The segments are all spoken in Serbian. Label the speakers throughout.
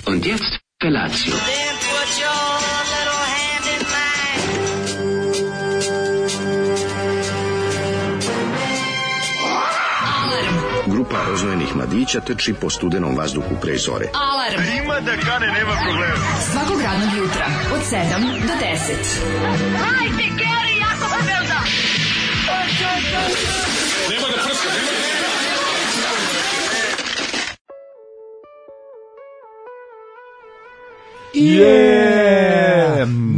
Speaker 1: Und jetzt Felatio.
Speaker 2: Then put your little hand in mine.
Speaker 3: Grupa roznojenih mladića trči po studenom vazduhu pre zore.
Speaker 4: Alarm.
Speaker 5: Ima da kane, nema problema.
Speaker 4: Svakog radnog jutra od 7 do 10.
Speaker 2: Hajde, Geri, jako se velda.
Speaker 5: Nema da prska, nema da...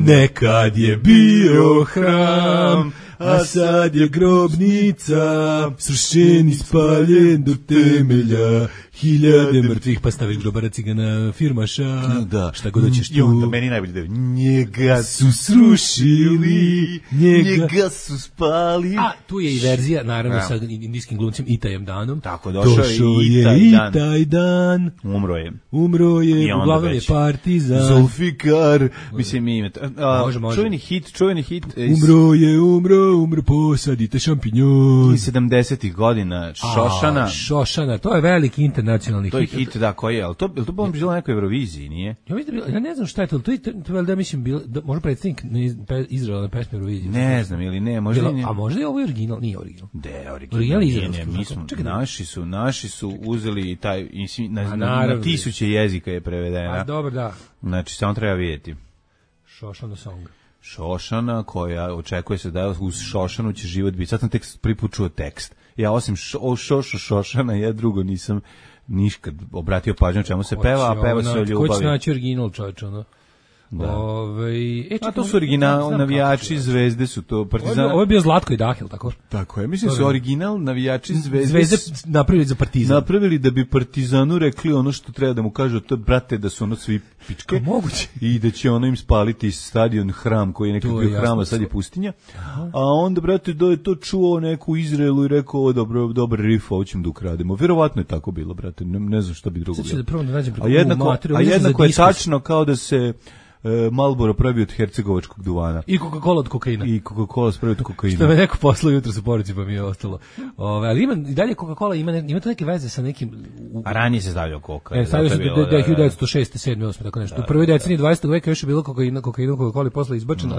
Speaker 6: Nekad je bio hram, a sad je grobnica, srušen i spaljen do temelja, hiljade mrtvih, pa staviš grobara cigana firmaša,
Speaker 7: da.
Speaker 6: Šta god hoćeš tu.
Speaker 7: I onda meni najbolje da je, njega
Speaker 6: su srušili,
Speaker 7: njega su spali.
Speaker 6: A tu je i verzija, naravno, sa indijskim glumcem Itajem Danom.
Speaker 7: Tako, došao
Speaker 6: je
Speaker 7: i
Speaker 6: Itaj Dan. Umro je, uglavnom je partizan.
Speaker 7: Zulfikar, mislim ime.
Speaker 6: Može.
Speaker 7: Čuveni hit.
Speaker 6: Umro, posadite šampinjon.
Speaker 7: 70-ih godina,
Speaker 6: Šošana, to je veliki internacionalni hit.
Speaker 7: To je hit, da, koji je, ali to bilo na nekoj Euroviziji, nije?
Speaker 6: Ja ne znam šta je to da mislim, možda predstavnik Izraela na pesme Euroviziji.
Speaker 7: Ne znam, ili ne, možda
Speaker 6: a možda je ovo original, nije original.
Speaker 7: Original je izraelski. Naši su uzeli taj, na tisuće jezika je prevedena.
Speaker 6: A dobro, da.
Speaker 7: Znači, samo treba vidjeti.
Speaker 6: Šošana song.
Speaker 7: Šošana, koja očekuje se da uz Šošanu će život biti. Sad sam tek pripučuo tekst. Ja osim Šošana, ja drugo nisam niškad obratio pažnju čemu se peva, a peva se o ljubavi.
Speaker 6: Ko će naći original, čovječe, ono?
Speaker 7: Da. A to su original navijači Zvezde, su to Partizan.
Speaker 6: Ovo je bio Zlatko i Dahil, tako?
Speaker 7: Tako je, mislim su original navijači Zvezde
Speaker 6: napravili za Partizan.
Speaker 7: Napravili da bi Partizanu rekli ono što treba da mu kažu, to brate da su ono svi pičke.
Speaker 6: Moguće.
Speaker 7: I da će ono im spaliti stadion, hram koji je nekako bio hram, a sad je pustinja. A onda, brate, da je to čuo neku u Izraelu i rekao, ovo dobar riff, ovo ćemo da ukrademo. Vjerovatno je tako bilo, brate, ne znam šta bi drugo bilo. A jednako je tačno kao da se Marlboro pravi od hercegovačkog duvana.
Speaker 6: I Coca-Cola od kokaina.
Speaker 7: I Coca-Cola spravi od kokaina.
Speaker 6: Što me neko poslao jutro sa poruci, pa mi je ostalo. Ali ima i dalje Coca-Cola, ima to neke veze sa nekim...
Speaker 7: A ranije se stavljao koka.
Speaker 6: Stavljao se 1906. 7. 8. tako nešto. U prvoj deceniji 20. veka još je bilo kokaina Coca-Cola posle izbačen,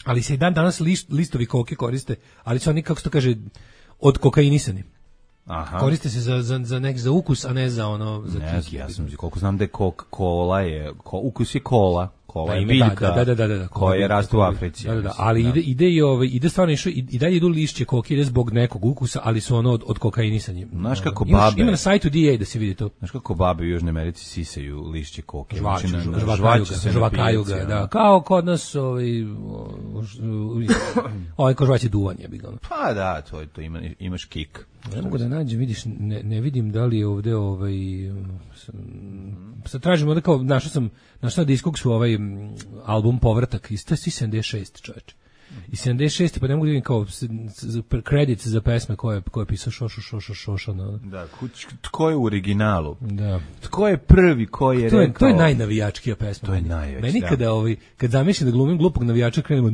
Speaker 6: ali se i danas listovi koke koriste, ali su oni, kako se to kaže, od kokainisani.
Speaker 7: Aha.
Speaker 6: Koriste se za ukus, a ne za ono za kiki.
Speaker 7: Ja sam koliko znam da je Coca-Cola je ukus je kola je biljka.
Speaker 6: Da.
Speaker 7: Koja raste u Africi.
Speaker 6: Da. Ali ide stvarno i dalje idu lišće koke, ide zbog nekog ukusa, ali su ono od kokainisanja.
Speaker 7: Znaš kako babe.
Speaker 6: Ima na sajtu DA da se vidi to.
Speaker 7: Znaš kako babe u Južnoj Americi sisaju lišće koke.
Speaker 6: Žvakaju ga, da. Kao kod nas ko žvaće duvanje.
Speaker 7: Pa da, to imaš kik.
Speaker 6: Ne mogu da nađem, vidiš, ne vidim da li je ovde sad tražimo da kao našao sam na Discogsu album Povratak iz 76, čoveče. I 76, pa ne mogu da vidim kao credits za pesme koje je pisao Šošana.
Speaker 7: Da, tko je u originalu?
Speaker 6: Da.
Speaker 7: Tko je prvi koji je rekao?
Speaker 6: To je najnavijačkija pesma.
Speaker 7: To je najveći.
Speaker 6: Meni kad zamišljam da glumim glupog navijača, krenemo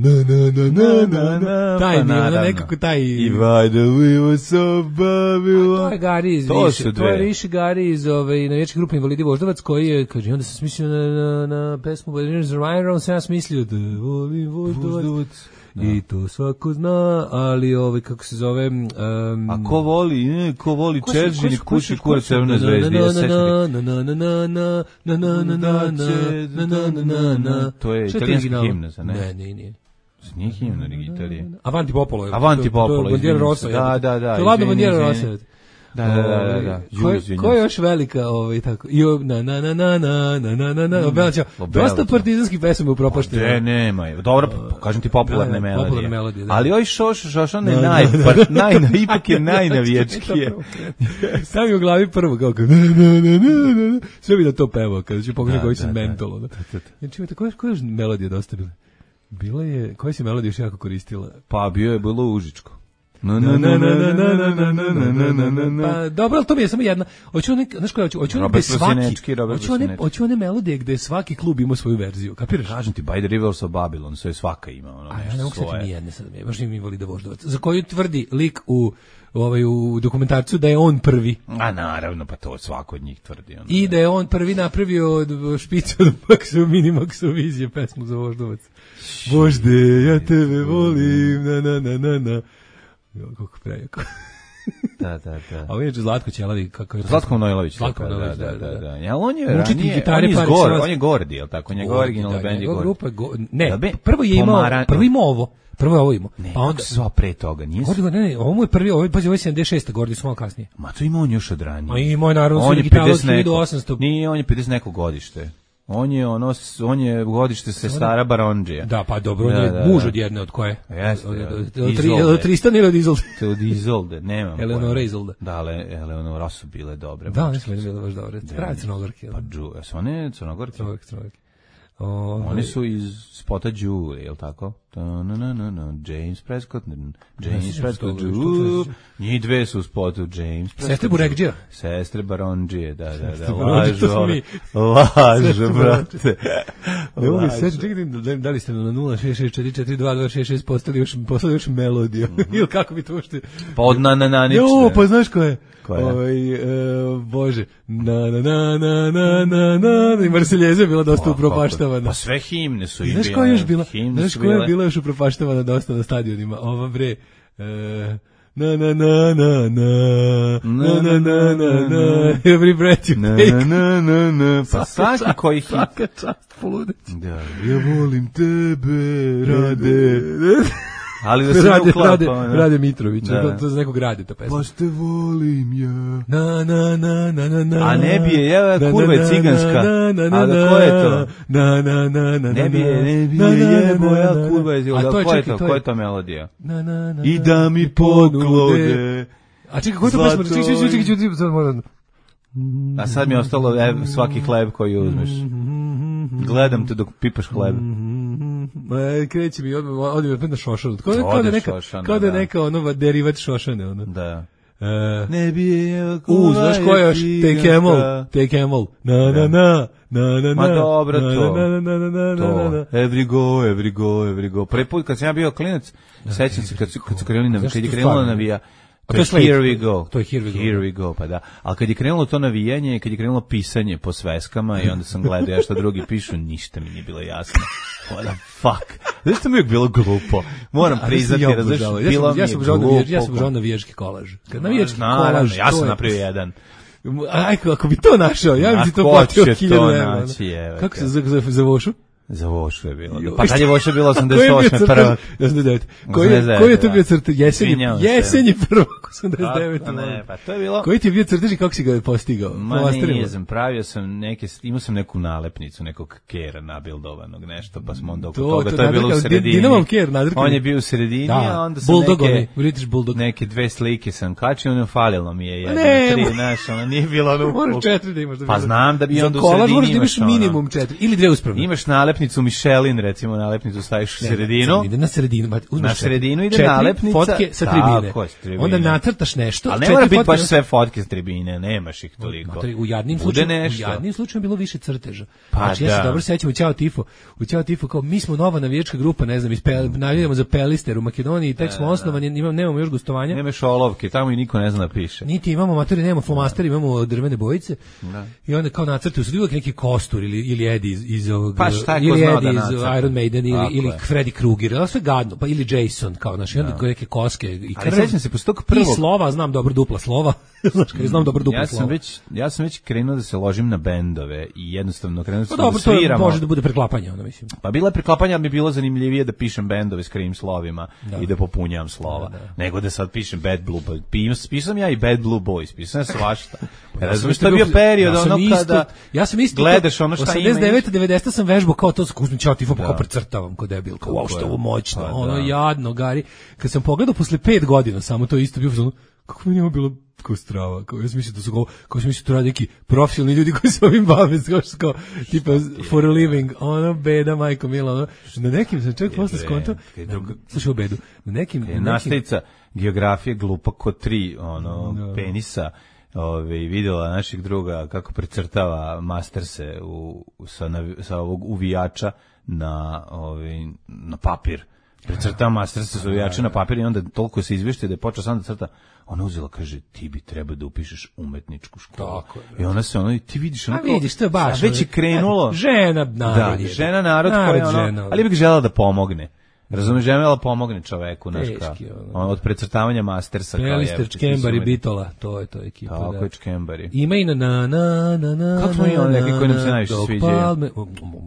Speaker 6: taj nekako taj...
Speaker 7: I vajda we were so Babylon.
Speaker 6: To je Gari iz to je Riši Gari iz navijačke grupe Invalidi Voždovac koji je, kaže, onda sam smislio na pesmu Ryan sam ja smislio da volim Voždovac. I to svako zna, ali kako se zove...
Speaker 7: A ko voli Čeržin kući kura Crvene zvezde? To je italijanska himna, ne?
Speaker 6: Ne.
Speaker 7: Nije himna Italije.
Speaker 6: Avanti Popolo.
Speaker 7: Bandiera
Speaker 6: Rossa.
Speaker 7: Da.
Speaker 6: To je ladno Bandiera Rossa.
Speaker 7: Da.
Speaker 6: Ko je još velika tako? Obelaća. Dosta partizanskih pesama upropaštene.
Speaker 7: Nema. Dobro, kažem ti popularne melodije. Ali oj Šošana je ipak je najnavijačkije.
Speaker 6: Stavi u glavi prvo kao sve bi da to pevao kada ću pogledati koji sam mentolo. Znači, koje je melodije dosta bile? Bila je, koja si melodija još jako koristila?
Speaker 7: Pa bilo Užičko.
Speaker 6: Pa dobro, ali to mi je samo jedna. Hoću one melodije gde svaki klub ima svoju verziju. Kapiraš?
Speaker 7: Kažem ti, By the Rivers of Babylon, sve svaka ima ono.
Speaker 6: A ja ne mogu setiti ni jedne sad, baš im Invalida Voždovac. Za koju tvrdi lik u dokumentarcu da je on prvi.
Speaker 7: A naravno, pa to svako od njih tvrdi.
Speaker 6: I da je on prvi napravio od špica do Maxu Minimaxu vizije pesmu za Voždovac. Vožde, ja tebe volim, na. Kako prejako.
Speaker 7: Da.
Speaker 6: A ovo je Zlatko Ćelavi.
Speaker 7: Zlatko Manojlović.
Speaker 6: Zlatko Manojlović, da.
Speaker 7: Ja, on je ranije, on je Gordi, je li tako? On je originalni band je Gordi.
Speaker 6: Ne, prvo je imao ovo. Prvo je ovo imao.
Speaker 7: Ne, pa onda se zvao pre toga, nije se?
Speaker 6: Ne, ovo mu je prvi, ovo je 76. Gordi su malo kasnije.
Speaker 7: Ma to ima on još od ranije.
Speaker 6: Ma imao je naravno gitaru od 1800.
Speaker 7: Nije, on je 50 neko godište. On je godište sestara Barondžija.
Speaker 6: Da, pa dobro, on je muž od jedne od koje?
Speaker 7: Jeste.
Speaker 6: Od Tristan ili od Izolde?
Speaker 7: Od Izolde, nemam.
Speaker 6: Eleonora Izolda.
Speaker 7: Da, ali Eleonora su bile dobre.
Speaker 6: Da, mislim da je bile baš dobre. Pravi Crnogorke.
Speaker 7: Pa su one Crnogorke?
Speaker 6: Crnogorke.
Speaker 7: Oni su iz spota Julie, je li tako? James Prescott, njih dve su u spotu James Prescott.
Speaker 6: Sestre Burekđija?
Speaker 7: Sestre Barondžije, da. Lažu, brate.
Speaker 6: Ne mogu se čekati, da li ste na 066442266 poslali još melodiju, ili kako bi to ušte?
Speaker 7: Pa od nananične.
Speaker 6: Jo, pa znaš ko je?
Speaker 7: Bože,
Speaker 6: na i Marseljeza je bila dosta upropaštavana.
Speaker 7: Pa sve himne su im bile.
Speaker 6: Znaš koja je bila još upropaštavana dosta na stadionima? Ova bre, na every breath you take.
Speaker 7: Pa svaki koji hit.
Speaker 6: Svaka čast, poludeć.
Speaker 7: Da, ja volim tebe, Rade. Ali da se uklapa.
Speaker 6: Rade Mitrović, to za nekog radi ta pesma.
Speaker 7: Baš te volim ja.
Speaker 6: Na.
Speaker 7: A ne bije, ja kurva je ciganska. A da ko je to?
Speaker 6: Na.
Speaker 7: Ne bije, jebo, ja kurva je ciganska. Ko je to? Ko je to melodija? I da mi poklode.
Speaker 6: A čekaj, ko je to pesma? Čekaj, sad moram.
Speaker 7: A sad mi je ostalo svaki hleb koji uzmeš. Gledam te dok pipaš hleb.
Speaker 6: Kreće mi odmah na Šošanu. Kao da je neka ono derivat Šošane.
Speaker 7: Da.
Speaker 6: Ne bije znaš ko je još? Take Camel. Na.
Speaker 7: Ma dobro to. Every go. Prvi put kad sam ja bio klinac, sećam se kad su krenuli kad je krenula navija. To je Here we go.
Speaker 6: To je Here
Speaker 7: we go, pa da. Ali kad je krenulo to navijanje, kad je krenulo pisanje po sveskama i onda sam gledao ja šta drugi pišu, ništa mi nije bilo jasno. What the fuck? Zašto mi je uvijek bilo glupo? Moram priznati, razliš, bilo mi je glupo.
Speaker 6: Ja sam obožavao navijački kolaž. Navijački kolaž.
Speaker 7: Ja sam napravio jedan.
Speaker 6: Aj, ako bi to našao, ja bi ti to platio 1000 evra. Kako se za Vošu?
Speaker 7: Za Vošu je bilo. Pa kad je Voša bilo 88. prvak.
Speaker 6: 89. Koji je to bio crtež? Jesenji prvak 89.
Speaker 7: Ne, pa to je bilo.
Speaker 6: Koji ti je bio crtež i kako si ga postigao?
Speaker 7: Ma nije znam, pravio sam imao sam neku nalepnicu, nekog kera nabildovanog nešto, pa smo onda oko toga, to je bilo u sredini.
Speaker 6: Dinamov ker nadrkani.
Speaker 7: On je bio u sredini, a onda sam
Speaker 6: British Bulldog.
Speaker 7: neke dve slike sam kačio, ono falilo mi je jedan, tri, znaš, ono nije bilo ono.
Speaker 6: Moraš 4 da imaš.
Speaker 7: Pa znam da bi onda u sredini
Speaker 6: imaš minimum 4 ili 2 uspravne.
Speaker 7: Imaš nalepnicu Michelin, recimo, nalepnicu staviš u sredinu.
Speaker 6: Ide na sredinu.
Speaker 7: Na sredinu ide nalepnica.
Speaker 6: Fotke sa tribine. Onda nacrtaš nešto.
Speaker 7: Ali ne mora biti baš sve fotke s tribine, nemaš ih toliko.
Speaker 6: U jadnim slučajima bilo više crteža. Znači, ja se dobro sećam u Ćao Tifo, kao mi smo nova navijačka grupa, ne znam, navijamo za Pelister u Makedoniji, tek smo osnovani, nemamo još gostovanja.
Speaker 7: Nemaš olovke, tamo i niko ne zna da piše.
Speaker 6: Niti imamo matori, nemamo flomasteri, imamo drvene bojice. I onda kao nacrtaju su uvijek neki Kostur ili Eddie iz ovog, ili Eddie iz Iron Maiden ili Freddy Krueger, ali sve gadno, pa ili Jason, kao naši, onda neke koske i krv.
Speaker 7: Ali sećam se, posle tog prvog...
Speaker 6: I slova, znam dobro dupla slova. Znaš, kad znam dobro dupla slova.
Speaker 7: Ja sam već krenuo da se ložim na bendove i jednostavno krenuo da
Speaker 6: sviramo. To može da bude preklapanje, ono mislim.
Speaker 7: Pa bila je preklapanja, ali mi je bilo zanimljivije da pišem bendove s krim slovima i da popunjam slova, nego da sad pišem Bad Blue Boys. Pisam ja i Bad Blue Boys, pisam ja svašta. Razumiješ, to je bio period ono kada gledaš ono šta ima.
Speaker 6: 89-90 sam vežbao kao to, uzmem Ćao Tifo, kao precrtavam ko debil, kao wow, što je ovo moćno, ono jadno, gari. Kad sam pogledao posle 5 godina, samo to isto bio, kako mi nije bilo, ko strava. Kao ja sam mislio da su kao sam mislio to radi neki profesionalni ljudi koji se ovim bave, kao tipa for a living, ono beda majko mila, ono. Na nekim sam čak posle skonto. Slušaj o bedu. Na nekim
Speaker 7: nastavnica geografije glupa ko 3 penisa. Videla naših druga kako precrtava masterse sa ovog uvijača na papir. Precrtava masterse sa uvijača na papir i onda toliko se izvješte da je počeo sam da crta. Ona uzela, kaže, ti bi trebao da upišeš umetničku školu. Tako, i ona se ti vidiš onako,
Speaker 6: vidiš, to je baš,
Speaker 7: već je krenulo.
Speaker 6: Žena narod.
Speaker 7: Da, žena narod koja ali bih žela da pomogne. Razumeš, žena pomogne čoveku, znaš od precrtavanja mastersa.
Speaker 6: Pelister, Čkembari, Bitola, to je ekipa.
Speaker 7: Tako je Čkembari.
Speaker 6: Ima i na.
Speaker 7: Kako smo imali neki koji nam se najviše sviđaju?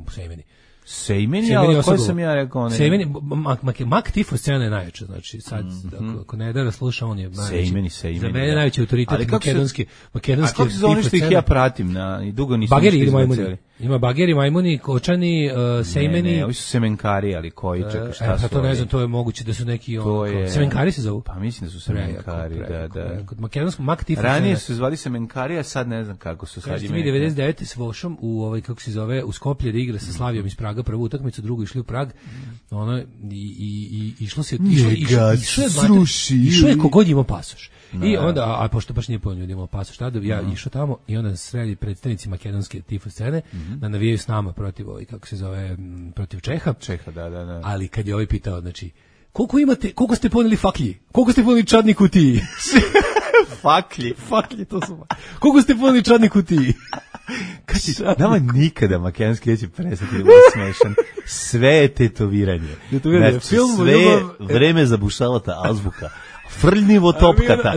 Speaker 6: Sejmeni.
Speaker 7: Sejmeni, ali koji sam ja rekao?
Speaker 6: Sejmeni, Mak Tifo scena je najjača, znači sad, ako Nedara sluša, on je najveći.
Speaker 7: Sejmeni.
Speaker 6: Za mene najveći autoritet makedonski.
Speaker 7: A kako se zove što ih ja pratim, i dugo nisam
Speaker 6: Bageri ili majmuni. Ima Bageri, majmuni, Kočani, Sejmeni.
Speaker 7: Ne, ovi su semenkari, ali koji, čekaj, šta su?
Speaker 6: To ne znam, to je moguće da su neki semenkari se zovu?
Speaker 7: Pa mislim da su semenkari, da.
Speaker 6: Kod makedonskog Mak Tifo.
Speaker 7: Ranije su zvali semenkari, a sad ne znam kako su sad.
Speaker 6: Kažete mi 99. s Vošom kako se zove, u Skoplje da igra sa Slavijom iz Praga, prvu utakmicu, drugu išli u Prag, i išlo se, išlo je kogod imao pasoš. I onda, a pošto baš nije pojavno ljudi imao pasoš, tada ja išao tamo i onda sredi predstavnici makedonske tifo scene da navijaju s nama protiv protiv Čeha.
Speaker 7: Da.
Speaker 6: Ali kad je pitao, znači, koliko ste poneli faklji? Koliko ste poneli čadni kutiji? Faklji, to su. Koliko ste poneli čadni kutiji?
Speaker 7: Nama nikada makedonski neće prestati da smešan. Sve je tetoviranje. Sve vreme zabušavata azbuka. Frljnivo topkata.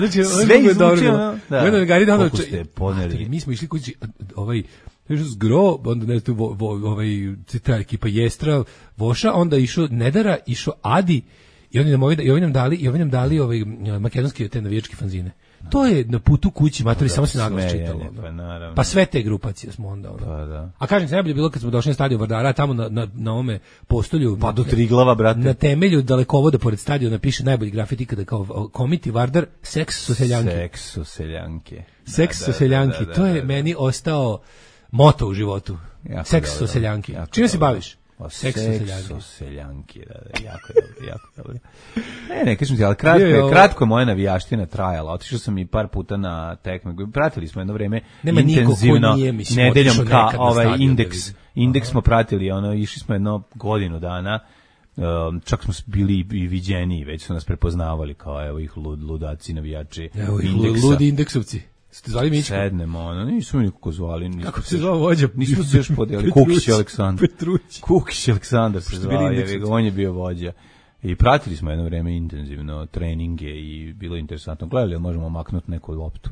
Speaker 7: Sve izvuči. Koliko ste poneli.
Speaker 6: Mi smo išli kući, zgro, onda ta ekipa Jestra, Voša, onda išao Nedara, išao Adi, i oni nam dali makedonske te navijačke fanzine. To je na putu kući, matori, samo se naglas čitalo. Pa sve te grupacije smo onda. A kažem, najbolje bilo kad smo došli na stadion Vardara, tamo na ome postolju,
Speaker 7: pa do Triglava, brate.
Speaker 6: Na temelju dalekovoda pored stadiona piše najbolji grafit ikada, kao Komiti Vardar, seks su seljanke. To je meni ostao moto u životu. Seks su seljanke. Čime se baviš?
Speaker 7: Seks su seljanki, jako dobro. Ne, kažem ti, ali kratko je moja navijaština trajala. Otišao sam i par puta na tekme. Pratili smo jedno vreme intenzivno nedeljom Indeks smo pratili, išli smo jedno godinu dana. Čak smo bili i viđeni, već su nas prepoznavali kao evo ih ludaci navijači Indeksa.
Speaker 6: Ludi indeksovci. Ste zvali Mićko?
Speaker 7: Sednemo, nisu mi nikako zvali.
Speaker 6: Kako se zvao vođa?
Speaker 7: Nismo se još podijeli. Kukić Aleksandar se zvao, on je bio vođa. I pratili smo jedno vreme intenzivno treninge i bilo interesantno. Gledali, možemo maknuti neku loptu.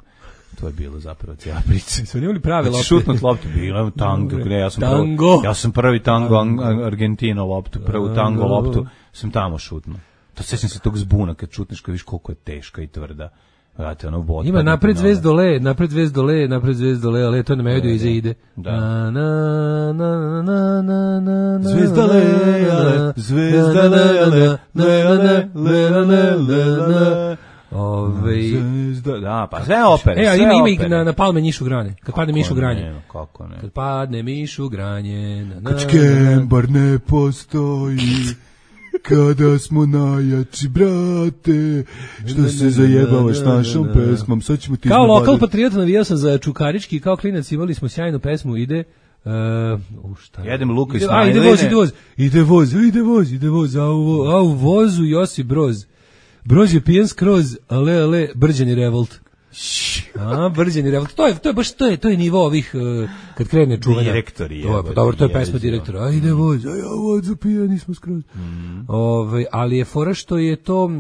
Speaker 7: To je bilo zapravo cijela priča.
Speaker 6: Smo imali prave lopte.
Speaker 7: Šutnut loptu, bilo tango. Ja sam prvi tango Argentina loptu, prvu tango loptu sam tamo šutno. To sećam se tog zbuna kad šutneš, kad viš koliko je teška i tvrda.
Speaker 6: Ima napred zvezd dole, ale to na melodiju iza ide.
Speaker 7: Da, pa sve opere.
Speaker 6: Ima ih na palme Mišu Granje. Kad padne Mišu Granje.
Speaker 7: Kako ne?
Speaker 6: Kad padne Mišu Granje.
Speaker 7: Kad Čkembar ne postoji. Kada smo najjači, brate, što se zajebavaš našom pesmom, sad ćemo ti
Speaker 6: kao lokal patriot navijao sam za Čukarički, kao klinac imali smo sjajnu pesmu, ide
Speaker 7: jedem luka i snajline.
Speaker 6: Ide voz, a u vozu Josip Broz je pijen skroz, ale, Brđani revolt. Brđani revolt. To je nivo ovih kad krene čuvanja.
Speaker 7: Direktori.
Speaker 6: Dobro, to je pesma direktora. Ajde voz, vozu pijani smo skroz. Ali je fora što je to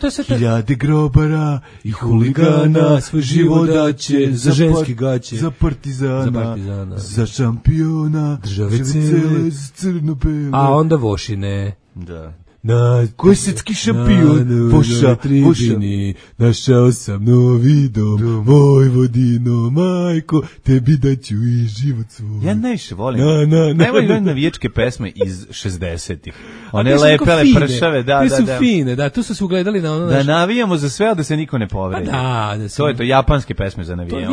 Speaker 6: je sve
Speaker 7: hiljade grobara i huligana svoj život daće
Speaker 6: za ženski gaće,
Speaker 7: za partizana, za šampiona
Speaker 6: države cele,
Speaker 7: crno-bele.
Speaker 6: a onda Vošine.
Speaker 7: Da.
Speaker 6: na
Speaker 7: Kosovski šampion, Voša,
Speaker 6: našao sam novi dom, Vojvodino, majko, tebi daću i život svoj.
Speaker 7: Ja najviše volim. Najvoljim navijačke pesme iz 60-ih. One lepele pršave, da.
Speaker 6: Te su fine, da, tu su se ugledali na ono.
Speaker 7: Da navijamo za sve, a da se niko ne povredi.
Speaker 6: Da,
Speaker 7: to je to, japanske pesme za navijanje.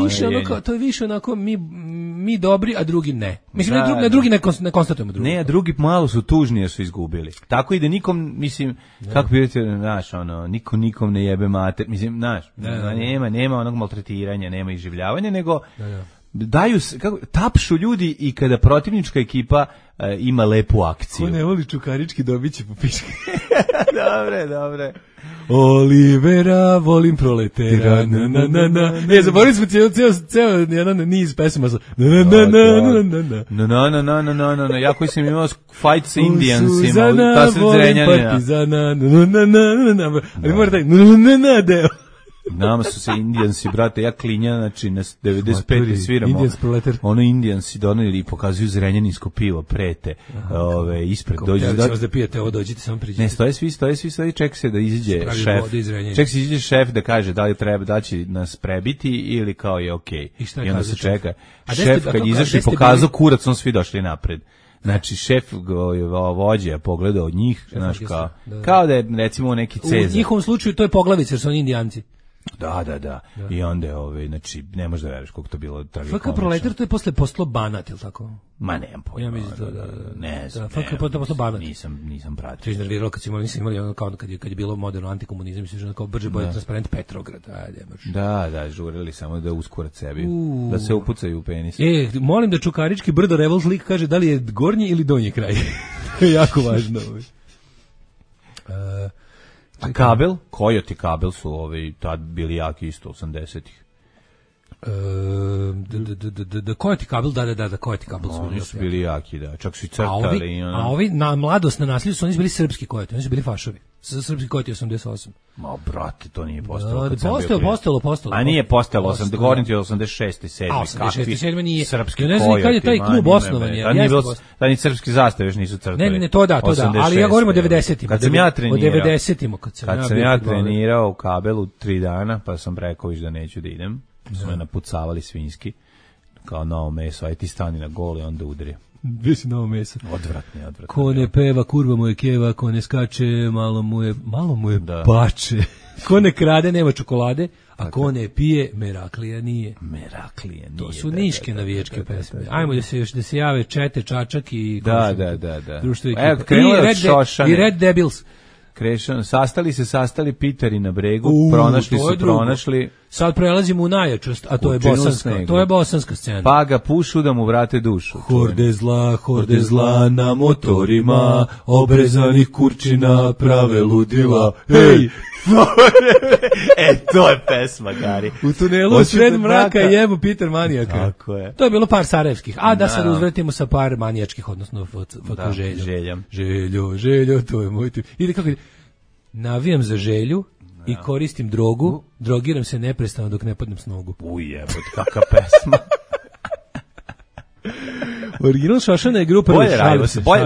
Speaker 6: To je više onako mi dobri, a drugi ne. Mislim, na drugi ne konstatujemo drugi.
Speaker 7: Ne, a drugi malo su tužni jer su izgubili. Tako i da nikom, mislim, kako bi vidite, znaš, ono, nikom ne jebe mater, mislim, znaš, nema onog maltretiranja, nema iživljavanja, nego daju, tapšu ljudi i kada protivnička ekipa ima lepu akciju.
Speaker 6: Ko ne voli Čukarički, dobit će po piške.
Speaker 7: Dobre.
Speaker 6: Olivera, volim proletera, Ne, zaboravili smo ceo jedan niz pesama.
Speaker 7: Ja koji sam imao fight sa Indijansima, ta sred Zrenjanina.
Speaker 6: Ali mora taj deo.
Speaker 7: Nama su se Indijansi, brate, ja klinja, znači na 95. sviramo. Ono Indijansi doneli i pokazuju zrenjaninsko pivo, prete, ispred.
Speaker 6: Dođite da pijete, ovo dođite, samo priđite.
Speaker 7: Ne, stoje, čeka se da izađe šef. Čeka se izađe šef da kaže da li treba da će nas prebiti ili kao je okej. I onda se čeka. Šef kad je izašao i pokazao kurac, on svi došli napred. Znači, šef vođe je pogledao od njih, znaš, kao da je, recimo, neki Cezar.
Speaker 6: U njihovom slučaju to je poglavica, jer su oni Indijanci.
Speaker 7: Da. I onda je, znači, ne možeš da veriš koliko to bilo tragikomično.
Speaker 6: FK Proletar, to je posle postalo Banat, ili tako?
Speaker 7: Ma nemam pojma.
Speaker 6: Ja mislim da.
Speaker 7: Ne znam.
Speaker 6: FK postalo Banat.
Speaker 7: Nisam pratio.
Speaker 6: To je iznerviralo kad smo imali ono kao kad je bilo moderno antikomunizam, mislim kao brže bolje transparent Petrograd. Ajde, može.
Speaker 7: Da, žurili samo da uskurac sebi, da se upucaju u penis.
Speaker 6: Molim da Čukarički Brdo Revolt lik kaže da li je gornji ili donji kraj. To je jako važno.
Speaker 7: A kabel? Kojoti kabel su tad bili jaki isto 80-ih.
Speaker 6: Kojoti kabel, da, Kojoti kabel su.
Speaker 7: Oni su bili jaki, da. Čak su i crtali.
Speaker 6: A ovi na mladost, na nasilju su oni bili srpski Kojoti, oni su bili fašovi. Srpski Kojoti 88.
Speaker 7: Ma, brate, to nije postalo.
Speaker 6: Postalo.
Speaker 7: A nije postalo, govorim ti 86. 7.
Speaker 6: A, 86. 7. nije.
Speaker 7: Srpski
Speaker 6: Kojoti. Ne znam kad je taj klub osnovan.
Speaker 7: Tad ni srpski zastave još nisu crtali.
Speaker 6: Ne, to da. Ali ja govorim o 90-ima.
Speaker 7: Kad sam ja trenirao.
Speaker 6: O 90-ima.
Speaker 7: Kad sam ja trenirao u kabelu 3 dana, pa sam rekao da neću da idem. Su me napucavali svinjski, kao novo meso, aj ti stani na gol i onda udri.
Speaker 6: Gdje si novo meso?
Speaker 7: Odvratni.
Speaker 6: Ko ne peva, kurva mu je keva, ko ne skače, malo mu je bače. Ko ne krade, nema čokolade, a ko ne pije, Meraklija nije. To su niške navijačke pesme. Ajmo da se jave Čete, Čačak i društvo ekipa. I Red Devils.
Speaker 7: Sastali Piteri na bregu, pronašli.
Speaker 6: Sad prelazimo u najjačost, a to je bosanska. To je bosanska scena.
Speaker 7: Pa ga pušu da mu vrate dušu.
Speaker 6: Horde zla na motorima, obrezanih kurčina prave ludila. Hej!
Speaker 7: To je pesma, Gari.
Speaker 6: U tunelu sred mraka jebo Peter manijaka.
Speaker 7: Tako je.
Speaker 6: To je bilo par sarajevskih. A da se uzvratimo sa par manijačkih, odnosno
Speaker 7: željom.
Speaker 6: Željo, to je moj tip. Ide kako ide. Navijam za želju i koristim drogu, drogiram se neprestano dok ne padnem s nogu.
Speaker 7: Ujebot, kakva pesma.
Speaker 6: Original Šošana je grupa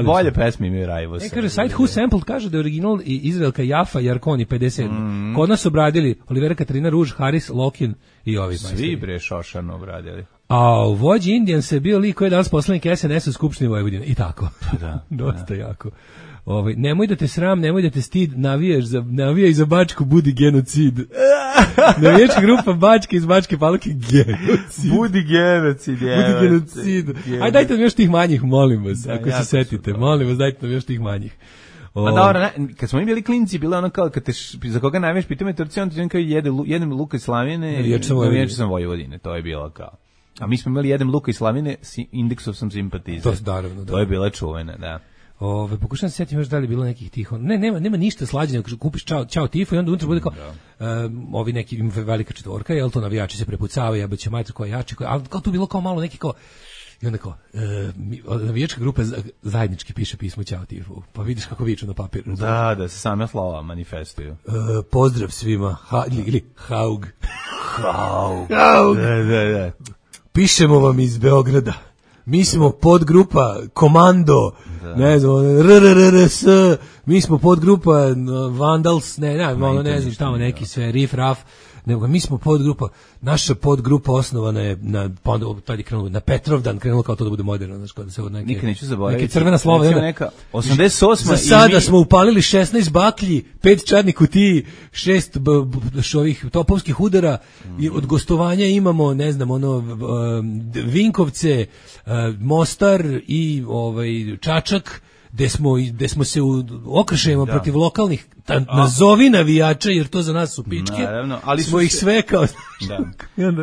Speaker 7: bolje pesme imaju Rajvos.
Speaker 6: Kaže Site Who Sampled kaže da je original i Izraelka Jafa Jarkoni 57. Kod nas obradili Olivera Katarina Ruž, Haris Lokin i ovi majstori.
Speaker 7: Svi bre Šošanu obradili.
Speaker 6: A u vođi Indijan se bio lik koji je danas poslanik SNS u Skupštini Vojvodine. I tako.
Speaker 7: Da.
Speaker 6: Dosta jako. Nemoj da te sram, nemoj da te stid, navijaj za Bačku, budi genocid. Navijačka grupa Bačke iz Bačke Palanke, genocid.
Speaker 7: Budi genocid.
Speaker 6: Ajde, dajte nam još tih manjih, molim vas, ako se setite. Molim vas, dajte nam još tih manjih.
Speaker 7: A dobro, kad smo mi bili klinci, bilo ono kao, kad te, za koga najviše pitao me Turci, on ti kao jedem luka iz Slavine, navijač sam Vojvodine, to je bilo kao. A mi smo imali jedem luka iz Slavine, indeksov sam simpatizer. To je bila čuvena, da.
Speaker 6: Pokušam se sjetiti još da li je bilo nekih tih, nema ništa slađe nego kupiš čao tifo i onda unutra bude kao ovi neki velika četvorka, jel to navijači se prepucavaju, jebaće majter koja jači, ali kao tu bilo kao malo neki kao i onda kao navijačka grupa zajednički piše pismo čao tifo, pa vidiš kako viču na papiru.
Speaker 7: Da se same slova manifestuju.
Speaker 6: Pozdrav svima, ili Haug.
Speaker 7: Da.
Speaker 6: Pišemo vam iz Beograda. Mi smo podgrupa Komando, ne znam, RRRS, mi smo podgrupa Vandals, ne znam, tamo neki sve, Riff Raff, nego mi smo podgrupa, naša podgrupa osnovana je na Petrovdan, krenulo kao to da bude moderno, znači da se od neke crvena slova,
Speaker 7: neka 88.
Speaker 6: Za sada smo upalili 16 baklji, 5 čadnih kutiji, 6 ovih topovskih udara i od gostovanja imamo, ne znam, Vinkovce, Mostar i Čačak, gde smo se u okršajima protiv lokalnih nazovi navijača, jer to za nas su pičke.
Speaker 7: Naravno, ali
Speaker 6: smo ih sve kao...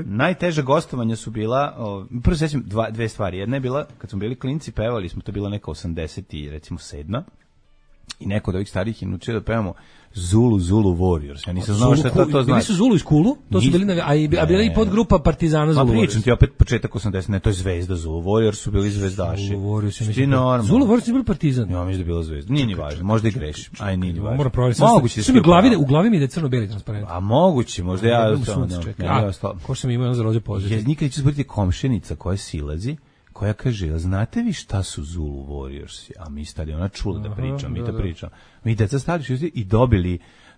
Speaker 7: Najteže gostovanja su bila, prvo sećam dve stvari. Jedna je bila, kad smo bili klinci, pevali smo, to bila neka 80 i recimo 7. I neko od ovih starih je naučio da pevamo Zulu Warriors. Ja nisam znao šta to znači.
Speaker 6: Bili su Zulu iz Kulu, to su bili, a bila i podgrupa Partizana Zulu Warriors.
Speaker 7: Ma pričam ti opet početak 80, ne, to je Zvezda Zulu Warriors, su bili zvezdaši.
Speaker 6: Zulu Warriors,
Speaker 7: Zulu
Speaker 6: Warriors je bili Partizan.
Speaker 7: Ja mislim da je bila Zvezda. Nije ni važno, možda i grešim. Aj, nije ni važno.
Speaker 6: Moram provjeriti.
Speaker 7: Moguće
Speaker 6: su mi u glavi mi da je crno-beli transparent.
Speaker 7: A moguće, možda ja
Speaker 6: ko što mi imao za rođe pozitiv.
Speaker 7: Ja nikad ću zboriti komšenica koja silazi, koja kaže, znate vi šta su Zulu Warriors? A mi stali, ona čula da pričam, mi to pričam. Mi deca stali i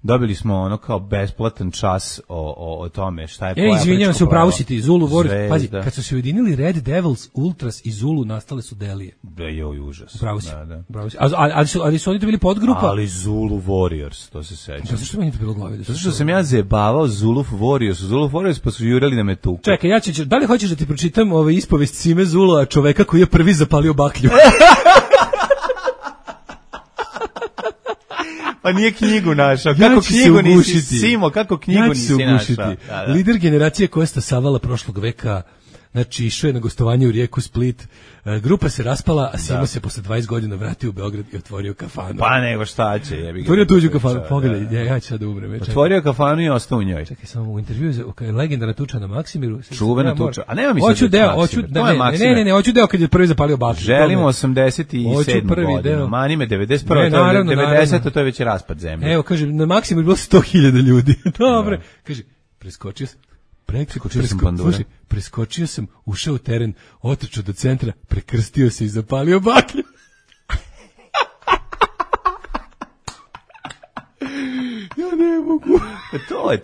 Speaker 7: dobili smo ono kao besplatan čas o tome šta je koja.
Speaker 6: Izvinjavam se, upravo si ti, Zulu Warriors. Pazi, kad su se ujedinili Red Devils, Ultras i Zulu, nastale su Delije.
Speaker 7: Joj, užas.
Speaker 6: Upravo si. Ali su oni to bili podgrupa.
Speaker 7: Ali Zulu Warriors, to se sećam.
Speaker 6: Zato što meni to bilo u glavi?
Speaker 7: Zato što sam ja zajebavao Zulu Warriors, pa su jurali na me tuku.
Speaker 6: Čekaj, da li hoćeš da ti pročitam ispovest Sime Zula, čoveka koji je prvi zapalio baklju?
Speaker 7: Pa nije knjigu našao. Kako knjigu nisi, Simo, kako knjigu nisi našao?
Speaker 6: Lider generacije koja je stasavala prošlog veka, znači išao je na gostovanje u Rijeku Split, grupa se raspala, a Simo se posle 20 godina vratio u Beograd i otvorio kafanu.
Speaker 7: Pa nego šta će, jebi ga.
Speaker 6: Otvorio tuđu kafanu, pogledaj, ja ću sad da umrem.
Speaker 7: Otvorio kafanu i ostao u njoj.
Speaker 6: Čekaj, samo u intervju legendarna tuča na Maksimiru.
Speaker 7: Čuvena tuča, a nema mi
Speaker 6: hoću deo kad je prvi zapalio baklju.
Speaker 7: Želimo 87. godinu, mani me 91. 90. to je već raspad zemlje.
Speaker 6: Evo, kaže, na Maksimiru bilo 100.000 ljudi. Dobre, kaže, preskočio sam, ušao u teren, otrčao do centra, prekrstio se i zapalio baklju. Ja ne mogu.
Speaker 7: To je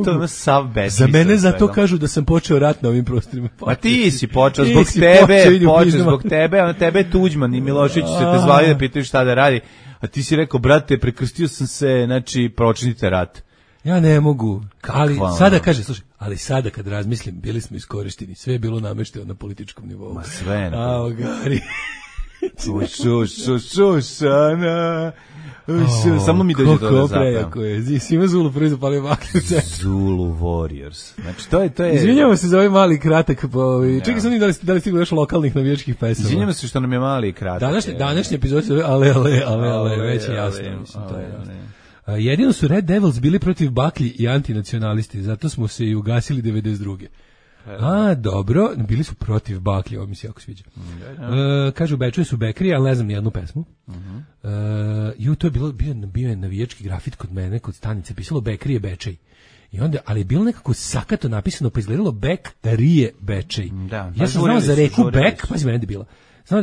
Speaker 7: to sav besmisao.
Speaker 6: Za mene zato kažu da sam počeo rat na ovim prostorima.
Speaker 7: Ma ti si počeo zbog tebe, a tebe Tuđman i Milošević se te zvali da pitaju šta da radi, a ti si rekao, brate, prekrstio sam se, znači, pročinite rat.
Speaker 6: Ja ne mogu, ali sada kad razmislim, bili smo iskorišteni, sve je bilo namešteno na političkom nivou.
Speaker 7: Ma sve
Speaker 6: na Gari.
Speaker 7: Šušana. Samo mi dođe to da zapravo.
Speaker 6: Sima Zulu prvi zapalio baklju.
Speaker 7: Zulu Warriors. Znači, to je...
Speaker 6: Izvinjamo se za ovaj mali kratak. Čekaj sam da li stiglo još lokalnih navijačkih pesama.
Speaker 7: Izvinjamo se što nam je mali kratak.
Speaker 6: Današnji epizod se zove ale, već je jasno. Mislim, to je jasno. Jedino su Red Devils bili protiv baklji i antinacionalisti, zato smo se i ugasili 92. Dobro, bili su protiv baklji, ovo mi se jako sviđa. Kažu, u Beču su Bekri, ali ne znam nijednu pesmu. To je bio je navijački grafit kod mene, kod stanice, pisalo Bekri je Bečej. I onda, ali je bilo nekako sakato napisano, pa izgledalo Bek Rije Bečej. Ja sam znao za reku Bek, pazi mene da je bila.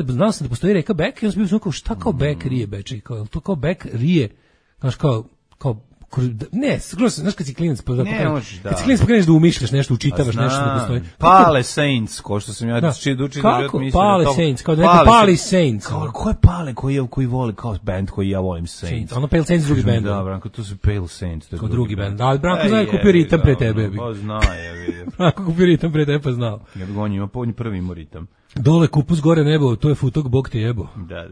Speaker 6: Znao sam da postoji reka Bek, i onda sam bio kao, šta kao Bek Rije Bečej? To kao Bek Rije, znaš, kao ne, skoro se, znaš kad si klinac, kad si klinac pokreneš da umišljaš nešto, učitavaš nešto da postoji.
Speaker 7: Pale Saints, ko što sam ja učitao.
Speaker 6: Kako? Pale Saints, kao da neko Pali Saints.
Speaker 7: Ko je Pale koji voli kao band koji ja volim Saints?
Speaker 6: Ono Pale Saints drugi band.
Speaker 7: Da, Branko, to su Pale Saints.
Speaker 6: Kao drugi band. Ali Branko zna kupio ritam pre tebe.
Speaker 7: Pa zna je.
Speaker 6: Branko kupio ritam pre tebe, pa znao.
Speaker 7: Ja bih on ima prvi imao ritam.
Speaker 6: Dole kupus, gore nebo, to je futog, Bog te jebo.
Speaker 7: Da.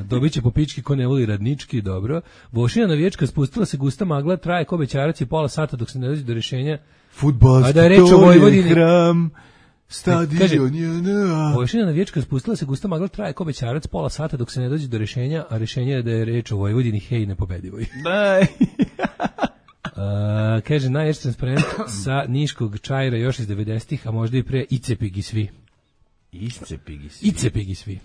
Speaker 6: Dobit će po pički ko ne voli radnički, dobro. Vošina navijačka, spustila se gusta magla, traje ko bećarac i pola sata dok se ne dođe do rješenja.
Speaker 7: Fudbalski,
Speaker 6: da je
Speaker 7: to je hram, stadion je
Speaker 6: Vošina navijačka, spustila se gusta magla, traje ko bećarac, pola sata dok se ne dođe do rješenja, a rješenje je da je reč o Vojvodini, hej, nepobedivoj. Kaže, najjači transparent sa Niškog Čajra još iz 90-ih, a možda i pre Icepigi svi. Icepigi svi.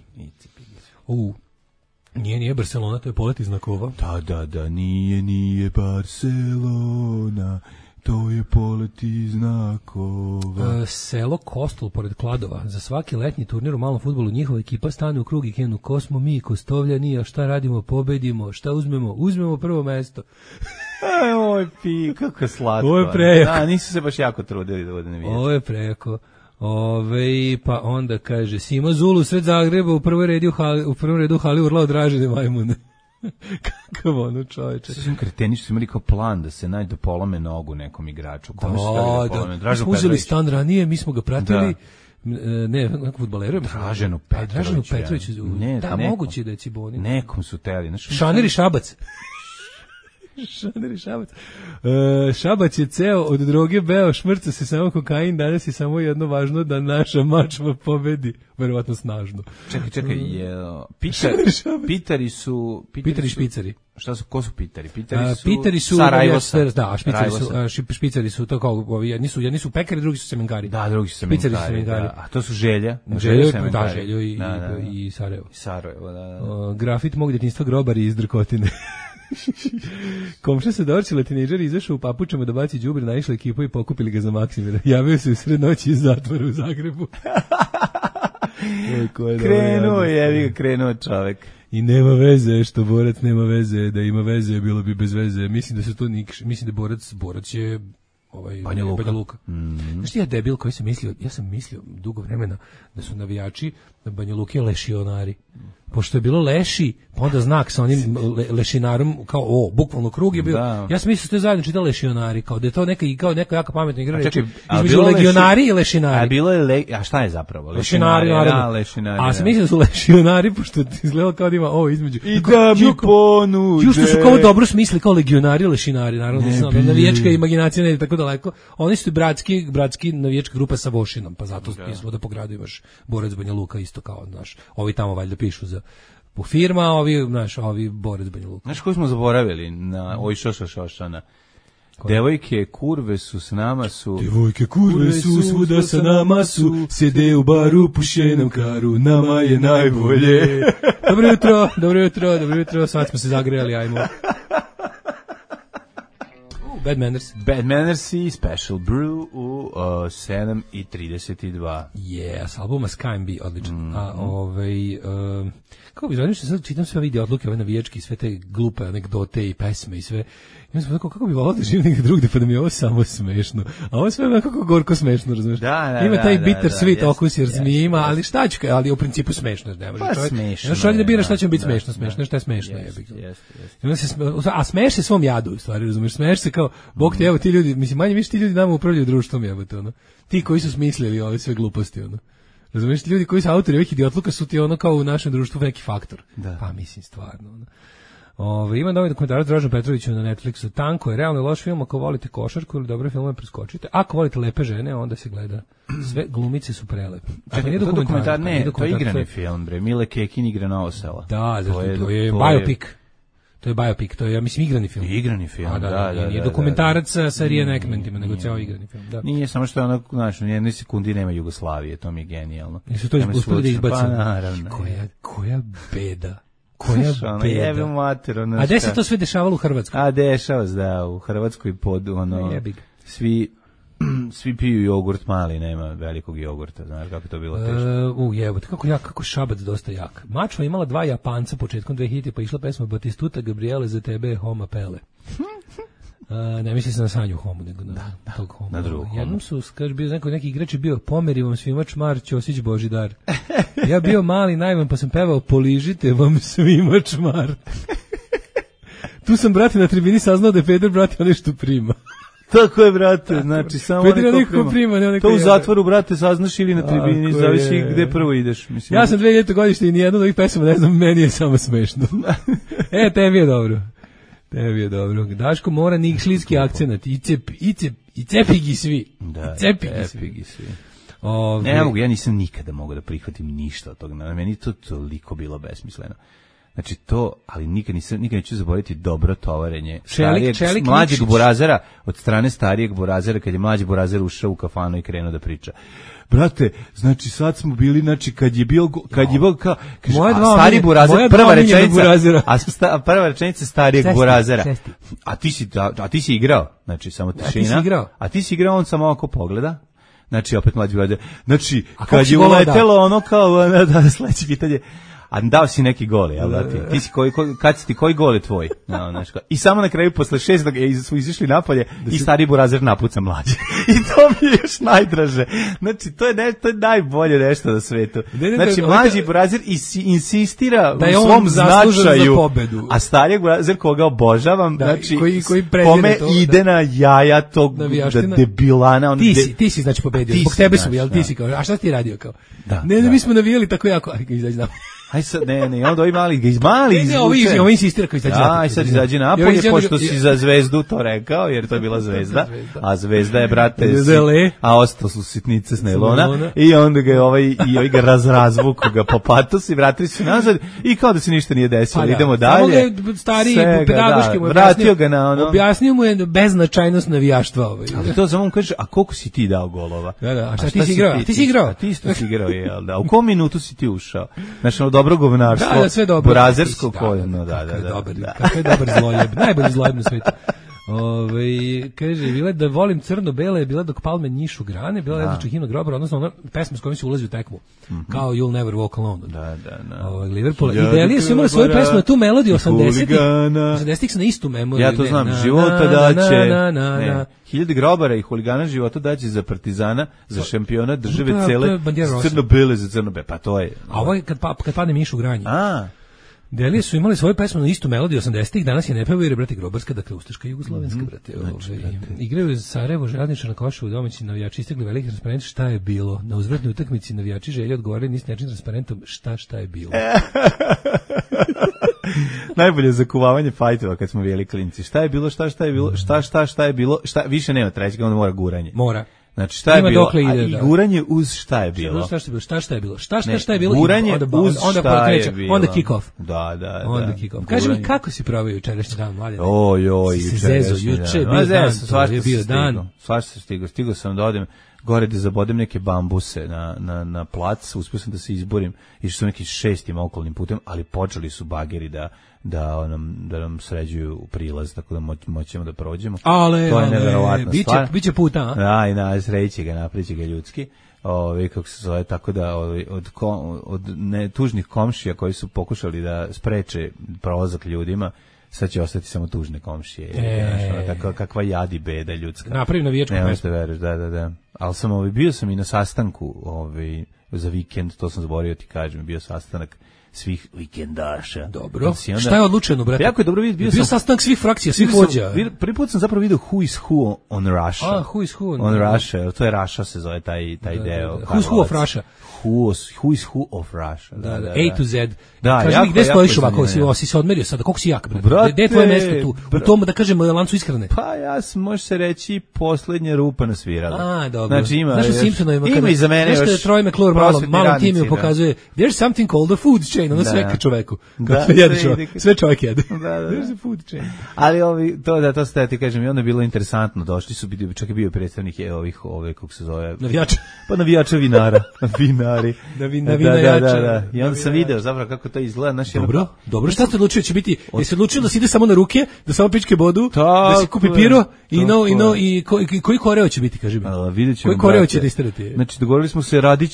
Speaker 6: Nije Barcelona, to je polet iz znakova.
Speaker 7: Da, nije Barcelona, To je poleti znakova.
Speaker 6: Selo Kostol pored Kladova. Za svaki letnji turnir u malom fudbalu njihova ekipa stane u krug i krenu ko smo mi, Kostovljani, a šta radimo, pobedimo, šta uzmemo? Uzmemo prvo mesto.
Speaker 7: Oj, kako slatko.
Speaker 6: Ovo je prejako.
Speaker 7: Da, nisu se baš jako trudili da bude navijači.
Speaker 6: Ovo je prejako. Pa onda kaže Simo Zulu sred Zagreba u prvom redu hali urlao Dražene majmune. Kakav ono čoveče.
Speaker 7: Sve kreteni su imali kao plan da se nađe polome nogu nekom igraču.
Speaker 6: Da. Mi smo uzeli stan ranije, mi smo ga pratili. Ne, nekog fudbalera.
Speaker 7: Draženu Petrović.
Speaker 6: Da, moguće da je Ciboni.
Speaker 7: Nekom su teli.
Speaker 6: Šaner i Šabac. Šabac je ceo od droge beo, šmrca se samo kokain, danas je samo jedno važno da naša mačva pobedi, verovatno snažno.
Speaker 7: Čekaj, Pitari špicari. Šta su, ko su Pitari?
Speaker 6: Pitari su
Speaker 7: Sarajevosa.
Speaker 6: Da, špicari su to kao ovi, jedni su pekari, drugi su semenkari.
Speaker 7: Da, drugi su semenkari. Da. A to su Želja.
Speaker 6: Željo i Sarajevo.
Speaker 7: Sarajevo, da.
Speaker 6: Grafit mog djetinjstva grobari iz Drkotine. Komša se dorčila, tinejdžer izašao u papučama da baci đubre, naišla ekipa i pokupili ga za Maksimira. Javio se u sred noći iz zatvora u Zagrebu.
Speaker 7: Krenuo čovek.
Speaker 6: I nema veze što borac nema veze, da ima veze bilo bi bez veze. Mislim da su to mislim da borac je Banja Luka. Znaš ti ja debil koji sam mislio dugo vremena da su navijači na Banja Luke lešionari. Pošto je bilo leši, pa onda znak sa onim lešinarom, kao bukvalno krug je bio. Da. Ja sam mislio da ste zajedno čitali lešionari, kao da je to neka jako pametna igra reči između legionari i lešinari.
Speaker 7: A bilo je a šta je zapravo?
Speaker 6: Lešinari, naravno. A sam mislio da su lešionari, pošto ti izgledalo kao da ima između.
Speaker 7: I da mi ponude.
Speaker 6: Jušto su kao dobro smisli, kao legionari i lešinari, naravno. Navijačka imaginacija ne ide tako daleko. Oni su bratski navijačka grupa sa Vošinom, pa zato izgleda po gradu imaš borac Banja Luka isto kao, znaš, ovi tamo valjda pišu za po firma, ovi borac Banja Luka.
Speaker 7: Znaš koji smo zaboravili na Šošana? Devojke kurve su s nama su.
Speaker 6: Devojke kurve su svuda sa nama su. Sjede u baru, puše nam karu, nama je najbolje. Dobro jutro, sad smo se zagrejali, ajmo. Bad Manners i Special Brew u 7:32.
Speaker 7: Yes,
Speaker 6: albuma Sky and Bee, odličan. Kako bi zvanio što sad čitam sve vide odluke, ove navijački, sve te glupe anegdote i pesme i sve. I onda sam tako, kako bi volao da živim negdje drugde, pa da mi je ovo samo smešno. A ovo sve je kako gorko smešno, razumiješ? Ima taj bitter sweet okus jer zmije ima, ali šta ću, ali u principu smešno. Ne može čovjek da bira šta će biti smešno, šta je smešno. A smeješ se svom jadu, u stvari, razumiješ? Smeješ se kao, bog te, evo ti ljudi, mislim, manje više ti ljudi nama upravljaju društvom, jebote, ono. Ti koji su smislili ove sve gluposti, ono. Razumiješ, ljudi koji su autori ovih idiotluka su ti ono kao u našem društvu neki faktor.
Speaker 7: Da.
Speaker 6: Pa mislim, stvarno, ono. Ima novi dokumentarac Draženu Petroviću na Netflixu. Tanko je realno loš film ako volite košarku ili dobre filmove preskočite. Ako volite lepe žene, onda se gleda. Sve glumice su prelepe.
Speaker 7: Čekaj, to dokumentar, to je igrani film, bre. Mile Kekin igra na Osela.
Speaker 6: Da, to je biopic. To je biopic, to je, ja mislim, igrani film.
Speaker 7: Igrani film,
Speaker 6: nije dokumentarac sa reenactmentima, nego cijelo igrani film. Da.
Speaker 7: Nije, samo što je ono, znaš, u jednoj sekundi nema Jugoslavije, to mi je genijalno.
Speaker 6: Jesu to uspeli da izbacili?
Speaker 7: Pa naravno.
Speaker 6: Koja beda. Koja beda. A gde se to sve dešavalo u Hrvatskoj?
Speaker 7: A dešava se, da, u Hrvatskoj pod ono, svi piju jogurt mali, nema velikog jogurta, znaš kako to bilo teško.
Speaker 6: Jebote, kako Šabac dosta jak. Mačva imala 2 Japanca početkom 2000, pa išla pesma Batistuta Gabriele za tebe Homa Pele. Ne misli se na Sanju Homu, nego na tog Homu.
Speaker 7: Na drugog Homu.
Speaker 6: Jednom su, kaže, bio neki igrač je bio pomeri vam svima čmar, Ćosić Božidar. Ja bio mali najvan, pa sam pevao poližite vam svima čmar. Tu sam, brate, na tribini saznao da je Peder, brate, nešto prima.
Speaker 7: Tako je, brate, znači samo neko prima. To u zatvoru, brate, saznaš ili na tribini, zavisi gde prvo ideš. Mislim.
Speaker 6: Ja sam 2000 godište i nijedno od ovih pesama, ne znam, meni je samo smešno. Tebi je dobro. Daško mora nikšlijski akcenat, i cepigi svi.
Speaker 7: Da, cepigi svi. Ne mogu, ja nisam nikada mogao da prihvatim ništa od toga. Meni to toliko bilo besmisleno. Znači to, ali nikad neću zaboraviti dobro tovarenje
Speaker 6: Čelik
Speaker 7: mlađeg
Speaker 6: Nikšić.
Speaker 7: burazera od strane starijeg burazera, kad je mlađi burazer ušao u kafanu i krenuo da priča. Brate, znači sad smo bili, znači kad je bio kao kaže, stari burazer, prva rečenica starijeg burazera. A ti si igrao, znači samo tišina. A ti si igrao, on samo ovako pogleda. Znači opet mlađi burazer. Znači kad je uletelo ono kao da sledeće pitanje. A dao si neki gol, jel da ti? Ti si koji gol je tvoj? No, znači, i samo na kraju, posle 6. su izišli napolje i stari burazer napuca mlađe. I to mi je još najdraže. Znači, to je najbolje nešto na svetu. Znači, mlađi burazer insistira
Speaker 6: da
Speaker 7: u svom značaju,
Speaker 6: za
Speaker 7: a stari burazer koga obožavam, znači,
Speaker 6: koji
Speaker 7: kome ide na jaja tog debilana.
Speaker 6: Ti si znači pobedio, zbog tebe su, jel ti si kao, a šta ti radio kao? Ne, mi smo navijali tako jako, aj izađi nam.
Speaker 7: Aj sad, ne, onda ovi mali izvuče.
Speaker 6: Ovi insistira koji izađe napolje.
Speaker 7: Aj sad izađe napolje, pošto si za Zvezdu to rekao, jer to je bila Zvezda, a Zvezda je, brate, a ostao su sitnice s nailona, i onda ga ovaj ga razvuku ga po patosu i vratili su nazad, i kao da se ništa nije desilo, idemo dalje.
Speaker 6: Samo ga stariji pedagoški mu objasnio mu je beznačajnost navijaštva.
Speaker 7: Ali to samo mu kaže, a koliko si ti dao golova?
Speaker 6: A šta ti si igrao? Ti si igrao?
Speaker 7: Ti isto si igrao, jel da? U kom minutu si ti ušao? Znači, dobro govnarstvo,
Speaker 6: sve dobro.
Speaker 7: Burazersko koljeno,
Speaker 6: Kako je dobar zlojeb, najbolji zlojeb na svetu. Kaže, bila da volim crno-bele, bila dok palme njišu grane, bila Ledača himna grobara, odnosno ona pesma s kojom se ulazi u tekmu, kao You'll Never Walk Alone. Liverpoola. I Delije su imali svoju pesmu na tu melodiju 80-ih se na istu memoriju.
Speaker 7: Ja to znam, života daće, hiljade grobara i huligana života daće za Partizana, za šampiona države cele, crno-bele za crno-bele, pa to je.
Speaker 6: A ovo je kad padne miš u granje. Delije su imali svoju pesmu na istu melodiju 80-ih, danas je ne pevaju jer je, brate, grobarska, dakle ustaška i jugoslovenska, brate. Igraju za Sarajevo, Željezničar na Košovu, domaći navijači istegli veliki transparent, šta je bilo? Na uzvratnoj utakmici navijači želje odgovorili nis nečim transparentom, šta je bilo?
Speaker 7: Najbolje zakuvavanje fajtova kad smo bili klinci. Šta je bilo, šta je bilo, više nema trećega, onda mora guranje.
Speaker 6: Mora.
Speaker 7: Znači šta je bilo? I guranje uz šta je bilo?
Speaker 6: Šta je bilo? Šta je bilo?
Speaker 7: Guranje uz šta je bilo?
Speaker 6: Onda kick off.
Speaker 7: Da.
Speaker 6: Onda kick off. Kaži mi kako si proveo jučerašnji dan, mladen? Juče je bio dan.
Speaker 7: Svašta stigao sam da odem gore da zabodem neke bambuse na plac, uspio sam da se izborim, išao sam nekim 6. okolnim putem, ali počeli su bageri da nam sređuju prilaz, tako da moćemo da prođemo. To je neverovatna stvar.
Speaker 6: Biće puta,
Speaker 7: a? I sreći ga, napriči ga ljudski. Kako se zove, tako da od tužnih komšija koji su pokušali da spreče prolazak ljudima, sad će ostati samo tužne komšije. Kakva jadi beda ljudska.
Speaker 6: Napravi navijačku pesmu.
Speaker 7: Ne možete veriš, da. Ali bio sam i na sastanku za vikend, to sam zaboravio ti kažem, bio sastanak svih vikendaša.
Speaker 6: Dobro. Šta je odlučeno, brate?
Speaker 7: Jako je dobro
Speaker 6: bio sastanak svih frakcija, svih vođa.
Speaker 7: Prvi put sam zapravo vidio Who is Who on Russia.
Speaker 6: Who is Who
Speaker 7: on Russia. To je Russia se zove taj deo.
Speaker 6: Who is Who of Russia.
Speaker 7: Who is Who of Russia.
Speaker 6: A to Z.
Speaker 7: Da,
Speaker 6: kaži mi gde stojiš ovako, si se odmerio sada, koliko si jak, brate? Gde je tvoje mesto tu? U tom, da kažem, lancu ishrane.
Speaker 7: Pa može se reći poslednja rupa na svirala.
Speaker 6: Dobro.
Speaker 7: Znači ima
Speaker 6: u Simpsonovima,
Speaker 7: ima i za mene još.
Speaker 6: Nešto Troy McClure malom timiju pokazuje, there's something called a food chain, ono sve ka čoveku. Sve čovek jede. There's a food chain.
Speaker 7: Ali to ste ti kažem, i onda je bilo interesantno, došli su, čak je bio predstavnik kako se zove,
Speaker 6: navijača.
Speaker 7: Pa navijača vinara, vinari.
Speaker 6: Da.
Speaker 7: I onda sam video zapravo kako to izgleda.
Speaker 6: Dobro, šta ste odlučili, će biti, jesi odlučili da se ide samo na ruke, da samo pičke bodu, da se kupi piro, i koji koreo će biti, kaži mi? Koji koreo će da istrati?
Speaker 7: Znači, dogovorili smo se, radit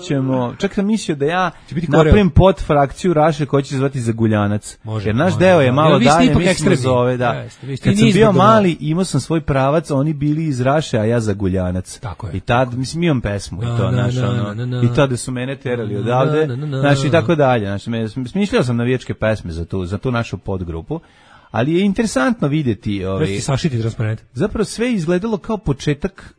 Speaker 7: ćemo, čak sam mislio da ja napravim pod frakciju Raše koja će se zvati Zaguljanac. Jer naš deo je malo dalje, mi smo zove, da. Kad sam bio mali, imao sam svoj pravac, oni bili iz Raše, a ja Zaguljanac.
Speaker 6: Tako je.
Speaker 7: I tad, mislim, imam pesmu i to, i tada su mene terali odavde, znači, i tako dalje. Smišljao sam navijačke pesme za tu našu podgrupu, ali je interesantno vidjeti zapravo sve izgledalo kao početak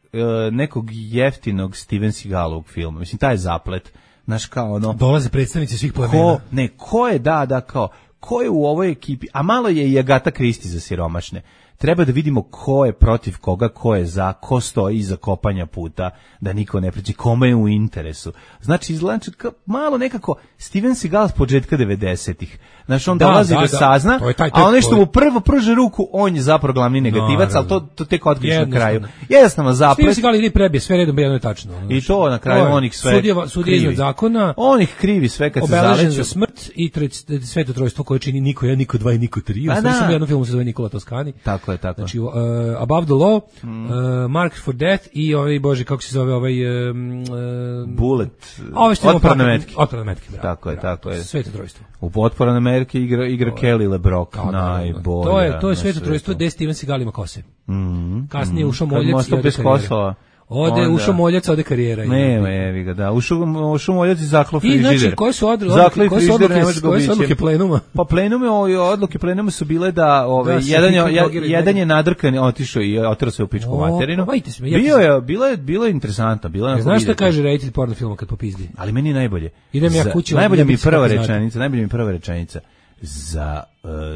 Speaker 7: nekog jeftinog Steven Seagalovog filma. Mislim, taj je zaplet. Znaš, kao
Speaker 6: dolaze predstavnici svih plemena.
Speaker 7: Ko je, kao ko je u ovoj ekipi, a malo je i Agata Kristi za siromašne. Treba da vidimo ko je protiv koga, ko je za, ko stoji iza kopanja puta, da niko ne priđe, kome je u interesu. Znači, izgledam malo nekako Steven Seagal s početka 90-ih. Znači, on dolazi da sazna, a ono što mu prvo prže ruku, on je zapravo glavni negativac, ali to tek otkriš na kraju. Jednostavno zaplet.
Speaker 6: Steven Seagal ili prebije, sve redom jedno je tačno.
Speaker 7: I to na kraju onih sve
Speaker 6: sudija iznad zakona.
Speaker 7: On ih krivi sve kad se zaleću.
Speaker 6: Obeležen za smrt i sveto trojstvo koje čini niko 1, niko 2 i niko 3. Ostali sam u jednom filmu se zove Nikola Toscani.
Speaker 7: Tako je.
Speaker 6: Znači, Above the Law, Mark for Death i ovaj, bože, kako se zove ovaj...
Speaker 7: Bullet.
Speaker 6: Otporne metke. Otporne metke, bravo.
Speaker 7: Tako je.
Speaker 6: Sveto trojstvo.
Speaker 7: U Otporne metke igra Kelly LeBrock, najbolje.
Speaker 6: To je sveto trojstvo gde Steven Seagal ima kose. Kasnije ušao Moljac i ode
Speaker 7: karijera.
Speaker 6: Ušao Moljac, ode karijera.
Speaker 7: Nema, evi ga, da. Ušao Moljac i zaklo frižider.
Speaker 6: I znači, koje su odluke plenuma?
Speaker 7: Pa odluke plenuma su bile da jedan je nadrkan, otišao i oterao se u pičku materinu. Bilo je interesantno.
Speaker 6: Znaš šta kaže reditelj porno filma kad popizdi?
Speaker 7: Ali meni najbolje.
Speaker 6: Idem ja kući.
Speaker 7: Najbolja mi je prva rečenica.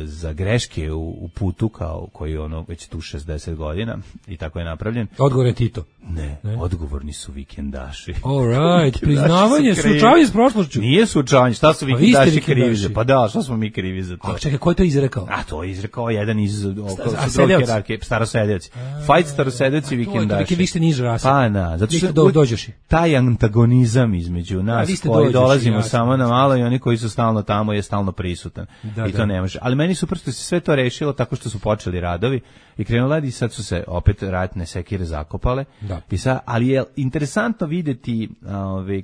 Speaker 7: Za greške u putu koji je ono već tu 60 godina i tako je napravljen.
Speaker 6: Odgovor je Tito.
Speaker 7: Ne, odgovorni su vikendaši.
Speaker 6: All right, priznavanje, suočavanje s prošlošću.
Speaker 7: Nije suočavanje, šta su vikendaši krivi za? Pa da, šta smo mi krivi za to?
Speaker 6: A čekaj, ko je to izrekao?
Speaker 7: A to je izrekao jedan iz hierarhije, starosedeoci. Fight starosedeoci i vikendaši.
Speaker 6: Vi ste niže rase.
Speaker 7: Pa na, zato što
Speaker 6: dođeš.
Speaker 7: Taj antagonizam između nas koji dolazimo samo na malo i oni koji su stalno tamo je stalno prisutan. I to ne može. Ali meni su prosto se sve to rešilo tako što su počeli radovi i krenula i sad su se opet ratne sekire zakopale. I sad, ali je interesantno videti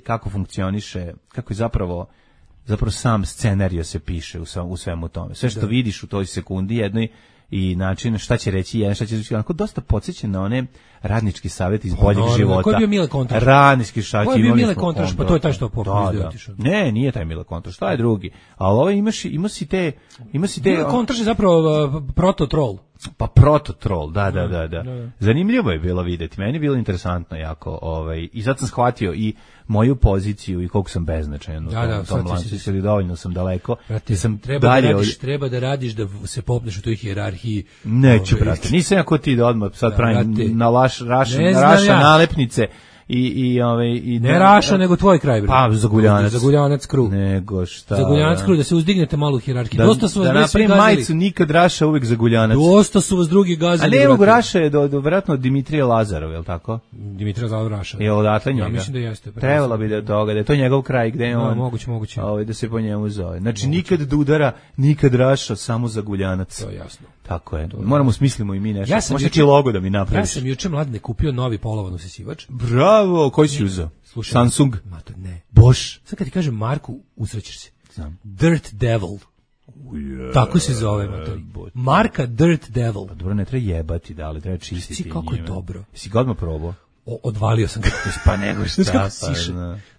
Speaker 7: kako funkcioniše, kako je zapravo sam scenario se piše u svemu tome. Sve što vidiš u toj sekundi jednoj i način šta će reći jedan, šta će reći onako dosta podsjeća na one radnički savjet iz boljeg života.
Speaker 6: Koji je bio Mile Kontraš?
Speaker 7: Radnički šać.
Speaker 6: Koji je bio Mile Kontraš? Pa to je taj što popizdio.
Speaker 7: Ne, nije taj Mile Kontraš, to je drugi. Ali ovo ima si te...
Speaker 6: Mile Kontraš je zapravo proto-troll.
Speaker 7: Pa proto-troll, da. Zanimljivo je bilo videti, meni je bilo interesantno jako. I sad sam shvatio i moju poziciju i koliko sam beznačajan u tom lancu, dovoljno sam daleko.
Speaker 6: Treba da radiš da se popneš u toj hijerarhiji.
Speaker 7: Neću, brate, nisam jako ti da odmah sad pravim na raša nalepnice i
Speaker 6: ne Raša nego tvoj kraj, bre.
Speaker 7: Pa
Speaker 6: Zaguljanac kru.
Speaker 7: Nego šta?
Speaker 6: Zaguljanac kru, da se uzdignete malo u hijerarhiji. Dosta su vas
Speaker 7: da napravim majicu nikad Raša, uvek Zaguljanac.
Speaker 6: Dosta su vas drugi gazili.
Speaker 7: A ne mogu Raša je do verovatno Dimitrija Lazarov, je l' tako?
Speaker 6: Dimitrija Lazarov Raša.
Speaker 7: Je odatle njega.
Speaker 6: Ja mislim da jeste.
Speaker 7: Trebalo bi da toga, da je to njegov kraj gde je on.
Speaker 6: Moguće.
Speaker 7: Da se po njemu zove. Znači nikad Dudara, nikad Raša, samo Zaguljanac.
Speaker 6: To je jasno.
Speaker 7: Tako je. Moramo smislimo i mi nešto. Može ti logo da mi napraviš.
Speaker 6: Ja sam juče mladine kupio novi polovan usisivač.
Speaker 7: Bravo, koji si uzeo? Samsung?
Speaker 6: Ne.
Speaker 7: Bosch?
Speaker 6: Sad kad ti kažem Marku, usrećeš se.
Speaker 7: Znam.
Speaker 6: Dirt Devil. Tako se zove. Marka Dirt Devil.
Speaker 7: Pa dobro, ne treba jebati, da, ali treba čistiti.
Speaker 6: Svi kako je dobro.
Speaker 7: Jesi ga odmah probao?
Speaker 6: Odvalio sam ga.
Speaker 7: Pa nego šta.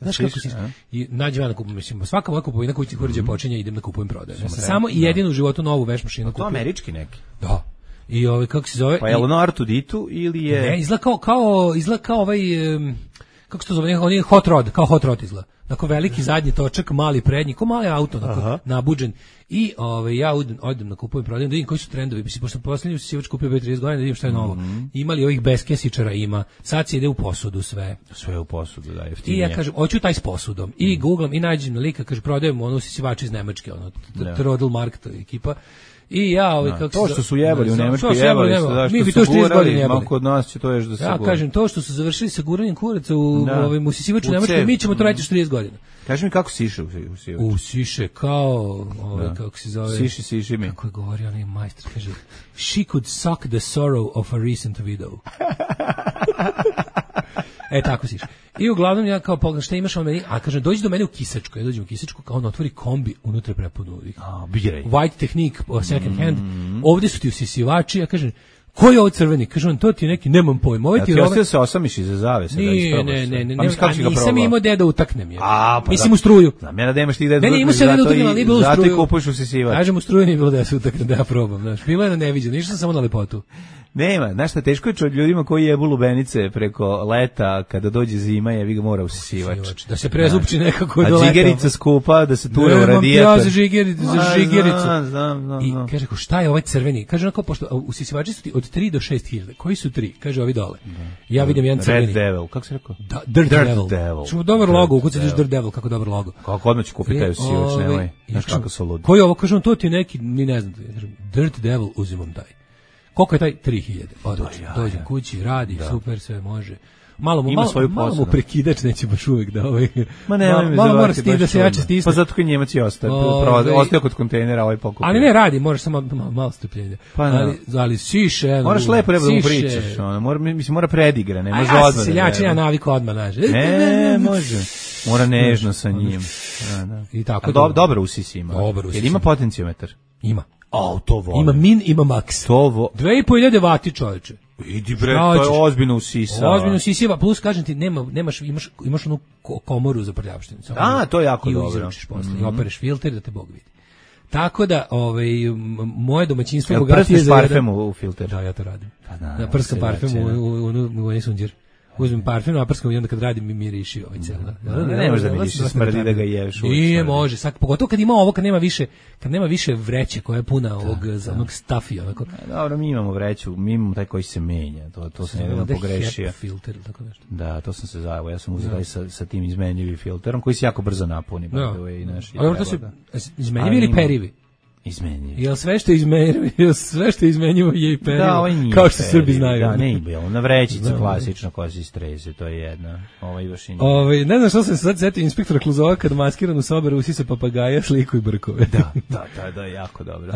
Speaker 6: Znaš kako siše. I nađem ja na kupu, mislim, svaka moja kupovina koju ti uređaja počinje, idem na kupujem prodajem. Ja sam samo i jedinu u životu novu veš mašinu kupio.
Speaker 7: To američki neki?
Speaker 6: Da. I kako se zove?
Speaker 7: Pa je ono Artuditu ili je...
Speaker 6: Ne, izgleda kao ovaj... Kako se to zove? On je hot rod, kao hot rod izgleda. Dakle, veliki zadnji točak, mali prednji, kao mali auto, dakle, nabuđen. I ja odem na kupujem prodajem, da vidim koji su trendovi. Mislim, pošto posljednji usisivač kupio 30 godina, da vidim šta je novo. Imali ovih beskesičara, ima. Sad se ide u posudu sve.
Speaker 7: Sve u posudu, da, jeftinije.
Speaker 6: I ja kažem, hoću taj s posudom. I googlam i nađem na lika, kaže, prodajem ono usisivače iz Nemačke, ono, Trodelmark, to je ekipa. I ja, kako
Speaker 7: to što su jebali u Nemačkoj, jebali su, da,
Speaker 6: mi bi to 30 godina jebali.
Speaker 7: Kod nas će to još da se
Speaker 6: ja kažem, to što su završili sa guranjem kuraca u usisivaču u Nemačkoj, mi ćemo to raditi 40 godina.
Speaker 7: Kaži mi kako siše u
Speaker 6: siše kao, kako se zove...
Speaker 7: Siši mi.
Speaker 6: Kako je govorio onaj majstor, kaže, she could suck the sorrow of a recent widow. Tako siše. I uglavnom ja kao pogledam šta imaš on meni, a kaže dođi do mene u Kisačku, ja dođem u Kisačku, kao on otvori kombi, unutra prepunu White Technique, second hand, ovdje su ti usisivači, ja kažem, ko je ovo crveni? Kaže on, to ti je neki, nemam pojma. Ovo ti
Speaker 7: je ostao se osamiš iza zavese.
Speaker 6: Ne, nisam imao gde da utaknem je. Mislim u struju.
Speaker 7: Znam ja da imaš ti gde da
Speaker 6: utaknem, ali nije bilo u struju.
Speaker 7: Zato i kupuješ usisivač.
Speaker 6: Kažem u struju nije bilo da se utaknem, da ja probam. Bilo je na neviđeno, išao sam samo na lepotu.
Speaker 7: Nema, znaš šta, teško je ljudima koji jebu lubenice preko leta, kada dođe zima, jebi ga mora usisivač.
Speaker 6: Da se prezupči nekako do
Speaker 7: leta. A džigerica skupa, da se tura u radijator.
Speaker 6: Ja za žigericu. I kaže, šta je ovaj crveni? Kaže, onako, pošto usisivači su ti od 3 do 6 hiljada. Koji su 3? Kaže, ovi dole. Ja vidim jedan crveni.
Speaker 7: Red Devil, kako se rekao?
Speaker 6: Dirt Devil. Čuo dobar logo, ukucaš Dirt Devil, kako dobar logo.
Speaker 7: Kako odmah ću kupiti taj usisivač, nemoj. Znaš kako su ludi.
Speaker 6: Koji ovo, kažem, to ti neki, ni ne znam. Dirt Devil, uzimam taj. Koliko je taj? 3000. Dođem kući, radi, super, sve može. Malo mu prekidač neće baš uvek da ovaj. Malo mora stisnuti da se jače stisne.
Speaker 7: Pa zato kad Njemac je ostao kod kontejnera ovaj pokupio.
Speaker 6: Ali ne radi, možeš samo malo strpljenja. Ali siše.
Speaker 7: Moraš lepo da mu pričaš, mora predigra, ne može odmah.
Speaker 6: Seljačina navika odmah nađe.
Speaker 7: Ne, može. Mora nežno sa njim.
Speaker 6: I tako.
Speaker 7: Dobro usisi ima. Jer ima potenciometar.
Speaker 6: Ima.
Speaker 7: To volim.
Speaker 6: Ima min, ima maks. 2500 vati, čoveče.
Speaker 7: Idi bre, to je ozbiljno usisava.
Speaker 6: Ozbiljno usisiva, plus kažem ti, imaš onu komoru za prljavštinu.
Speaker 7: To je jako dobro.
Speaker 6: I izručiš posle, i opereš filter da te Bog vidi. Tako da, moje domaćinstvo bogatije
Speaker 7: za parfem u filter.
Speaker 6: Da, ja to radim. Prskam parfem u onaj sunđer. Uzmem parfem, naprskam i onda kad radim mi miriši ovaj cela.
Speaker 7: Ne može da miriši, smrdi da ga ješ.
Speaker 6: Nije, može, pogotovo kad ima ovo, kad nema više vreće koja je puna onog stafija.
Speaker 7: Dobro, mi imamo vreću, mi imamo taj koji se menja, to sam jedno pogrešio.
Speaker 6: HEP filter, tako nešto.
Speaker 7: Da, to sam se zajavao, ja sam uzeo sa tim izmenjivim filterom, koji se jako brzo napuni.
Speaker 6: Ali to su izmenjivi ili perivi?
Speaker 7: Izmenjivi.
Speaker 6: Jel sve što je izmenjivo je i perivo?
Speaker 7: Da, ovaj nije
Speaker 6: kao što Srbi znaju.
Speaker 7: Da, ne je bilo. Na vrećica klasično koja se istreze, to je jedna. Baš i
Speaker 6: nije. Ne znam što sam se sad setio inspektora Kluzova kad maskiran u soberu usisa papagaja, sliku i brkove.
Speaker 7: Da, jako dobro.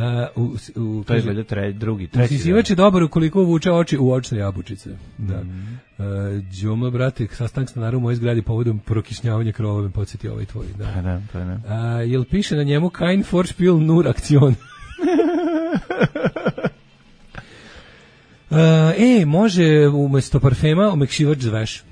Speaker 7: To je gleda treći.
Speaker 6: Usisivač je dobar ukoliko uvuče oči u očne jabučice. Da. Đuma, brate, sastanak stanara u mojoj zgradi povodom prokišnjavanja krovove, podsjeti ovaj tvoj. Da. Jel piše na njemu kein Vorspiel, nur Aktion? Može umesto parfema omekšivač za veš.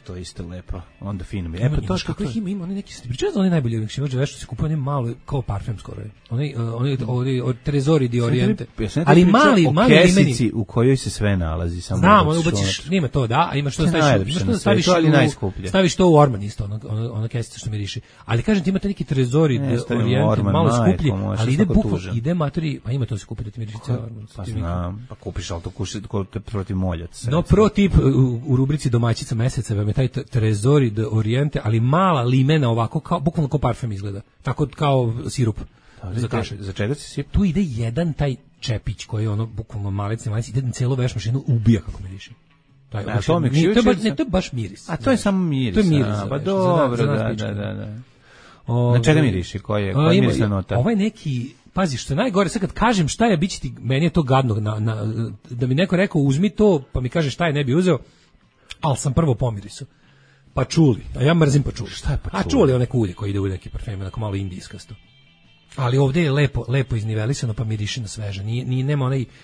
Speaker 7: To je isto lepo. Onda fino mi.
Speaker 6: Kako ih ima, oni neki se pričaju da oni najbolji omekšivač za veš, što se kupuje oni malo kao parfem skoro. Oni od Trezori di Oriente. Ali mali
Speaker 7: kesici u kojoj se sve nalazi, samo.
Speaker 6: Znam, ono ubaciš, nima to, da, a imaš to staviš to u orman isto, ona kesica što miriši. Ali kažem ti imate neki Trezori di Oriente, malo skuplji, ali ide bukvalno, ide matori, pa ima to se kupi da ti miriši ceo orman.
Speaker 7: Pa znam, pa kupiš, ali to protiv moljaca.
Speaker 6: No, pro tip u rubrici domaćica meseca vam je taj Trezori de Oriente, ali mala limena ovako, kao, bukvalno kao parfem izgleda. Tako kao sirup za kašelj.
Speaker 7: Za čega si sirup?
Speaker 6: Tu ide jedan taj čepić koji je ono bukvalno malec, ide na celu veš mašinu, ubija kako miriši. To je baš miris.
Speaker 7: A to je samo miris.
Speaker 6: To je miris.
Speaker 7: Pa dobro, da. Na čega miriši? Koja je mirisna nota?
Speaker 6: Ovaj neki, pazi, što je najgore, sad kad kažem šta je, biće ti, meni je to gadno, da mi neko rekao uzmi to, pa mi kaže šta je, ne bi uzeo, ali sam prvo pomiriso. Pačuli, a ja mrzim pačuli.
Speaker 7: Šta je pačuli?
Speaker 6: A čuli one kulje koji ide u neki parfem, onako malo indijskasto. Ali ovdje je lepo iznivelisano, pa miriše na sveže.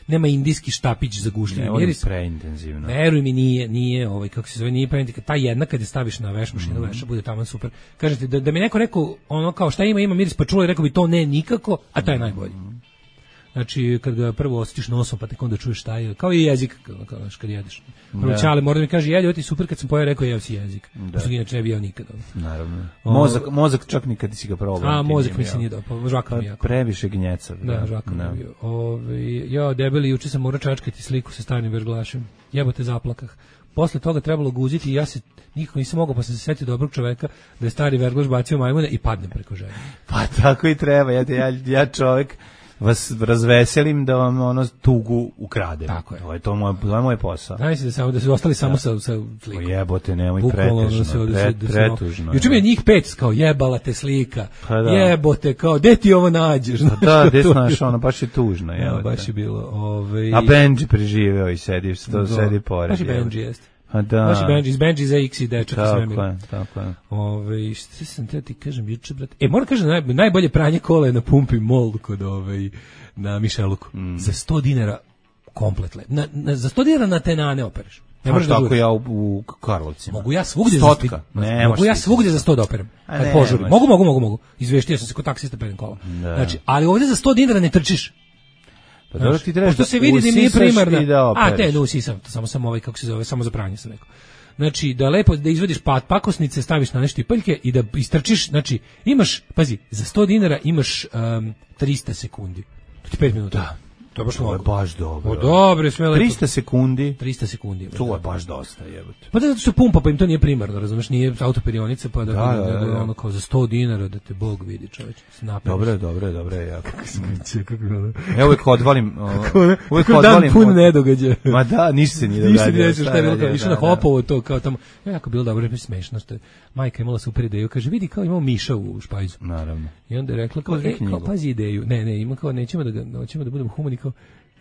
Speaker 6: Nema indijski štapić za gušljenje.
Speaker 7: Ne, on je preintenzivno.
Speaker 6: Veruj mi, nije kako se zove, nije preintenzivno. Ta jedna kad je staviš na veš mašinu, veša bude tamo super. Kažete, da mi neko rekao, ono kao šta ima miris pačuli, rekao bi to ne nikako, a to je najbolji. Znači, kad ga prvo osjetiš nosom, pa tek onda čuješ šta je, kao i jezik, kad jedeš. Prvo Ćale mora da mi kaže, jedi, ovo ti super, kad sam pojeo, rekao, jeo si jezik. Pošto inače ne bi jeo nikad.
Speaker 7: Naravno. Mozak čak nikad si ga probao.
Speaker 6: A, mozak mi se nije dopao, žvaka mi jako.
Speaker 7: Previše gnjeca.
Speaker 6: Da, žvaka mi je bio. Ja, debeli, juče sam morao čačkati sliku sa starim verglašem. Jebote zaplakah. Posle toga trebalo guziti i ja se nikako nisam mogao, pa sam se setio dobrog čoveka da je stari verglaš bacio majmune i padnem preko žene.
Speaker 7: Pa tako i treba, ja čovek vas razveselim da vam ono tugu ukradem. Tako je. To je moj posao.
Speaker 6: Da su ostali samo sa slikom.
Speaker 7: Jebote, nemoj pretužno.
Speaker 6: Juče mi je njih 5 kao jebala te slika. Jebote, kao gde ti ovo nađeš?
Speaker 7: Da, gde znaš, ono baš je tužno.
Speaker 6: Baš je bilo.
Speaker 7: A Benji preživeo i sedi pored.
Speaker 6: Baš i Benji jeste.
Speaker 7: Da.
Speaker 6: Baš i Benji za X i dečak i svemir.
Speaker 7: Tako je.
Speaker 6: Što sam te ti kažem juče, brate? Moram kažem, najbolje pranje kola je na Pumpi Mall kod na Mišeluku. Za 100 dinara kompletle. Za 100 dinara na tenane opereš.
Speaker 7: Ne možeš da žuriš. Tako ja u Karlovcima.
Speaker 6: Mogu ja svugdje za 100 da operem. Kad požurim. Mogu. Izveštio sam se kod taksista pedem kola. Znači, ali ovdje za 100 dinara ne trčiš.
Speaker 7: Pa dobro ti trebaš
Speaker 6: pošto se vidi da nije primarna.
Speaker 7: A
Speaker 6: te, no usisam, samo ovaj, kako se zove, samo za pranje sam rekao. Znači, da lepo, da izvadiš pakosnice, staviš na nešto štipaljke i da istrčiš, znači, imaš, pazi, za 100 dinara imaš 300 sekundi. To ti 5 minuta.
Speaker 7: Da.
Speaker 6: To
Speaker 7: je baš dobro.
Speaker 6: Dobro, sve lepo.
Speaker 7: 300 sekundi.
Speaker 6: 300 sekundi.
Speaker 7: To je baš dosta, jebote.
Speaker 6: Pa da zato što pumpa, pa im to nije primarno, razumeš, nije autoperionica, pa da ono kao za 100 dinara da te Bog vidi, čovjek.
Speaker 7: Dobro, jako. Ja uvek odvalim,
Speaker 6: dan pun nedogađaja.
Speaker 7: Ma da, ništa se nije događalo.
Speaker 6: Ništa šta je bilo, išao na Hopovo to, kao tamo, jako bilo dobro, je smešno, što je majka imala super ideju, kaže, vidi kao imamo miša u špajzu.
Speaker 7: Naravno.
Speaker 6: I onda je rekla, kao pazi ideju, ne, ima kao, nećemo da budemo humani, kao,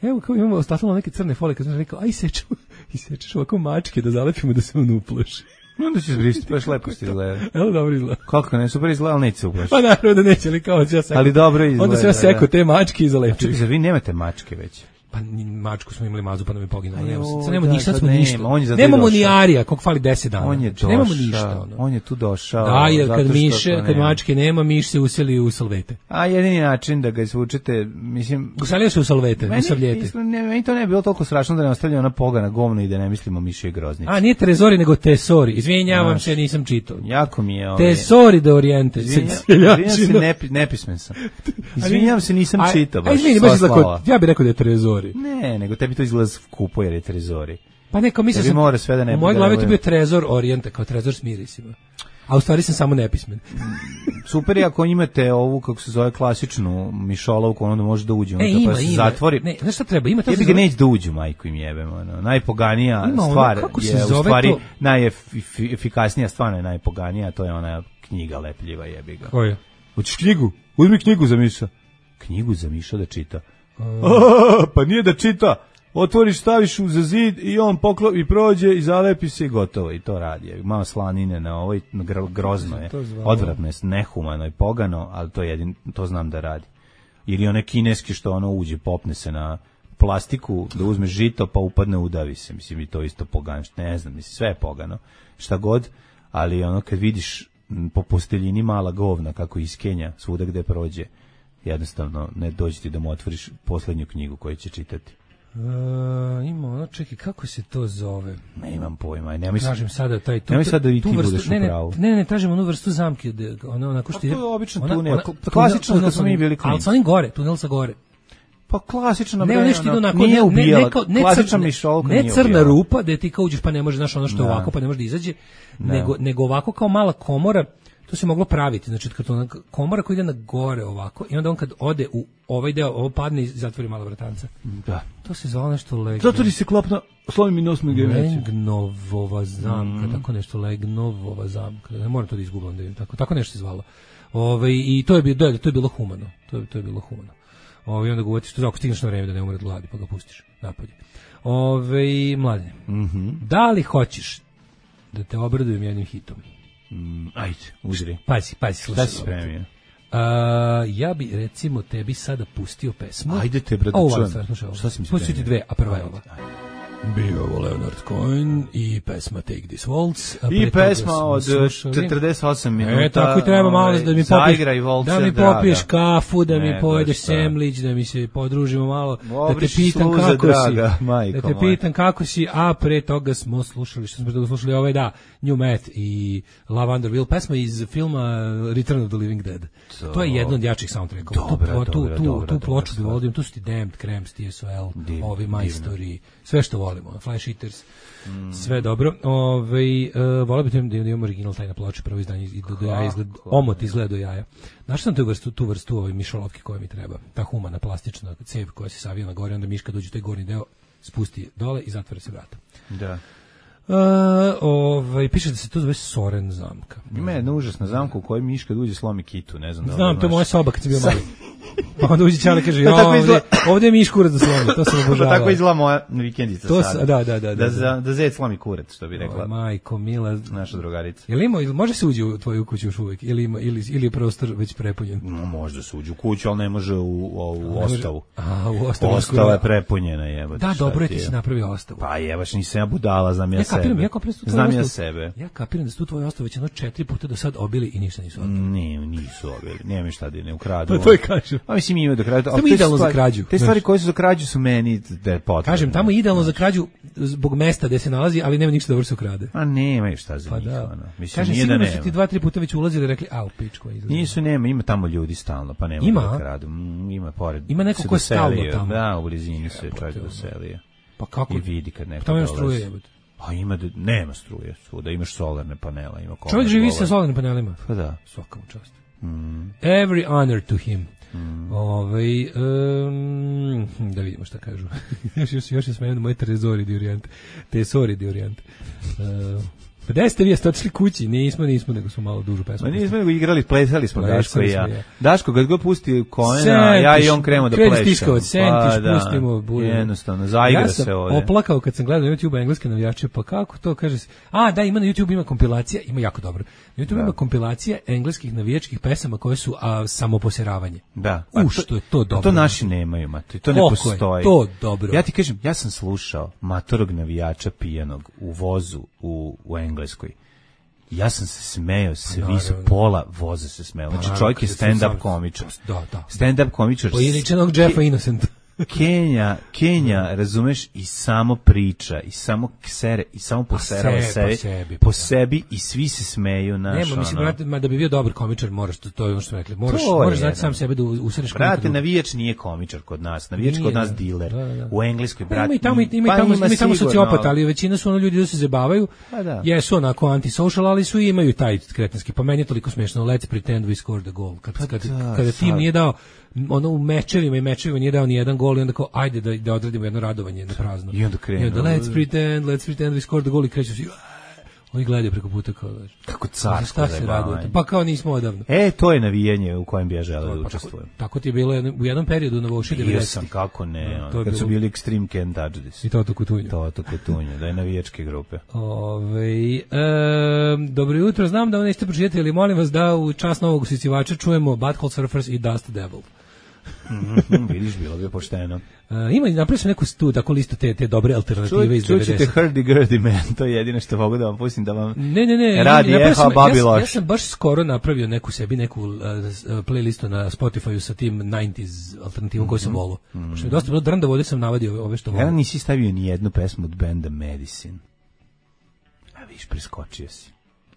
Speaker 6: evo kao imamo ostavljamo neke crne folije, kad sam rekao, aj isečeš ovako mačke da zalepimo da se on uplaši.
Speaker 7: Onda ćeš brisati, baš lepo ti izgleda.
Speaker 6: Evo dobro izgleda.
Speaker 7: Kako ne, super izgleda, ali neće se uplašiti.
Speaker 6: Pa naravno da neće, ali kao ja sekao.
Speaker 7: Ali dobro izgleda.
Speaker 6: Onda se ja sekao te mačke i zalepio.
Speaker 7: Čekaj, zar vi nemate mačke već?
Speaker 6: Pa mačku smo imali mazu, pa nam je poginulo. Sad smo ništa.
Speaker 7: Nemamo
Speaker 6: ni Arija, kog fali 10 dana.
Speaker 7: On je došao.
Speaker 6: Nemamo ništa.
Speaker 7: On je tu došao.
Speaker 6: Da, jer kad mačke nema, miš se useli u salvete.
Speaker 7: A jedini način da ga izvučete, mislim...
Speaker 6: Uselio se u salvete, u savljete.
Speaker 7: Meni to ne bi bilo toliko strašno da ne ostavlja ona pogana govna i da ne mislimo miše i groznice.
Speaker 6: A nije Trezori, nego Tesori. Izvinjavam se, nisam čitao.
Speaker 7: Jako mi je...
Speaker 6: Tesori de Oriente.
Speaker 7: Izvinjavam se, nepismen sam. Izvinjavam se, nisam čitao.
Speaker 6: Ja bih rekao da je Trezori.
Speaker 7: Ne, nego tebi to izgleda skupo jer je Trezori.
Speaker 6: Pa neko mislim sam,
Speaker 7: mora sve da ne
Speaker 6: u mojoj glavi to bio Trezor Orijenta, kao Trezor s mirisima. A u stvari sam samo nepismen.
Speaker 7: Super je ako imate ovu, kako se zove, klasičnu mišolovku, onda može da uđe. Pa se zatvori.
Speaker 6: Ne, znaš šta treba? Ima to.
Speaker 7: Jebi ga neće da uđu, majku im jebemo. Najpoganija stvar je u stvari najefikasnija stvar je najpoganija, to je ona knjiga lepljiva, jebi ga.
Speaker 6: Koja?
Speaker 7: Hoćeš knjigu? Uzmi knjigu za Miša. Knjigu za Miša da čita. Pa nije da čita. Otvoriš, staviš za zid i on i prođe i zalepi se i gotovo. I to radi. Malo slanine na ovoj, grozno je. Odvratno je, nehumano i pogano, ali to znam da radi. Ili one kineski što ono uđe, popne se na plastiku, da uzme žito pa upadne, udavi se. Mislim, i to isto pogano. Ne znam, mislim, sve je pogano. Šta god, ali ono kad vidiš po posteljini mala govna kako iskenja svuda gde prođe, jednostavno ne dođi ti da mu otvoriš poslednju knjigu koju će čitati.
Speaker 6: Ima ono, čekaj, kako se to zove?
Speaker 7: Ne imam pojma.
Speaker 6: Tražim sada taj tu.
Speaker 7: Nemoj sad da i ti budeš u pravu.
Speaker 6: Ne, tražim onu vrstu zamke, ono onako što ide.
Speaker 7: To je obično tunel, klasično kad smo mi bili klinici.
Speaker 6: Ali sa onim gore, tunel sa gore.
Speaker 7: Pa klasično
Speaker 6: ne, nešto ide onako,
Speaker 7: nije ubijala, klasična mišolka nije ubijala.
Speaker 6: Ne crna rupa, da ti kao uđeš pa ne može, znaš ono što je ovako, pa ne može da izađe, nego ovako kao mala komora. To se moglo praviti, znači komora koja ide na gore ovako i onda on kad ode u ovaj deo, ovo padne i zatvori malo vratanca.
Speaker 7: Da.
Speaker 6: To se zove nešto Legno.
Speaker 7: Zatvori se klopna, slovi mi nos
Speaker 6: Legnovova zamka, tako nešto, Legnovova zamka. Ne moram to da izgubam, da vidim, tako nešto se zvalo. I to je bilo humano. To je bilo humano. I onda ga uvetiš, ako stigneš na vreme da ne umre od gladi, pa ga pustiš napolje. Mladine, da li hoćeš da te obradujem jednim hitom?
Speaker 7: Ajde, uzri.
Speaker 6: Pazi, slušaj.
Speaker 7: Šta si spremio?
Speaker 6: Ja bi, recimo, tebi sada pustio pesmu.
Speaker 7: Ajde te, brate, čujem. Šta si mi spremio?
Speaker 6: Pustio ti dve, a prva je ova. Bio ovo Leonard Cohen i pesma Take This Waltz.
Speaker 7: I pesma od 48 minuta.
Speaker 6: Tako i treba malo da mi popiješ kafu, da mi pojedeš semlić, da mi se podružimo malo, da te pitam kako si. Da te pitam kako si, a pre toga smo slušali, New Math i Lavender pesma iz filma Return of the Living Dead. To je jedno od jačih soundtrackova. Tu ploču bi volim, tu su ti Damned, Cramps, TSOL, ovi majstori, sve što volimo, Flash Eaters, sve dobro. Volio bih da imamo original taj na ploči, prvo izdanje i do jaja izgleda, omot izgleda do jaja. Znaš sam tu vrstu mišolovke koja mi treba, ta humana plastična cev koja se savija na gore, onda miška dođe u taj gornji deo, spusti dole i zatvore se vrata.
Speaker 7: Da.
Speaker 6: Piše da se to zove Soren zamka.
Speaker 7: Ima jedna užasna zamka u kojoj miška uđe slomi kitu, ne znam da.
Speaker 6: Znam, to je moja soba kad sam bio mali. Pa onda uđe Čale kaže, ovdje je miš kurac da slomi, to sam obožavao.
Speaker 7: Tako izgleda moja vikendica sada.
Speaker 6: Da
Speaker 7: zec slomi kurac, što bi rekla.
Speaker 6: Majko, mila.
Speaker 7: Naša drugarica.
Speaker 6: Može se uđe u tvoju kuću još uvijek? Ili je prostor već prepunjen?
Speaker 7: Može se uđe u kuću, ali ne može u ostavu.
Speaker 6: U ostavu.
Speaker 7: Ostava je prepunjena, jebate.
Speaker 6: Da, dobro je ti si napravio ostavu.
Speaker 7: Pa jebaš, nisam ja budala, znam ja sebe. Znam ja sebe.
Speaker 6: Ja kapiram da su tu tvoje ostave već 4 puta do sad obili i ništa nisu obili.
Speaker 7: Nisu obili. Nema mi šta da ne ukradu.
Speaker 6: Pa to je kažem.
Speaker 7: A mislim, mislim ima do krađu.
Speaker 6: Tamo idealno za krađu.
Speaker 7: Te stvari koje su za krađu su meni potrebne.
Speaker 6: Kažem, tamo je idealno za krađu zbog mesta gde se nalazi, ali nema ništa dobro se ukrade.
Speaker 7: A nema šta za njih. Mislim,
Speaker 6: kažem,
Speaker 7: nije da nema.
Speaker 6: Sigurno su ti 2-3 puta već ulazili i rekli, u pičku izlazi.
Speaker 7: Nisu, ima tamo ljudi stalno, pa nema da kradu. Ima pored.
Speaker 6: Ima neko ko je stalno tamo.
Speaker 7: Da, u blizini se čovjek doselio.
Speaker 6: Pa kako?
Speaker 7: I vidi kad neko
Speaker 6: tamo ima struje, jebote.
Speaker 7: Pa nema struje, svuda imaš solarne panela, ima
Speaker 6: čovjek živi sa solarnim panelima.
Speaker 7: Pa da.
Speaker 6: Svaka mu čast. Every honor to him. Da vidimo šta kažu. još je smenjeno moje Tesori di Orijente. Gde ste vi otišli kući? Nismo, nego smo malo dužu pesmu.
Speaker 7: Ma nismo, nego igrali, plesali smo Daško i ja. Daško, kad god pusti konena, ja i on krenemo da plešemo.
Speaker 6: Kreni stiskavac, sentiš, pustimo.
Speaker 7: Jednostavno, zaigra se ovdje.
Speaker 6: Ja sam oplakao kad sam gledao na YouTube engleske navijače, pa kako to kaže se? Da, ima na YouTube, ima kompilacija, ima jako dobro. Na YouTube ima kompilacija engleskih navijačkih pesama koje su samoposeravanje.
Speaker 7: Da.
Speaker 6: Što je to dobro.
Speaker 7: To naši nemaju, mate, to ne postoji.
Speaker 6: To dobro.
Speaker 7: Ja ti kažem, ja sam slušao matorog navijača pijanog u vozu u Engleskoj. Ja sam se smejao, svi su pola voza se smejao. Znači čovjek je stand-up komičar.
Speaker 6: Da.
Speaker 7: Stand-up komičar.
Speaker 6: Pojedinčenog Jeffa Innocenta.
Speaker 7: Kenja, razumeš, i samo priča, i samo ksere, i samo poserava po sebi i svi se smeju naš.
Speaker 6: Nema, mislim, brate, da bi bio dobar komičar, moraš, to je ono što smo rekli, moraš znati sam sebe da usereš.
Speaker 7: Brate, navijač nije komičar kod nas, navijač kod nas diler. U Engleskoj, brate,
Speaker 6: ima tamo sociopata, ali većina su ono ljudi da se zabavaju, jesu onako antisocial, ali su imaju i taj kretenski, pa meni je toliko smiješno, let's pretend we scored the goal, kada tim nije dao ono u mečevima nije dao ni jedan gol i onda kao ajde da odradimo jedno radovanje na prazno.
Speaker 7: I onda krenu.
Speaker 6: I onda let's pretend we scored the goal i kreću svi. Oni gledaju preko puta kao
Speaker 7: kako carsko zajebavanje.
Speaker 6: Pa kao nismo odavno.
Speaker 7: To je navijanje u kojem bi ja želeo da učestvujem.
Speaker 6: Tako ti je bilo u jednom periodu na Voši 90.
Speaker 7: Bio sam, kako ne, kad su bili Extreme Can't Touch This.
Speaker 6: I Toto Kutunju,
Speaker 7: da je navijačke grupe.
Speaker 6: Dobro jutro, znam da ovo nećete pročitati, ali molim vas da u čast novog usisivača čujemo Butthole Surfers i Dust Devil.
Speaker 7: Vidiš, bilo bi pošteno.
Speaker 6: Napravio sam neku tako listu te dobre alternative iz 90.
Speaker 7: Čućete Hurdy-Gurdy Man, to je jedino što mogu da vam pustim da vam
Speaker 6: ne,
Speaker 7: radi eho Babiloš.
Speaker 6: Ja sam baš skoro napravio neku playlistu na Spotifyu sa tim 90s alternativom koju sam volao. Što mi dosta bilo drnda vode sam navadio ove što volim.
Speaker 7: Ja nisi stavio ni jednu pesmu od benda Medicine. A viš, preskočio si.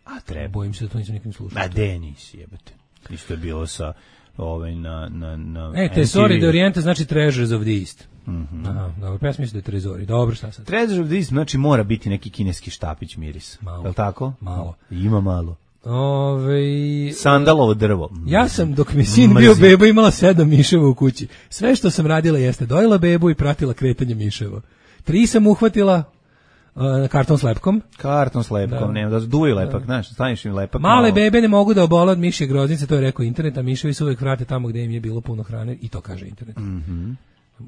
Speaker 7: A treba.
Speaker 6: Bojim se da to nisam nikim slušao.
Speaker 7: A de nisi, jebate. Isto je bilo sa na
Speaker 6: Tesori de Oriente znači Treasures of the East. Dobro, pa ja sam mislio da je Trezori. Dobro, šta sad?
Speaker 7: Treasures of the East znači mora biti neki kineski štapić miris. Je li tako?
Speaker 6: Malo.
Speaker 7: Ima malo. Sandalovo drvo.
Speaker 6: Ja sam, dok mi sin bio beba, imala 7 miševa u kući. Sve što sam radila jeste dojela bebu i pratila kretanje miševa. 3 sam uhvatila karton s lepkom.
Speaker 7: Nema da duju lepak, znaš, staniš im lepak.
Speaker 6: Male bebe ne mogu da obole od mišje groznice, to je rekao internet, a miševi se uvek vrate tamo gde im je bilo puno hrane, i to kaže internet.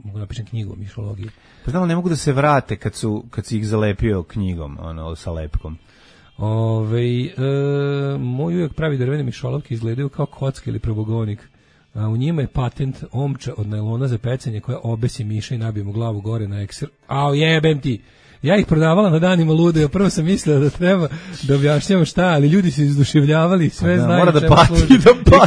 Speaker 6: Mogu napišem knjigu o mišologiji.
Speaker 7: Pa znam, ne mogu da se vrate kad si ih zalepio knjigom, sa lepkom.
Speaker 6: Moj uvijek pravi drvene mišolovke izgledaju kao kocka ili probogonik. U njima je patent omča od najlona za pecanje koja obesi miša i nabije mu glavu gore na ekser. Jebem ti! Ja ih prodavala na danima lude, prvo sam mislila da treba da objašnjam šta, ali ljudi su izduševljavali, sve znaju čemu služi i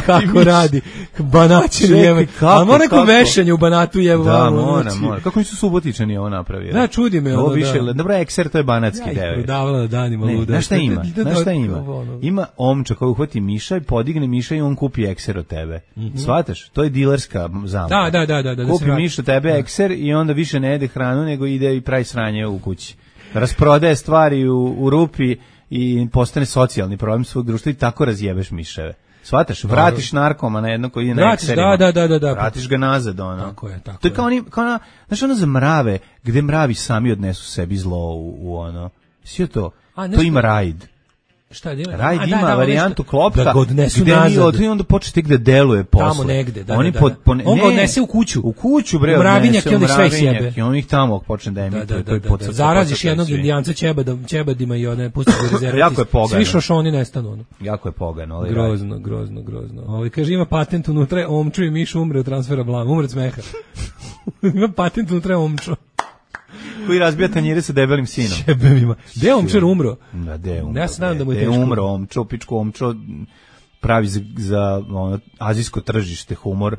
Speaker 6: kako radi. Banačin jebe. Ali mora neko vešanje u Banatu jebe.
Speaker 7: Da, mora. Kako nisu Subotičani ovo napravili?
Speaker 6: Da, čudi me.
Speaker 7: Dobro, ekser, to je banatski deo.
Speaker 6: Ja ih prodavala na danima lude.
Speaker 7: Znaš šta ima? Ima omča koja uhvati miša i podigne miša i on kupi ekser od tebe. Shvataš? To je dilerska zamka.
Speaker 6: Da.
Speaker 7: Kupi miš od tebe ekser i onda više ne jede hranu, nego ide i pravi sranje u kući. Rasprodaje stvari u rupi i postane socijalni problem svog društva i tako razjebeš miševe. Shvataš? Vratiš narkoma na jedno koji je na ekserima. Da. Vratiš ga nazad, ono.
Speaker 6: Tako je.
Speaker 7: To je kao znaš ono za mrave, gde mravi sami odnesu sebi zlo u ono. Sve to. To ima raid.
Speaker 6: Šta je?
Speaker 7: Raid ima varijantu klopka
Speaker 6: da ga odnesu nazad.
Speaker 7: I onda počne tek da deluje posle.
Speaker 6: Tamo negde,
Speaker 7: On
Speaker 6: ga odnese u kuću.
Speaker 7: U kuću, bre,
Speaker 6: mravinjak i onda sve sjebe.
Speaker 7: I on ih tamo počne da emituje.
Speaker 6: Zaraziš jednog indijanca ćebadima i one pustiš u rezervati.
Speaker 7: Jako je pogano.
Speaker 6: Svi šošoni nestanu. Jako
Speaker 7: je pogano.
Speaker 6: Grozno. Kaže, ima patent unutra, omču i miš umre od transfera blama. Umre od smeha. Ima patent unutra, omču.
Speaker 7: Koji razbija tanjire sa debelim sinom.
Speaker 6: Jebem ima. Gde je omčar umro?
Speaker 7: Da, gde je umro?
Speaker 6: Ja se nadam da mu je
Speaker 7: teško. Gde je umro omčo, pičku omčo, pravi za ono, azijsko tržište humor,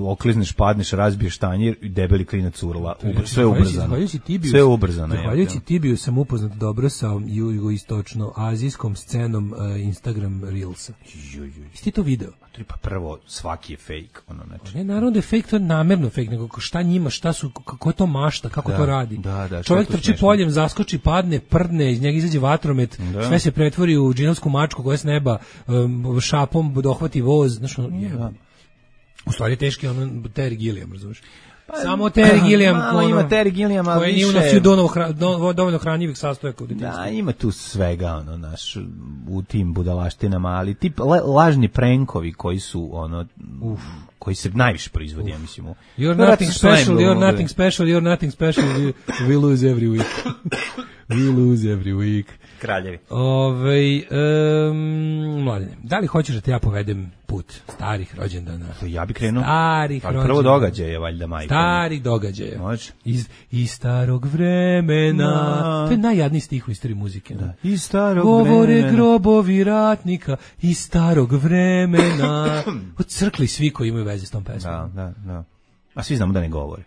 Speaker 7: oklizneš, padneš, razbiješ tanjir i debeli klinac urla. Sve je ubrzano. Sve je ubrzano.
Speaker 6: Zahvaljujući Tibiju sam upoznat dobro sa jugoistočno-azijskom scenom Instagram Reelsa. Jesi ti to video?
Speaker 7: Pa prvo, svaki je fake. Ono, znači.
Speaker 6: Ne, naravno da je fake, to je namerno fake, nego šta njima, šta su, kako je to mašta, kako to radi. Čovjek trči poljem, zaskoči, padne, prdne, iz njega izađe vatromet, sve se pretvori u džinovsku mačku koja s neba šapom dohvati voz, znaš, u stvari je teški Terry Gilliam, razumiješ? Samo Terry Gilliam,
Speaker 7: ima Terry Gilliam, ali
Speaker 6: nije unosio dovoljno hranjivih sastojaka u djetinjstvu.
Speaker 7: Da, ima tu svega, ono, naš, u tim budalaštinama, ali tip lažni prankovi koji su, ono, koji se najviše proizvodi, ja mislim.
Speaker 6: You're nothing special, you're nothing special, you're nothing special, we lose every week. We lose every week.
Speaker 7: Kraljevi.
Speaker 6: Mladine, da li hoćeš da te ja povedem put starih rođendana?
Speaker 7: Ja bi krenuo.
Speaker 6: Starih rođendana.
Speaker 7: Prvo događaje, valjda, majko.
Speaker 6: Starih događaja.
Speaker 7: Može.
Speaker 6: Iz starog vremena. To je najjadniji stih u istoriji muzike.
Speaker 7: Da. Iz starog
Speaker 6: govore
Speaker 7: vremena.
Speaker 6: Grobovi ratnika iz starog vremena. Odcrkli svi koji imaju veze s tom pesmom.
Speaker 7: Da. A svi znamo da ne govore.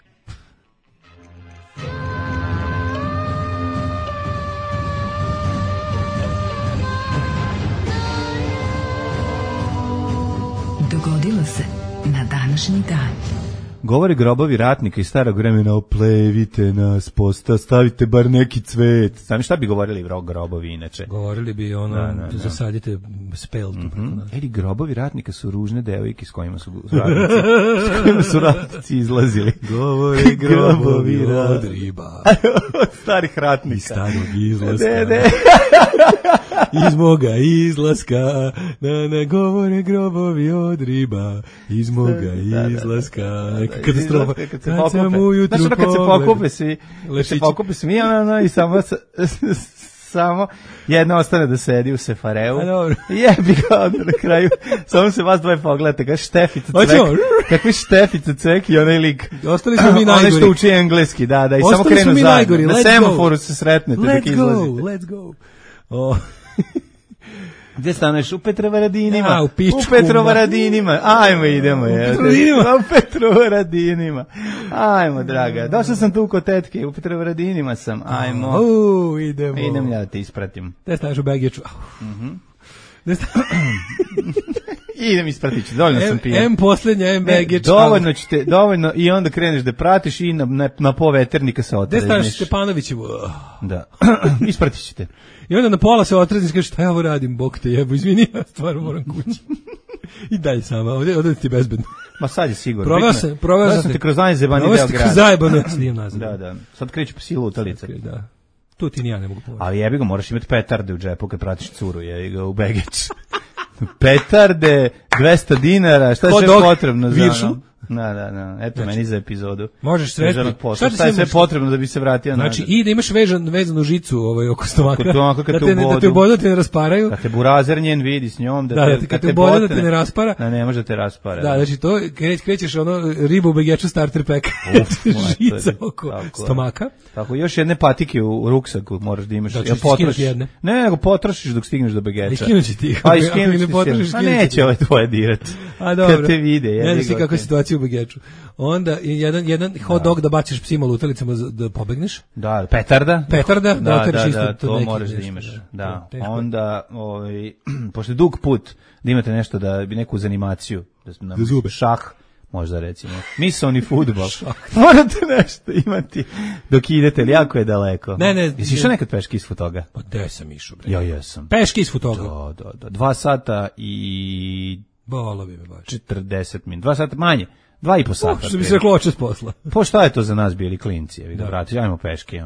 Speaker 4: Dogodilo se na današnji dan.
Speaker 7: Govore grobovi ratnika iz starog vremena, oplevite nas, stavite bar neki cvet. Znam šta bi govorili grobovi inače?
Speaker 6: Govorili bi zasadite speltu.
Speaker 7: Eri, grobovi ratnika su ružne devojke s kojima su ratnici izlazili.
Speaker 6: Govore grobovi od riba.
Speaker 7: Starih ratnika.
Speaker 6: Iz starog izlaska. Iz moga izlaska. Ne govore grobovi od riba. Iz moga izlaska. Katastrofa. Kad sam ujutru
Speaker 7: pogledao. Kad se pokupe svi, i samo jedna ostane da sedi u sefareu. Jebi ga onda na kraju. Samo se vas dvoje pogledate. Kako Štefica Cvek. Kakvi Štefica Cvek i onaj lik.
Speaker 6: Ostali smo mi najgori.
Speaker 7: Onaj što uči engleski, da. I samo krenu zajedno. Na semaforu se sretnete dok izlazite.
Speaker 6: Let's go.
Speaker 7: Gde staneš? U Petrovaradinima.
Speaker 6: U pičku.
Speaker 7: U Petrovaradinima. Ajmo, idemo. U Petrovaradinima. Ajmo, draga. Došao sam tu kod tetke. U Petrovaradinima sam. Ajmo.
Speaker 6: Idemo.
Speaker 7: Idem ja da te ispratim.
Speaker 6: Gde staneš u Begeču?
Speaker 7: Idem ispratit ću. Dovoljno sam pijan.
Speaker 6: M poslednja, M Begeč.
Speaker 7: Dovoljno i onda kreneš da pratiš i na poveternika se otrezneš.
Speaker 6: Gde staneš Stepanovićevu?
Speaker 7: Da. Ispratit ćete.
Speaker 6: I onda na pola se otrezniš, kažeš, šta ja ovo radim, bok te jebo, izvini, ja stvarno moram kući. I dalje sama, ovdje ti bezbedno.
Speaker 7: Ma sad je sigurno.
Speaker 6: Proveo sam
Speaker 7: te kroz najzebani deo grada.
Speaker 6: Kroz zajebano, ja snijem nazad.
Speaker 7: Da. Sad kreću po silu utalica.
Speaker 6: Da. Tu ti ni ja ne mogu povedati.
Speaker 7: Ali jebi ga, moraš imati petarde u džepu kad pratiš curu, jebi ga u Begeč. Petarde, 200 dinara, šta je sve potrebno za ono? Da. Eto, meni za epizodu.
Speaker 6: Možeš sve.
Speaker 7: Šta je sve potrebno da bi se vratio nazad?
Speaker 6: Znači, i da imaš vezanu žicu oko stomaka.
Speaker 7: Da
Speaker 6: te ubodu, te ne rasparaju.
Speaker 7: Da te burazer njen vidi s njom.
Speaker 6: Kad te ubodu, da te ne raspara.
Speaker 7: Da, ne može te raspara.
Speaker 6: Da, znači to, krećeš ribu u Begeču starter pack. Žica oko stomaka.
Speaker 7: Tako, još jedne patike u ruksaku moraš da imaš.
Speaker 6: Da, ćeš skinuti jedne.
Speaker 7: Ne, nego potrošiš dok stigneš do Begeča.
Speaker 6: Iskinući ti.
Speaker 7: A neće ovaj tvoje dirati. Kad te vide.
Speaker 6: Ne znaš ti kakva situacija u Begeču. Onda jedan hot dog da baciš psima lutalicama da pobegneš.
Speaker 7: Da, petarda.
Speaker 6: Da,
Speaker 7: to moraš da imaš. Da. Onda, pošto je dug put, da imate nešto da bi neku zanimaciju, da zube. Šah, možda recimo. Misoni fudbal. Morate nešto imati dok idete, ali jako je daleko.
Speaker 6: Ne.
Speaker 7: Jesi išao nekad peški iz Futoga?
Speaker 6: Pa gde sam išao, bre?
Speaker 7: Ja jesam.
Speaker 6: Peški iz Futoga?
Speaker 7: Da. 2 sata i...
Speaker 6: Bolo bi me baš.
Speaker 7: 40 min. 2 sata manje. 2,5 sata.
Speaker 6: Što bi se reklo očas posla.
Speaker 7: Po šta je to za nas bili klinci? Vrati, ajmo peške.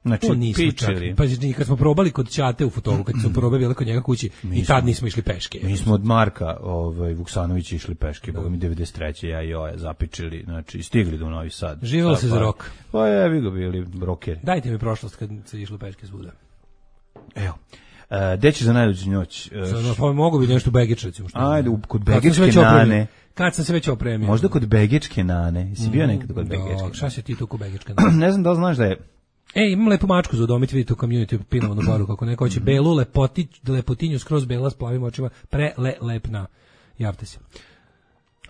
Speaker 7: Znači,
Speaker 6: pičili. Pa kad smo probali kod Ćate u Futogu, kad smo probali bili kod njega kući, i tad nismo išli peške.
Speaker 7: Mi smo od Marka Vuksanovića išli peške, boga mi 93. ja i Joja zapičili, znači stigli do Novi Sad.
Speaker 6: Živjelo se za rok.
Speaker 7: Pa jebi ga bili rokeri.
Speaker 6: Dajte mi prošlost kad se išlo peške svuda.
Speaker 7: Evo. Gde ćeš za najluđu noć?
Speaker 6: Pa mogu bi nešto u Begeč, recimo.
Speaker 7: Ajde, kod Begečke nane.
Speaker 6: Kad sam se već opremio.
Speaker 7: Možda kod Begečke nane. Jesi bio nekad kod Begečke?
Speaker 6: Šta si ti tu kod Begečke nane?
Speaker 7: Ne znam da li znaš da je
Speaker 6: Imam lepu mačku za udomiti, vidite u community pinovanu baru, kako neko hoće belu lepotinju skroz bela s plavim očima, lepna. Javte se.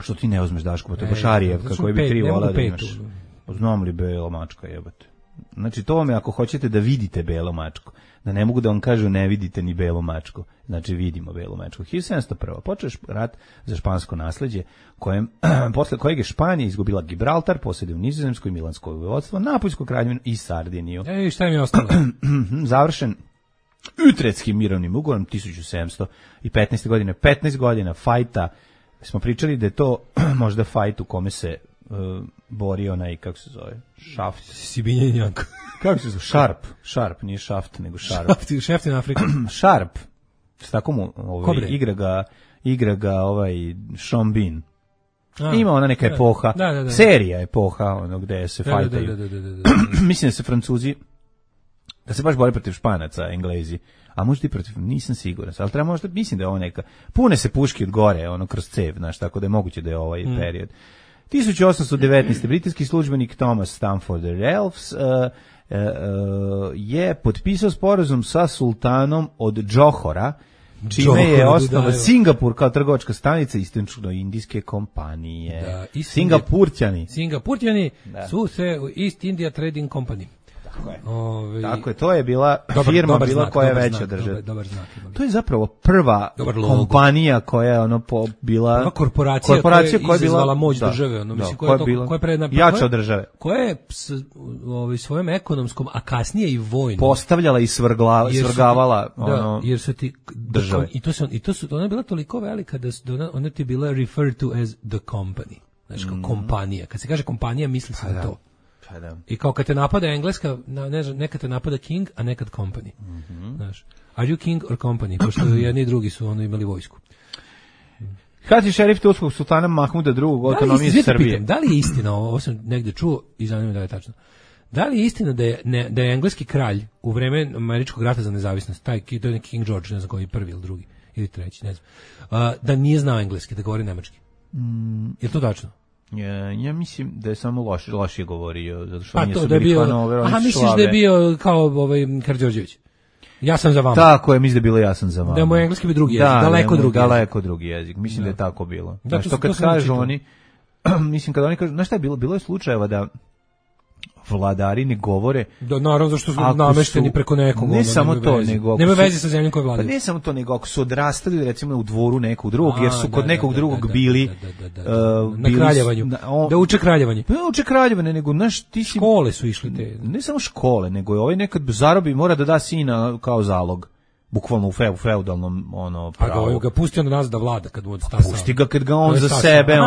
Speaker 7: Što ti ne uzmeš, Daško, pa to je baš Arijevka koji bi 3 vola da imaš. Znam li bela mačka, jebate. Znači, to vam je ako hoćete da vidite belu mačku. Da ne mogu da vam kažu ne vidite ni belu mačku. Znači, vidimo belu mačku. 1701. Počeo rat za špansko nasleđe, posle kojeg je Španija izgubila Gibraltar, posjeduje u Nizozemskoj, Milansko vojvodstvo, Napoljsku kraljevinu i Sardiniju.
Speaker 6: Šta mi je ostalo?
Speaker 7: Završen Utretskim mirovnim ugovorom 1715. godine. 15 godina fajta. Smo pričali da je to možda fajt u kome se borio onaj, kako se zove, Šaft.
Speaker 6: Sibinjen Janko.
Speaker 7: Kako se zove? Šarp, nije Šaft, nego Šarp.
Speaker 6: Šeftin Afrika.
Speaker 7: Šarp. S tako mu igra ga Sean Bean. Ima ona neka epoha, serija epoha, ono gde se fajtaju. Mislim da se Francuzi, da se baš bore protiv Španaca, Englezi. A možda i protiv, nisam siguran, ali treba možda, mislim da je ovo neka, pune se puški od gore, ono kroz cev, znaš, tako da je moguće da je ovaj period. 1819. britanski službenik Thomas Stamford Raffles je potpisao sporazum sa sultanom od Džohora, čime je osnovan Singapur kao trgovačka stanica istočno-indijske kompanije. Singapurćani
Speaker 6: su se u East India Trading Company.
Speaker 7: Tako je, to je bila firma koja je veća od države. To je zapravo prva kompanija koja je bila
Speaker 6: prva korporacija koja je izazvala moć države, koja je
Speaker 7: jača od države.
Speaker 6: Koja je svojom ekonomskom, a kasnije i vojnom
Speaker 7: postavljala i svrgavala
Speaker 6: jer su ti države. I to su ona je bila toliko velika da ona ti bila referred to as the company. Znači kao kompanija. Kad se kaže kompanija, misli se na to. I kao kad te napada Engleska, nekad te napada king, a nekad company. Znaš, are you king or company? Pošto jedni i drugi su imali vojsku.
Speaker 7: Hati šerif turskog sultana Mahmuda II. Autonomije Srbije.
Speaker 6: Da li je istina, ovo sam negde čuo i zanima da je tačno, da li je istina da je engleski kralj u vreme američkog rata za nezavisnost, to je neki King George, ne znam koji, prvi ili drugi, ili treći, ne znam, da nije znao engleski, da govori nemački? Je to tačno?
Speaker 7: Ja mislim da je samo lošije govorio, zato što nije
Speaker 6: bili Hanover, oni su misliš šlabe. Da je bio kao Karađorđević? Ja sam za vama.
Speaker 7: Tako je, mislim da je bilo ja sam za vama.
Speaker 6: Da je moj engleski bi drugi jezik, daleko drugi jezik. Mislim da je tako bilo.
Speaker 7: Znači, to kad kažu oni, mislim kad oni kažu, znaš šta je bilo? Bilo je slučajeva da vladari ne govore.
Speaker 6: Da, naravno, zašto su namešteni preko nekog.
Speaker 7: Ne samo to, nego...
Speaker 6: Nema veze sa zemljom koju vladaju.
Speaker 7: Pa ne samo to, nego ako su odrastali, recimo, u dvoru nekog drugog, jer su kod nekog drugog bili...
Speaker 6: Na kraljevanju. Da uče kraljevanje.
Speaker 7: Pa ne uče kraljevanje, nego, znaš, ti si...
Speaker 6: Škole su išli te.
Speaker 7: Ne samo škole, nego je ovaj nekad zarobi, mora da da sina kao zalog. Bukvalno u feudalnom pravu.
Speaker 6: A ga pusti on nas da vlada kad mu stasao.
Speaker 7: Pusti ga kad ga on za sebe,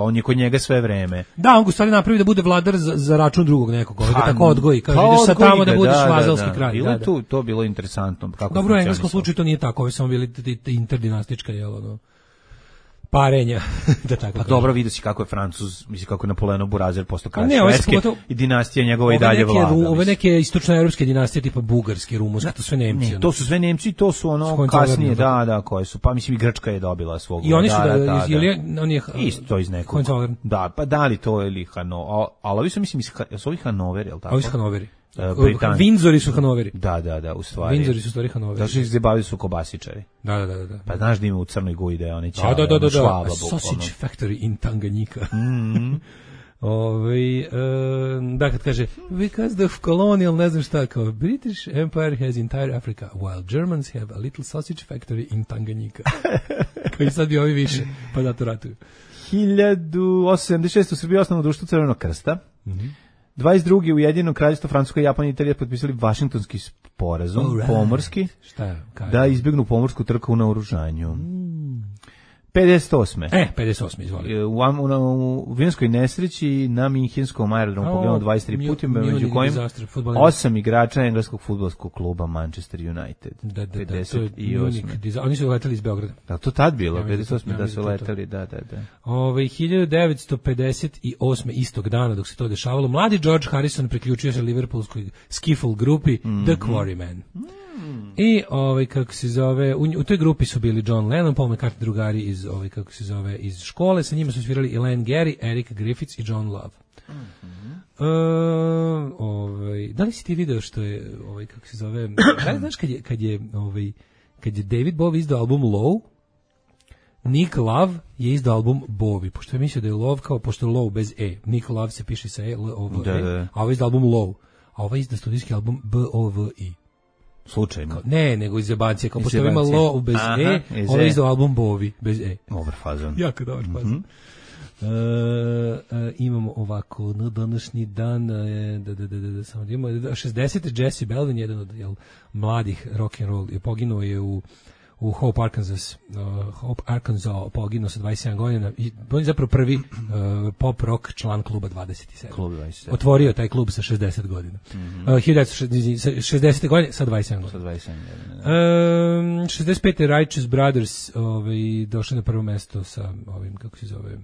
Speaker 7: on je kod njega sve vreme.
Speaker 6: Da, on ga stvari napravi da bude vladar za račun drugog nekog, ga tako odgoji, kaže ideš sad tamo da budeš vazalski kralj.
Speaker 7: Bilo to bilo interesantno.
Speaker 6: Dobro, u engleskom slučaju to nije tako, ovi samo bili interdinastička, parenja, da tako.
Speaker 7: Pa dobro, vidi se kako je Francuz, misli kako je Napoleon Burazer postao kralj Švedske i dinastija njegova i dalje vlada.
Speaker 6: Ove neke istočnoevropske dinastije tipa bugarski, rumunski, to sve Nemci.
Speaker 7: To su sve Nemci, to su kasnije, koje su, pa mislim i Grčka je dobila svog.
Speaker 6: I oni su on je
Speaker 7: isto iz nekog. Da, pa da li to ili Hanover, ali ovi su mislim su ovi Hanover, je li tako?
Speaker 6: Ovi su Hanoveri. Windsori su Hanoveri.
Speaker 7: Da, u stvari.
Speaker 6: Windsori su stvari Hanoveri.
Speaker 7: Da su ih zabavili su kobasičari.
Speaker 6: Da.
Speaker 7: Pa znaš da ima u Crnoj Gori da je oni
Speaker 6: čave. Da. Sausage factory in Tanganyika. Da, kad kaže, because the colonial, ne znam šta, kao British Empire has entire Africa, while Germans have a little sausage factory in Tanganyika. Koji sad bi ovi više, pa da to ratuju.
Speaker 7: 1876. u Srbiji osnovno društvo Crvenog krsta. 22. Ujedinjeno kraljevstvo Francuska, Japan i Italija potpisali Vašingtonski sporazum pomorski da izbjegnu pomorsku trku u naoružanju. 58.
Speaker 6: 58, izvoli.
Speaker 7: U vinskoj nesreći na Minhenskom aerodromu poginulo 23 putima, među kojim 8 igrača engleskog fudbalskog kluba Manchester United.
Speaker 6: Da, 58. Oni su letali iz Beograda.
Speaker 7: Da, to tad bilo, 58. da su letali, da.
Speaker 6: 1958. istog dana dok se to dešavalo, mladi George Harrison priključio se Liverpoolskoj skiffle grupi The Quarrymen. I kako se zove, u toj grupi su bili John Lennon, Paul McCartney, drugari iz iz škole, sa njima su svirali Elaine Gary, Eric Griffiths i John Love. Da li si ti video što je kako se zove, znaš kad je David Bowie izdao album Low, Nick Love je izdao album Bowie, pošto je mislio da je Love kao, pošto je Low bez E, Nick Love se piše sa E, a ovo je izdao album Low, a ovo je izdao studijski album B-O-V-I.
Speaker 7: Slučajno?
Speaker 6: Ne, nego iz jebancije, kao pošto ima Low bez E, ovo je izdao album Bowie bez E.
Speaker 7: Dobar fazon.
Speaker 6: Jako dobar fazon. Imamo ovako na današnji dan samo da imamo 60. Jesse Belvin, jedan od mladih rock and roll, je poginuo je u Hope, Arkansas, poginuo sa 27 godina i on je zapravo prvi pop rock član kluba 27.
Speaker 7: Klub 27.
Speaker 6: Otvorio taj klub sa 60 godina. 1960. godine sa 27 godina.
Speaker 7: Sa 27 godina.
Speaker 6: 65. Righteous Brothers došli na prvo mesto sa ovim, kako se zove...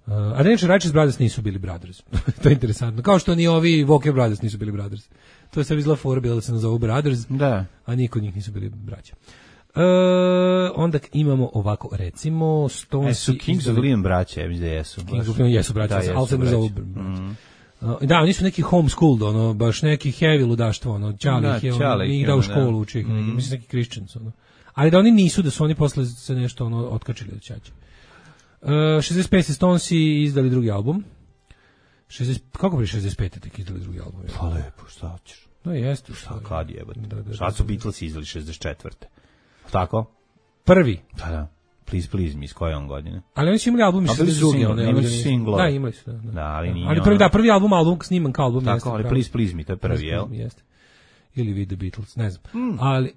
Speaker 6: A da neče Righteous Brothers nisu bili Brothers. To je interesantno. Kao što ni ovi Walker Brothers nisu bili Brothers. To je sve izgleda fora bila da se nazovu Brothers,
Speaker 7: da.
Speaker 6: A niko od njih nisu bili braća. Onda imamo ovako, recimo
Speaker 7: su Kings of Leon braća, mislim da jesu.
Speaker 6: Kings of Leon jesu braća, ali se nazovu braća. Da, oni su neki homeschooled, baš neki heavy ludaštvo, Čale ih da u školu uči, mislim neki Christians, ali da oni nisu, da su oni posle se nešto otkačili od ćaće. 65. Stonesi izdali drugi album. Kako bi 65. tek izdali drugi album?
Speaker 7: Pa lepo, šta hoćeš?
Speaker 6: No jeste.
Speaker 7: Šta kad jebate? Šta su Beatlesi izdali 64. Tako?
Speaker 6: Prvi?
Speaker 7: Da. Please me, iz koje on godine?
Speaker 6: Ali oni su imali album iz 62.
Speaker 7: Imali su singlove.
Speaker 6: Da, imali su.
Speaker 7: Da, ali nije.
Speaker 6: Ali prvi album sniman kao album.
Speaker 7: Tako, ali Please me, to je prvi, jel?
Speaker 6: Jeste. Ili We the Beatles, ne znam. Ali...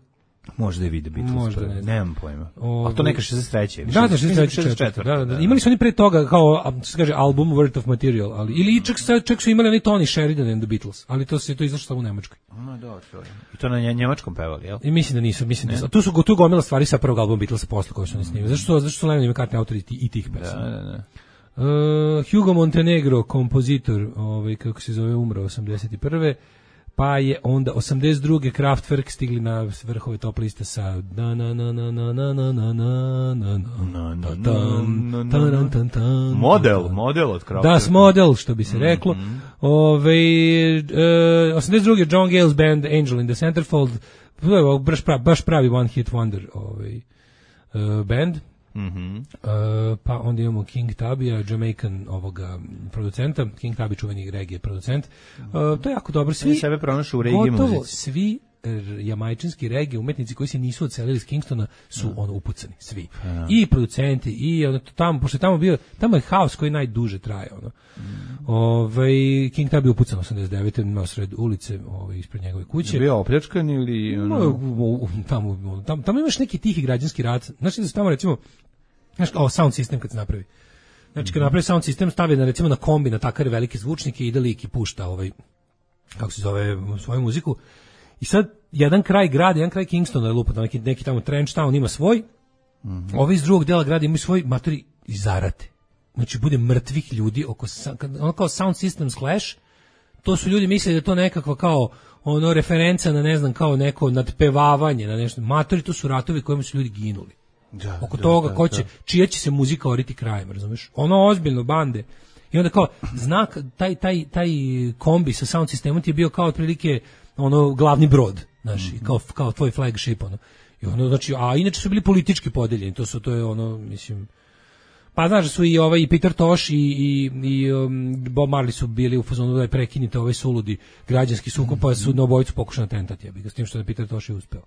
Speaker 7: Možda je We the Beatles.
Speaker 6: Možda, ne znam.
Speaker 7: Nemam pojma. A to neka 63.
Speaker 6: Da, 64. Da. Imali su oni pre toga kao, se kaže, album Worth of Material, ali ili čak su imali oni Tony Sheridan and the Beatles, ali to izašlo samo u Nemačkoj.
Speaker 7: I to na njemačkom pevali, jel?
Speaker 6: I mislim da nisu. Tu gomila stvari sa prvog albuma Beatlesa posle koje su oni snimili. Zašto su Lennon i McCartney autori i tih pesama?
Speaker 7: Da.
Speaker 6: Hugo Montenegro, kompozitor, kako se zove, umro 81. Pa je onda 82. Kraftwerk stigli na vrhove top liste sa
Speaker 7: model od Kraftwerka.
Speaker 6: Das Model, što bi se reklo. 82. John Gale's band Angel in the Centerfold, baš pravi one hit wonder band. Pa onda imamo King Tabija, Jamaican producenta, King Tabi čuveni regije producent. To je jako dobro.
Speaker 7: Sebe pronašu u regije
Speaker 6: gotovo
Speaker 7: muzici.
Speaker 6: Svi jamajčanski regije umetnici koji se nisu odselili iz Kingstona su upucani, svi. I producenti, i tamo, pošto tamo je haos koji najduže traje. King Tabi je upucan 89. imao sred ulice ispred njegove kuće.
Speaker 7: Je bio opljačkan ili...
Speaker 6: Tamo imaš neki tihi građanski rat. Znači da se tamo recimo sound system kad se napravi. Znači kad napravi sound system stavi recimo na kombi, na takare velike zvučnike i ide lik i pušta kako se zove, svoju muziku. I sad jedan kraj grada, jedan kraj Kingstona je lupa, neki tamo Trench Town ima svoj, ovi iz drugog dela grada imaju svoj, matori i zarate. Znači bude mrtvih ljudi kao sound system clash. To su ljudi mislili da je to nekakva kao referenca na ne znam kao neko nadpevavanje na nešto. Matori, to su ratovi kojima su ljudi ginuli. Oko toga čija će se muzika oriti krajem, razumeš? Ozbiljno bande. I onda kao znak taj kombi sa sound sistemom ti je bio kao otprilike glavni brod, znači kao tvoj flagship I znači, a inače su bili politički podeljeni, to je mislim. Pa znaš da su i Peter Tosh i Bob Marley su bili u fazonu da prekinite ovaj suludi građanski sukob, pa su na obojicu pokušali atentat, s tim što je Peter Tosh i uspeo.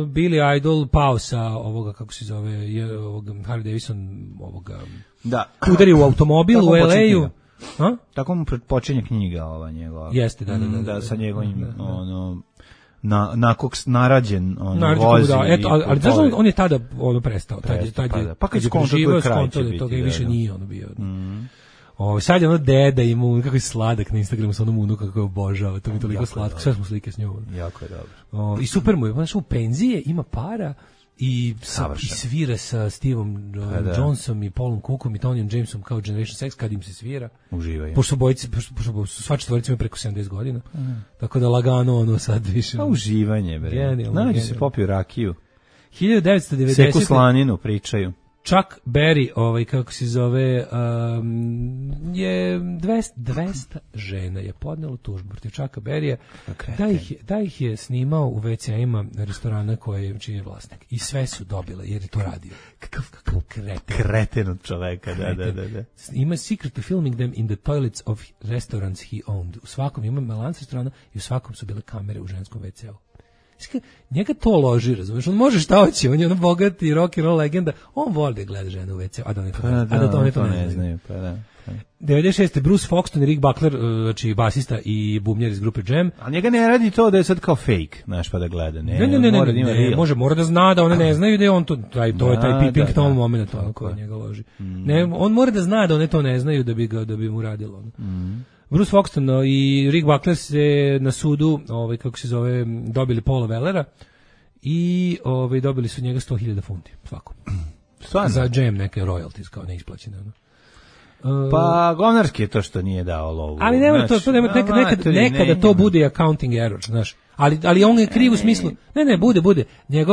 Speaker 6: Billy Idol pao sa kako se zove, Harley Davidson udari u automobil u LA-u.
Speaker 7: Tako mu počinje knjiga njegova.
Speaker 6: Jeste,
Speaker 7: da sa njegovim na kog narađen vozi.
Speaker 6: Ali znaš on je tada prestao.
Speaker 7: Pa kad je skonto
Speaker 6: toga i više nije bio. Sad je deda ima kako je sladak na Instagramu sa onom unuka kako je obožava, to mi je toliko slatko, sve smo slike s njom.
Speaker 7: Jako je dobro.
Speaker 6: I super mu je, znaš, u penzije ima para i svira sa Steveom Johnsonom i Paulom Cookom i Tonyom Jamesom kao Generation Sex kad im se svira.
Speaker 7: Uživaju.
Speaker 6: Pošto sva četvorica ima preko 70 godina, tako da lagano sad više.
Speaker 7: Pa uživanje, bre. Nađu se popiju rakiju.
Speaker 6: 1990.
Speaker 7: Seku slaninu pričaju.
Speaker 6: Chuck Berry, kako se zove, je 200 žena je podnelo tužbu protiv Chucka Berrya da ih je snimao u WC-ima restorana čiji je vlasnik. I sve su dobile jer je to radio.
Speaker 7: Kakav kreten od čoveka, da.
Speaker 6: Ima secretly filming them in the toilets of restaurants he owned. U svakom ima lanac restorana i u svakom su bile kamere u ženskom WC-u. Njega to loži, razumiješ, on može šta hoće, on je ono bogati rock and roll legenda, on voli da gleda žene u WC, a da oni to ne znaju. 96. Bruce Foxton i Rick Buckler, znači basista i bubnjar iz grupe Jam.
Speaker 7: A njega ne radi to da je sad kao fake, znaš, pa da gleda. Ne,
Speaker 6: mora da zna da one ne znaju da je on to je taj peeping tom moment koji njega loži. Ne, on mora da zna da one to ne znaju da bi mu radilo. Bruce Foxton i Rick Buckler se na sudu, dobili Paula Wellera i dobili su njega 100.000 funti svakom.
Speaker 7: Stvarno?
Speaker 6: Za Jam neke royalties kao neisplaćene.
Speaker 7: Pa govnarski je to što nije dao lovu.
Speaker 6: Ali nema nekada to bude accounting error, znaš. Ali on je kriv u smislu. Ne, bude.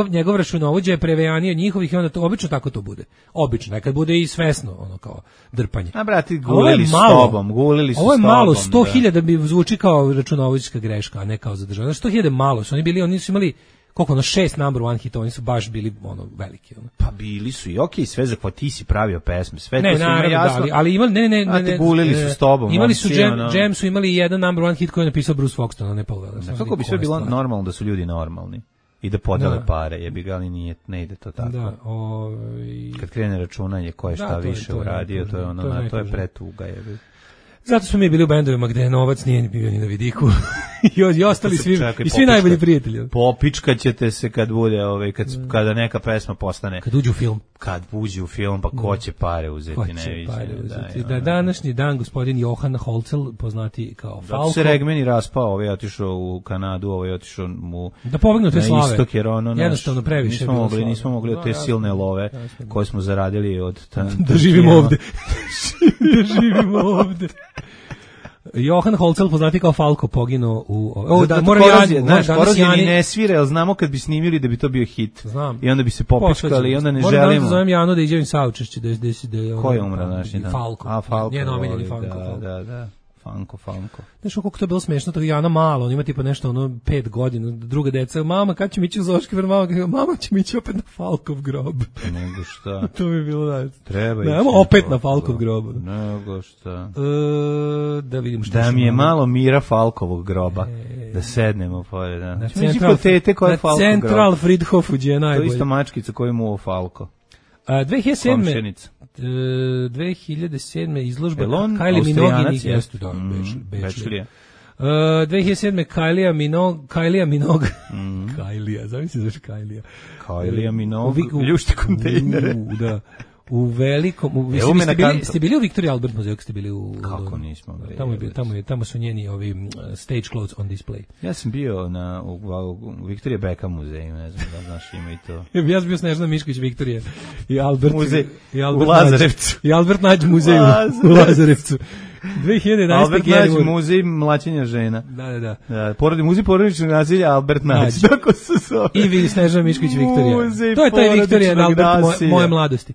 Speaker 6: Njegov računovođa je prevejanio njihovih i onda to obično tako to bude. Obično, nekad bude i svesno, ono kao drpanje.
Speaker 7: A brati, gulili su s tobom.
Speaker 6: Ovo je malo, 100.000 bi zvuči kao računovođska greška, a ne kao zadržavanje. 100.000 malo su, oni su imali koliko 6 number one hitova, oni su baš bili veliki.
Speaker 7: Pa bili su i okej, sve za pa ti si pravio pesme, sve
Speaker 6: to
Speaker 7: su ima jasno.
Speaker 6: Ali imali ne,
Speaker 7: gulili su s tobom.
Speaker 6: Imali su Jam su imali jedan number one hit koji je napisao Bruce Foxton, a ne Paul Weller.
Speaker 7: Kako bi sve bilo normalno da su ljudi normalni i da podele pare, jebi ga, ali ne ide to tako.
Speaker 6: Da,
Speaker 7: kad krene računanje ko je šta više uradio, to je ono, to je pretuga, jebi.
Speaker 6: Zato smo mi bili u bendovima gde novac nije bio ni na vidiku. I ostali svi najbolji prijatelji.
Speaker 7: Popičkaćete se kad bude, kada neka pesma postane.
Speaker 6: Kad uđe u film.
Speaker 7: Kad uđe u film, pa ko će pare uzeti,
Speaker 6: Da, današnji dan gospodin Johan Holzel, poznati kao Falko.
Speaker 7: Da se Regmeni raspao, ovaj je otišao u Kanadu, ovaj je otišao
Speaker 6: da pobegnu te slave.
Speaker 7: Istok, jer
Speaker 6: jednostavno previše
Speaker 7: nismo mogli od te silne love koje smo zaradili od
Speaker 6: da živimo ovde. Da živimo ovde. Johan Holzel, poznati kao Falko, poginuo u...
Speaker 7: Porazje ni ne svira, jer znamo kad bi snimili da bi to bio hit.
Speaker 6: Znam.
Speaker 7: I onda bi se popičkali i onda ne želimo.
Speaker 6: Moram da zovem Janu da iđem saučešće.
Speaker 7: Ko je umra naši dan?
Speaker 6: Falko.
Speaker 7: A, Falko.
Speaker 6: Njen omiljeni Falko.
Speaker 7: Da. Fanko.
Speaker 6: Znaš koliko to je bilo smešno, to je Jana malo, on ima tipa nešto 5 godina, druga deca, mama kad će mi ići u zoološki vrt, mama će mi ići opet na Falkov grob.
Speaker 7: Nego šta?
Speaker 6: To bi bilo da.
Speaker 7: Treba ići.
Speaker 6: Opet na Falkov grob.
Speaker 7: Nego šta?
Speaker 6: Da vidimo šta.
Speaker 7: Da mi je malo mira Falkovog groba, da sednemo pored. Na
Speaker 6: Central Friedhofu gdje je najbolje.
Speaker 7: To je isto mačkica koju mu ovo Falko.
Speaker 6: 2007. izložba Kylie Minogue i Gestu, da, Bečlija. 2007. Kylie Minogue. Kylie, zamisli zašto Kylie.
Speaker 7: Kylie Minogue, ljušti kontejnere.
Speaker 6: Da. U velikom, ste bili u Victoria Albert muzeju, ste bili u
Speaker 7: Kako nismo?
Speaker 6: Tamo su njeni ovi stage clothes on display.
Speaker 7: Ja sam bio u Victoria Beckham muzeju, ne znam da znaš, ima i to.
Speaker 6: Ja sam bio Snežana Mišković Victoria i Albert
Speaker 7: muzej u Lazarevcu.
Speaker 6: I Albert Nađ muzej u Lazarevcu. 2011.
Speaker 7: Albert Nađ muzej mlaćenja žena.
Speaker 6: Da.
Speaker 7: Muzej porodičnog nasilja Albert Nađ. Tako se zove.
Speaker 6: I vi Snežana Mišković Victoria. To je taj Victoria Albert moje mladosti.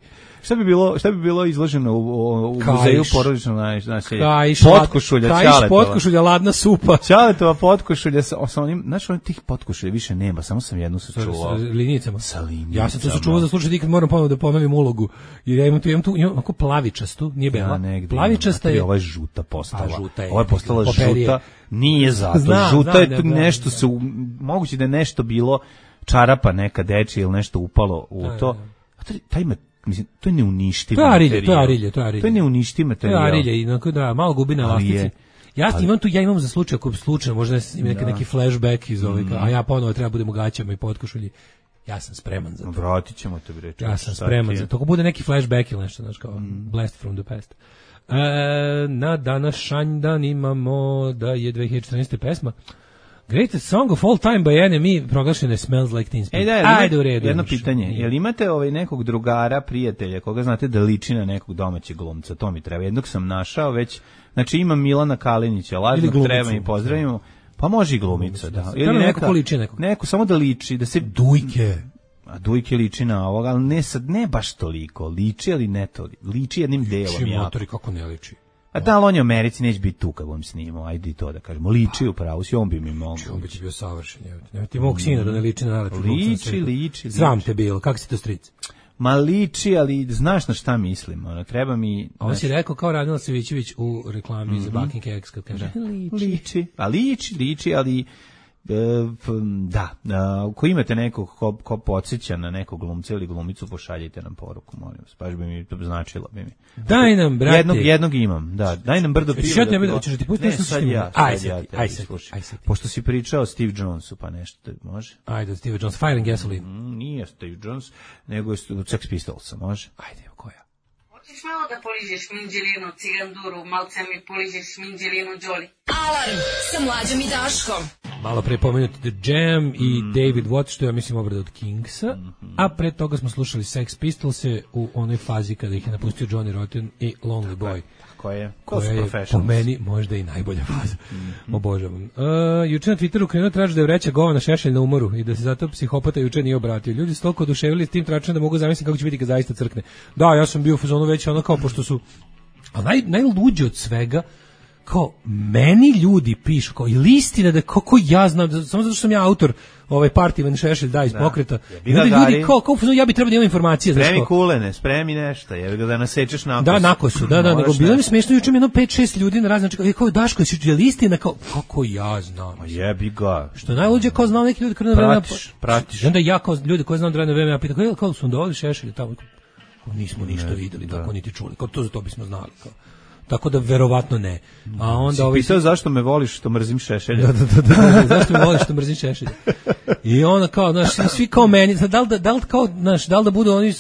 Speaker 7: Šta bi bilo izloženo u muzeju porodičnog nasilja?
Speaker 6: Potkošulja, potkošulja, ladna supa.
Speaker 7: Ćaletova potkošulja sa onim, znaš, tih potkošulja više nema, samo sam jednu sačuvao.
Speaker 6: Sa linijicama. Ja sam to sačuvao za slučaj kad moram ponovno da ponovim ulogu. Jer ja imam tu onako plavičastu, nije bela. Plavičasta je.
Speaker 7: Ova je žuta postala. Ova je postala žuta. Nije zato. Žuta je nešto se, moguće da je nešto bilo čarapa neka dečija ili nešto upalo u to. A taj ima, mislim, to je neuništiv materijal. To je neuništiv materijal.
Speaker 6: To je arilje, da, malo gubi na elastici. Ja imam za slučaj, ako slučajno možda neki flashback iz ovoga, a ja ponovo treba budem u gaćama i potkošulji. Ja sam spreman za to.
Speaker 7: Vratit ćemo te, bre.
Speaker 6: Ja sam spreman za to. Ako bude neki flashback ili nešto, znaš, kao blast from the past. Na današanj dan imamo da je 2014. pesma Greatest Song of All Time by NME proglašena Smells Like Teen Spirit. Ajde u redu.
Speaker 7: Jedno pitanje, jel imate nekog drugara, prijatelja, koga znate da liči na nekog domaćeg glumca? To mi treba. Jednog sam našao već, znači imam Milana Kalinića, lažnog treba i pozdravimo. Pa može i glumica, da.
Speaker 6: Ili neko ko liči nekog.
Speaker 7: Neko, samo da liči, da se...
Speaker 6: Dujke.
Speaker 7: A Dujke liči na ovoga, ali ne sad, ne baš toliko. Liči, ali ne toliko. Liči jednim delom.
Speaker 6: Liči motori, kako ne liči.
Speaker 7: A da, ali on je u Americi, neće biti tu kad bom snimao, ajde i to da kažemo. Liči upravo, si on bi mi mogao.
Speaker 6: On bi ti bio savršen. Nema ti mog sina da ne liči na najlepši.
Speaker 7: Liči.
Speaker 6: Sram te bilo, kako si to stric?
Speaker 7: Ma liči, ali znaš na šta mislim, ono, treba mi...
Speaker 6: Ovo si rekao kao Radmila Savićević u reklami za Baking Cakes, kad kaže,
Speaker 7: liči, ali... ako imate nekog ko podsjeća na nekog glumca ili glumicu, pošaljite nam poruku, molim vas, baš bi mi to značilo.
Speaker 6: Daj nam, brate.
Speaker 7: Jednog imam, da. Daj nam brdo piva.
Speaker 6: Hoćeš da ti pustiti nešto?
Speaker 7: Aj sad. Pošto si pričao o Steve Jonesu, pa nešto, može?
Speaker 6: Ajde, Steve Jones, Fire and Gasoline.
Speaker 7: Nije Steve Jones, nego je Sex Pistolsa, može?
Speaker 6: Ajde, koja?
Speaker 1: Hoćeš malo da poližeš minđelinu, ciganduru, malce mi poližeš minđelinu, Đoli.
Speaker 4: Alarm sa Mlađom i Daškom.
Speaker 6: Malo pre pomenuti The Jam i David Watt, što ja mislim obrada od Kingsa, a pre toga smo slušali Sex Pistolse u onoj fazi kada ih je napustio Johnny Rotten i Lonely Boy.
Speaker 7: Koja je
Speaker 6: po meni možda i najbolja faza. Obožavam. Juče na Twitteru krenuo traži da je vreća govana Šešelj na umoru i da se zato psihopata juče nije obratio. Ljudi su toliko oduševili s tim tračem da mogu zamisliti kako će biti kad zaista crkne. Da, ja sam bio u fazonu već ono kao pošto su... A najluđe od svega, kao meni ljudi pišu kao ili istina da kako ja znam samo zato što sam ja autor Partivan Šešelj da iz pokreta ljudi kao ja bi trebao da imam informacije
Speaker 7: spremi kulene, spremi nešto je da nasečeš na
Speaker 6: da nakosu nego bilo mi smešno juče mi jedno 5-6 ljudi na razne znači kao Daško je li istina kao kako ja znam
Speaker 7: jebi ga
Speaker 6: što najluđe kao znam neki ljudi koji pratiš onda ja kao ljudi koji znam da vreme ja pitam kao su doveli Šešelj tamo nismo ništa videli tako niti čuli kao to za to bismo znali kao. Tako da verovatno ne. A onda
Speaker 7: pitao zašto me voliš što mrzim Šešelja.
Speaker 6: Da, zašto me voliš što mrzim Šešelja. I onda kao, znaš, svi kao meni, da li da budu oni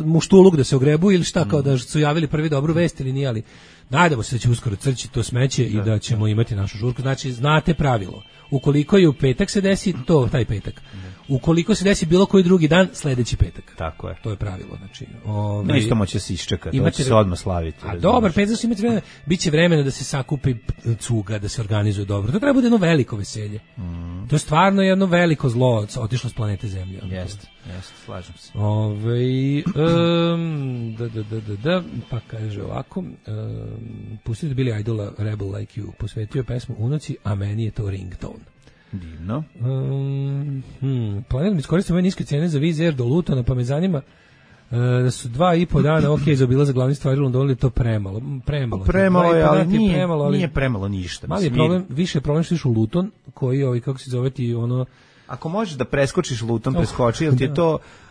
Speaker 6: muštuluk da se ogrebu ili šta, kao da su javili prvi dobru vest ili nije, ali najdemo se da će uskoro crći to smeće i da ćemo imati našu žurku. Znači, znate pravilo. Ukoliko je u petak se desi, to taj petak. Ukoliko se desi bilo koji drugi dan, sledeći petak.
Speaker 7: Tako je.
Speaker 6: To je pravilo. Znači,
Speaker 7: isto moće se iščekati, to će se odmah slaviti.
Speaker 6: A dobar, petak imate vremena, biće vremena da se sakupi cuga, da se organizuje dobro. To treba bude jedno veliko veselje. To je stvarno jedno veliko zlo otišlo s planete Zemlje.
Speaker 7: Jeste, slažem se.
Speaker 6: Pa kaže ovako, pustite Billy Idola Rebel Like You, posvetio pesmu unuci, a meni je to ringtone.
Speaker 7: Divno.
Speaker 6: Planiram iskoristiti ove niske cene za Wizz Air do Lutona, pa me zanima da su 2,5 dana za bila za glavni stvari u Londonu, je to premalo.
Speaker 7: Premalo je, ali nije premalo ništa.
Speaker 6: Mali je problem, više je problem što iš u Luton, koji, kako se zove ti, ono...
Speaker 7: Ako možeš da preskočiš Luton, preskoči,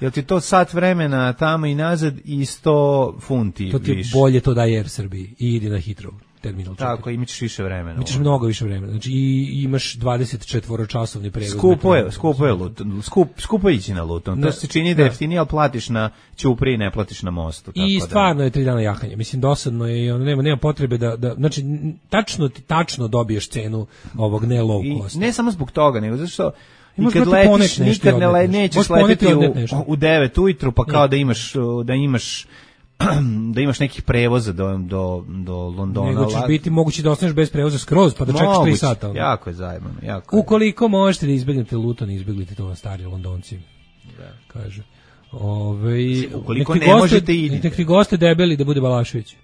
Speaker 7: jel ti to sat vremena tamo i nazad i 100 funti više?
Speaker 6: To ti je bolje to daje Air Srbiji i idi na Heathrow terminal.
Speaker 7: Tako, imaš više vremena.
Speaker 6: Imaš mnogo više vremena. Znači i imaš 24-časovni prevoz.
Speaker 7: Skupo ići na Luton. To se čini da je jeftinije, ali platiš na Ćupriji, ne platiš na mostu.
Speaker 6: I stvarno je 3 dana jahanje. Mislim, dosadno je i nema potrebe da znači, tačno dobiješ cenu ovog ne low cost.
Speaker 7: Ne samo zbog toga, nego zato što i kad letiš, nikad nećeš leteti u 9 ujutru, pa kao da imaš nekih prevoza do Londona.
Speaker 6: Nego ćeš biti mogući da ostaneš bez prevoza skroz, pa da čekaš 3 sata.
Speaker 7: Jako je zajebano.
Speaker 6: Ukoliko možete da izbegnete Luton, izbeglite to na stari Londonci. Da. Kaže.
Speaker 7: Ukoliko ne možete idite.
Speaker 6: Nekri goste debeli da bude Balašević.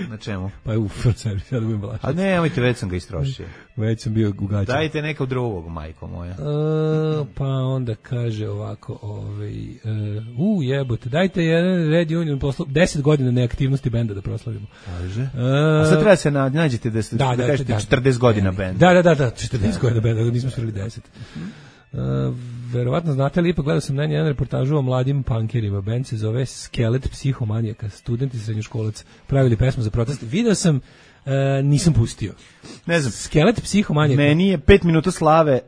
Speaker 7: Na čemu?
Speaker 6: Pa je Francevi, ja da budem Balašević.
Speaker 7: A nemojte, već sam ga istrošio.
Speaker 6: Već sam bio ugaćen.
Speaker 7: Dajte nekog drugog, majko moja.
Speaker 6: Pa onda kaže ovako, jebote, dajte jedan Red Union 10 godina neaktivnosti benda da proslavimo.
Speaker 7: Kaže. A sad treba se nađete da kažete 40 godina benda.
Speaker 6: Da, 40 godina benda, nismo svirali 10. Verovatno znate li, ipak gledao sam na jedan reportažu o mladim punkerima. Band se zove Skelet Psihomanijaka. Studenti srednjoškolac pravili pesmu za protest. Video sam, nisam pustio.
Speaker 7: Ne znam.
Speaker 6: Skelet Psihomanijaka.
Speaker 7: Meni je 5 minuta slave,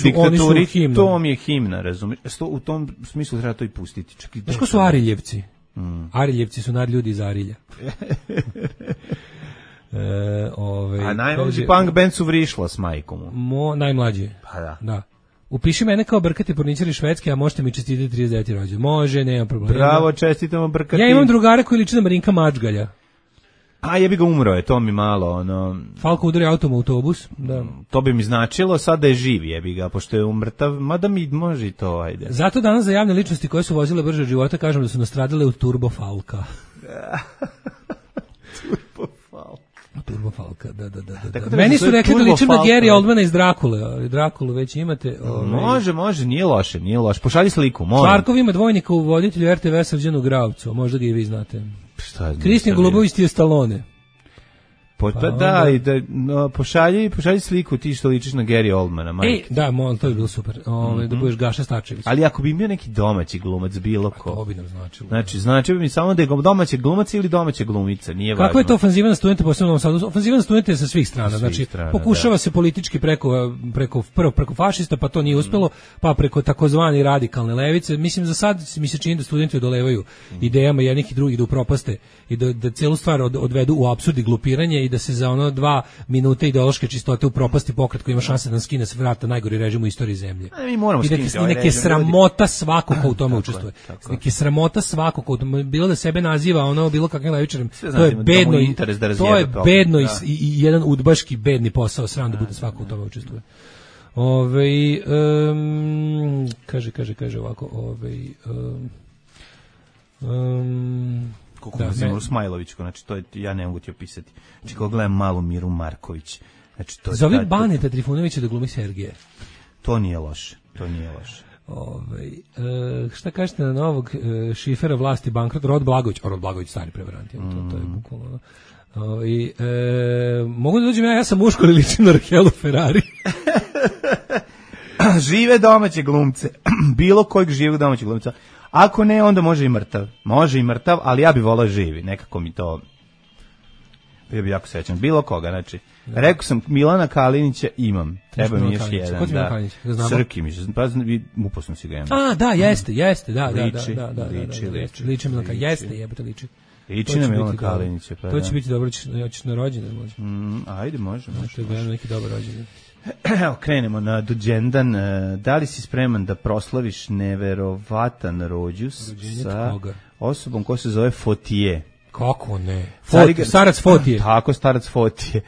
Speaker 7: diktaturi, to mi je himna, razumiješ? U tom smislu treba to i pustiti.
Speaker 6: Znaš ko su Ariljevci? Ariljevci su nadljudi iz Arilja.
Speaker 7: A najmlađi punk band su Vrišla s majkom.
Speaker 6: Najmlađi.
Speaker 7: Pa da.
Speaker 6: Upiši mene kao Brkati porničari Švedske, a možete mi čestitati 39. rođendan. Može, nema problema.
Speaker 7: Bravo, čestitamo Brkati.
Speaker 6: Ja imam drugara koji liči na Marinka Mačgalja.
Speaker 7: A jebi ga, umro je, to mi malo, ono...
Speaker 6: Falko udari autom u autobus, da.
Speaker 7: To bi mi značilo sad da je živ, jebi ga, pošto je umrtav, mada mi može i to, ajde.
Speaker 6: Zato danas za javne ličnosti koje su vozile brže od života kažem da su nastradale u Turbo Falka. Turbo Falka, da. Meni su rekli da ličim na Gary Oldmana iz Drakule, ali Drakulu već imate.
Speaker 7: Može, nije loše. Pošalji sliku, molim.
Speaker 6: Šarkov ima dvojnika u voditelju RTV Srđanu Gravcu, možda ga i vi znate.
Speaker 7: Šta znam?
Speaker 6: Kristijan Golubović ti je Stallone.
Speaker 7: Pošalji sliku ti što ličiš na Gary Oldmana, majke.
Speaker 6: Da, to je bilo super. Da budeš Gaša Starčević.
Speaker 7: Ali ako bi bio neki domaći glumac, bilo ko.
Speaker 6: To bi nam značilo.
Speaker 7: Znači bi mi samo da je domaći glumac ili domaća glumica, nije važno.
Speaker 6: Kako je to ofanziva na studente, posebno u Novom Sadu? Ofanziva na studente je sa svih strana. Znači, pokušava se politički preko fašista, pa to nije uspelo, pa preko takozvane radikalne levice. Mislim, za sad mi se čini da studenti odolevaju idejama jednih i drugih da upropaste i da celu stvar odvedu u apsurd i glupiranje i da se za 2 minute ideološke čistote upropasti pokret koji ima šanse da nam skine s vrata najgori režim u istoriji zemlje.
Speaker 7: Mi moramo skinuti ovaj režim.
Speaker 6: Neke sramota svako ko u tome učestvuje. Neke sramota svako ko bilo da sebe naziva bilo kakvim levičarem. To je bedno i jedan udbaški bedni posao, sram da bude svako u tome učestvuje. Kaže ovako,
Speaker 7: Kako nazivamo Smajlovićko, znači to je, ja ne mogu ti opisati. Znači kako gledam malu Miru Marković. Znači, to
Speaker 6: zove Baneta Trifunovića da glumi Sergeja.
Speaker 7: To nije loše.
Speaker 6: Šta kažete na novog šifera vlasti bankrot Rod Blagović stari prevarant, to je bukvalno. Mogu da dođem ja sam muško ili ličim na Rahelu Ferrari.
Speaker 7: Žive domaće glumce. Bilo kojeg živog domaćeg glumca. Ako ne, onda može i mrtav, ali ja bih volao živi, nekako mi to, bio bi jako srećan, bilo koga, znači, rekao sam Milana Kalinića imam, treba mi još jedan,
Speaker 6: ko ti Milana Kalinić?
Speaker 7: Srki mi se, pa uposno si ga imam.
Speaker 6: Da, jeste, da, liči Milana Kalinića, liči.
Speaker 7: Liči na Milana Kalinića, pa
Speaker 6: to će biti dobro, ćeš na rođendan, može.
Speaker 7: Ajde, može.
Speaker 6: To je neki dobar rođendan.
Speaker 7: Evo, krenemo na Duđendan. Da li si spreman da proslaviš neverovatan rođus sa osobom koja se zove Fotije?
Speaker 6: Kako ne? Starac Fotije.
Speaker 7: Tako, starac Fotije.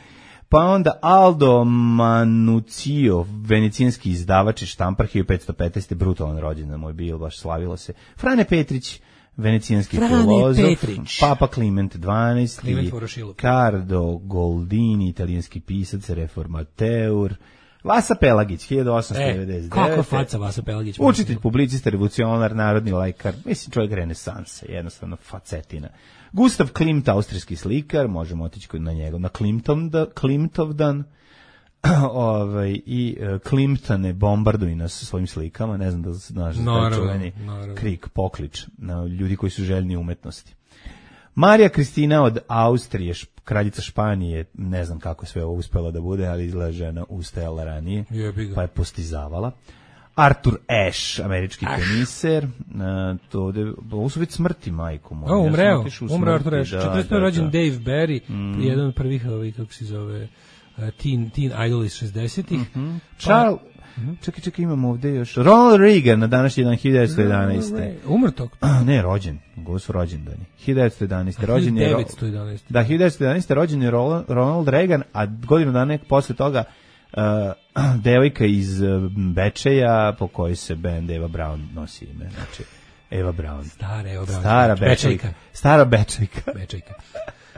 Speaker 7: Pa onda Aldo Manucio, venecijanski izdavač i štampar, 1515. brutalan rođendan moj bio, baš slavilo se. Frane Petrić, venecijanski filozof, Papa Kliment XII, Cardo Goldini, italijanski pisac, reformateur, Vasa Pelagić, 1899.
Speaker 6: Kako faca Vasa Pelagić?
Speaker 7: Učitelj, publicist, revolucionar, narodni laikar, mislim čovjek renesansa, jednostavno facetina. Gustav Klimt, austrijski slikar, možemo otići na njega, na Klimtovdan, i Klimptane bombarduju nas svojim slikama, ne znam da znaš taj čuveni krik, poklič na ljudi koji su željni umetnosti. Marija Kristina od Austrije, kraljica Španije, ne znam kako je sve ovo uspela da bude, ali izgleda žena ustajala ranije, pa je postizavala. Arthur Ashe, američki teniser, ovo su već smrti, majko moja.
Speaker 6: Umreo Arthur Ashe, 40. rođen Dave Barry, jedan od prvih, kako se zove, teen idol iz 60-ih.
Speaker 7: Charles, čekaj, imamo ovdje još. Ronald Reagan na današnji dan 1911.
Speaker 6: Umrtog?
Speaker 7: Ne, rođen. Ovo su rođendani. 1911. rođen je
Speaker 6: 1911.
Speaker 7: Da, 1911. rođen je Ronald Reagan, a godinu dana posle toga devojka iz Bečeja, po kojoj se band Eva Braun nosi ime. Znači, Eva Braun.
Speaker 6: Stara Eva Braun.
Speaker 7: Stara Bečejka.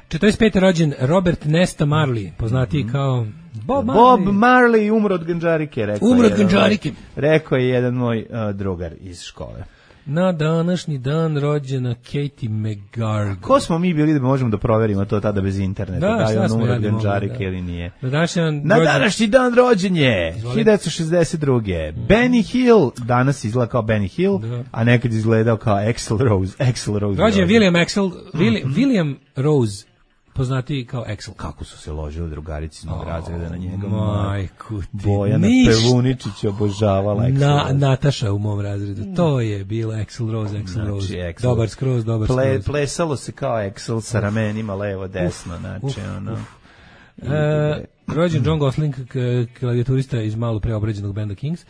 Speaker 6: 45. rođen Robert Nesta Marley, poznatiji kao Bob
Speaker 7: Marley, umro od ganđarike, rekao je jedan moj drugar iz škole.
Speaker 6: Na današnji dan rođena Katie McGarg.
Speaker 7: Ko smo mi bili da možemo da proverimo to tada bez interneta, da je on umro od ganđarike ili nije? Na današnji dan rođen je 1962. Benny Hill, danas izgleda kao Benny Hill, a nekad izgledao kao Axl Rose.
Speaker 6: Rođen William Rose, poznati kao Axl.
Speaker 7: Kako su se ložili drugarici iz mog razreda na njega.
Speaker 6: Majku ti.
Speaker 7: Bojana Pevuničić obožavala Axl Rose.
Speaker 6: Natasha u mom razredu. To je bilo Axl Rose. Dobar skroz.
Speaker 7: Plesalo se kao Axl sa ramenima levo, desno. Znači,
Speaker 6: Rođen John Gosling, klavijaturista iz malo preobrađenog benda Kings,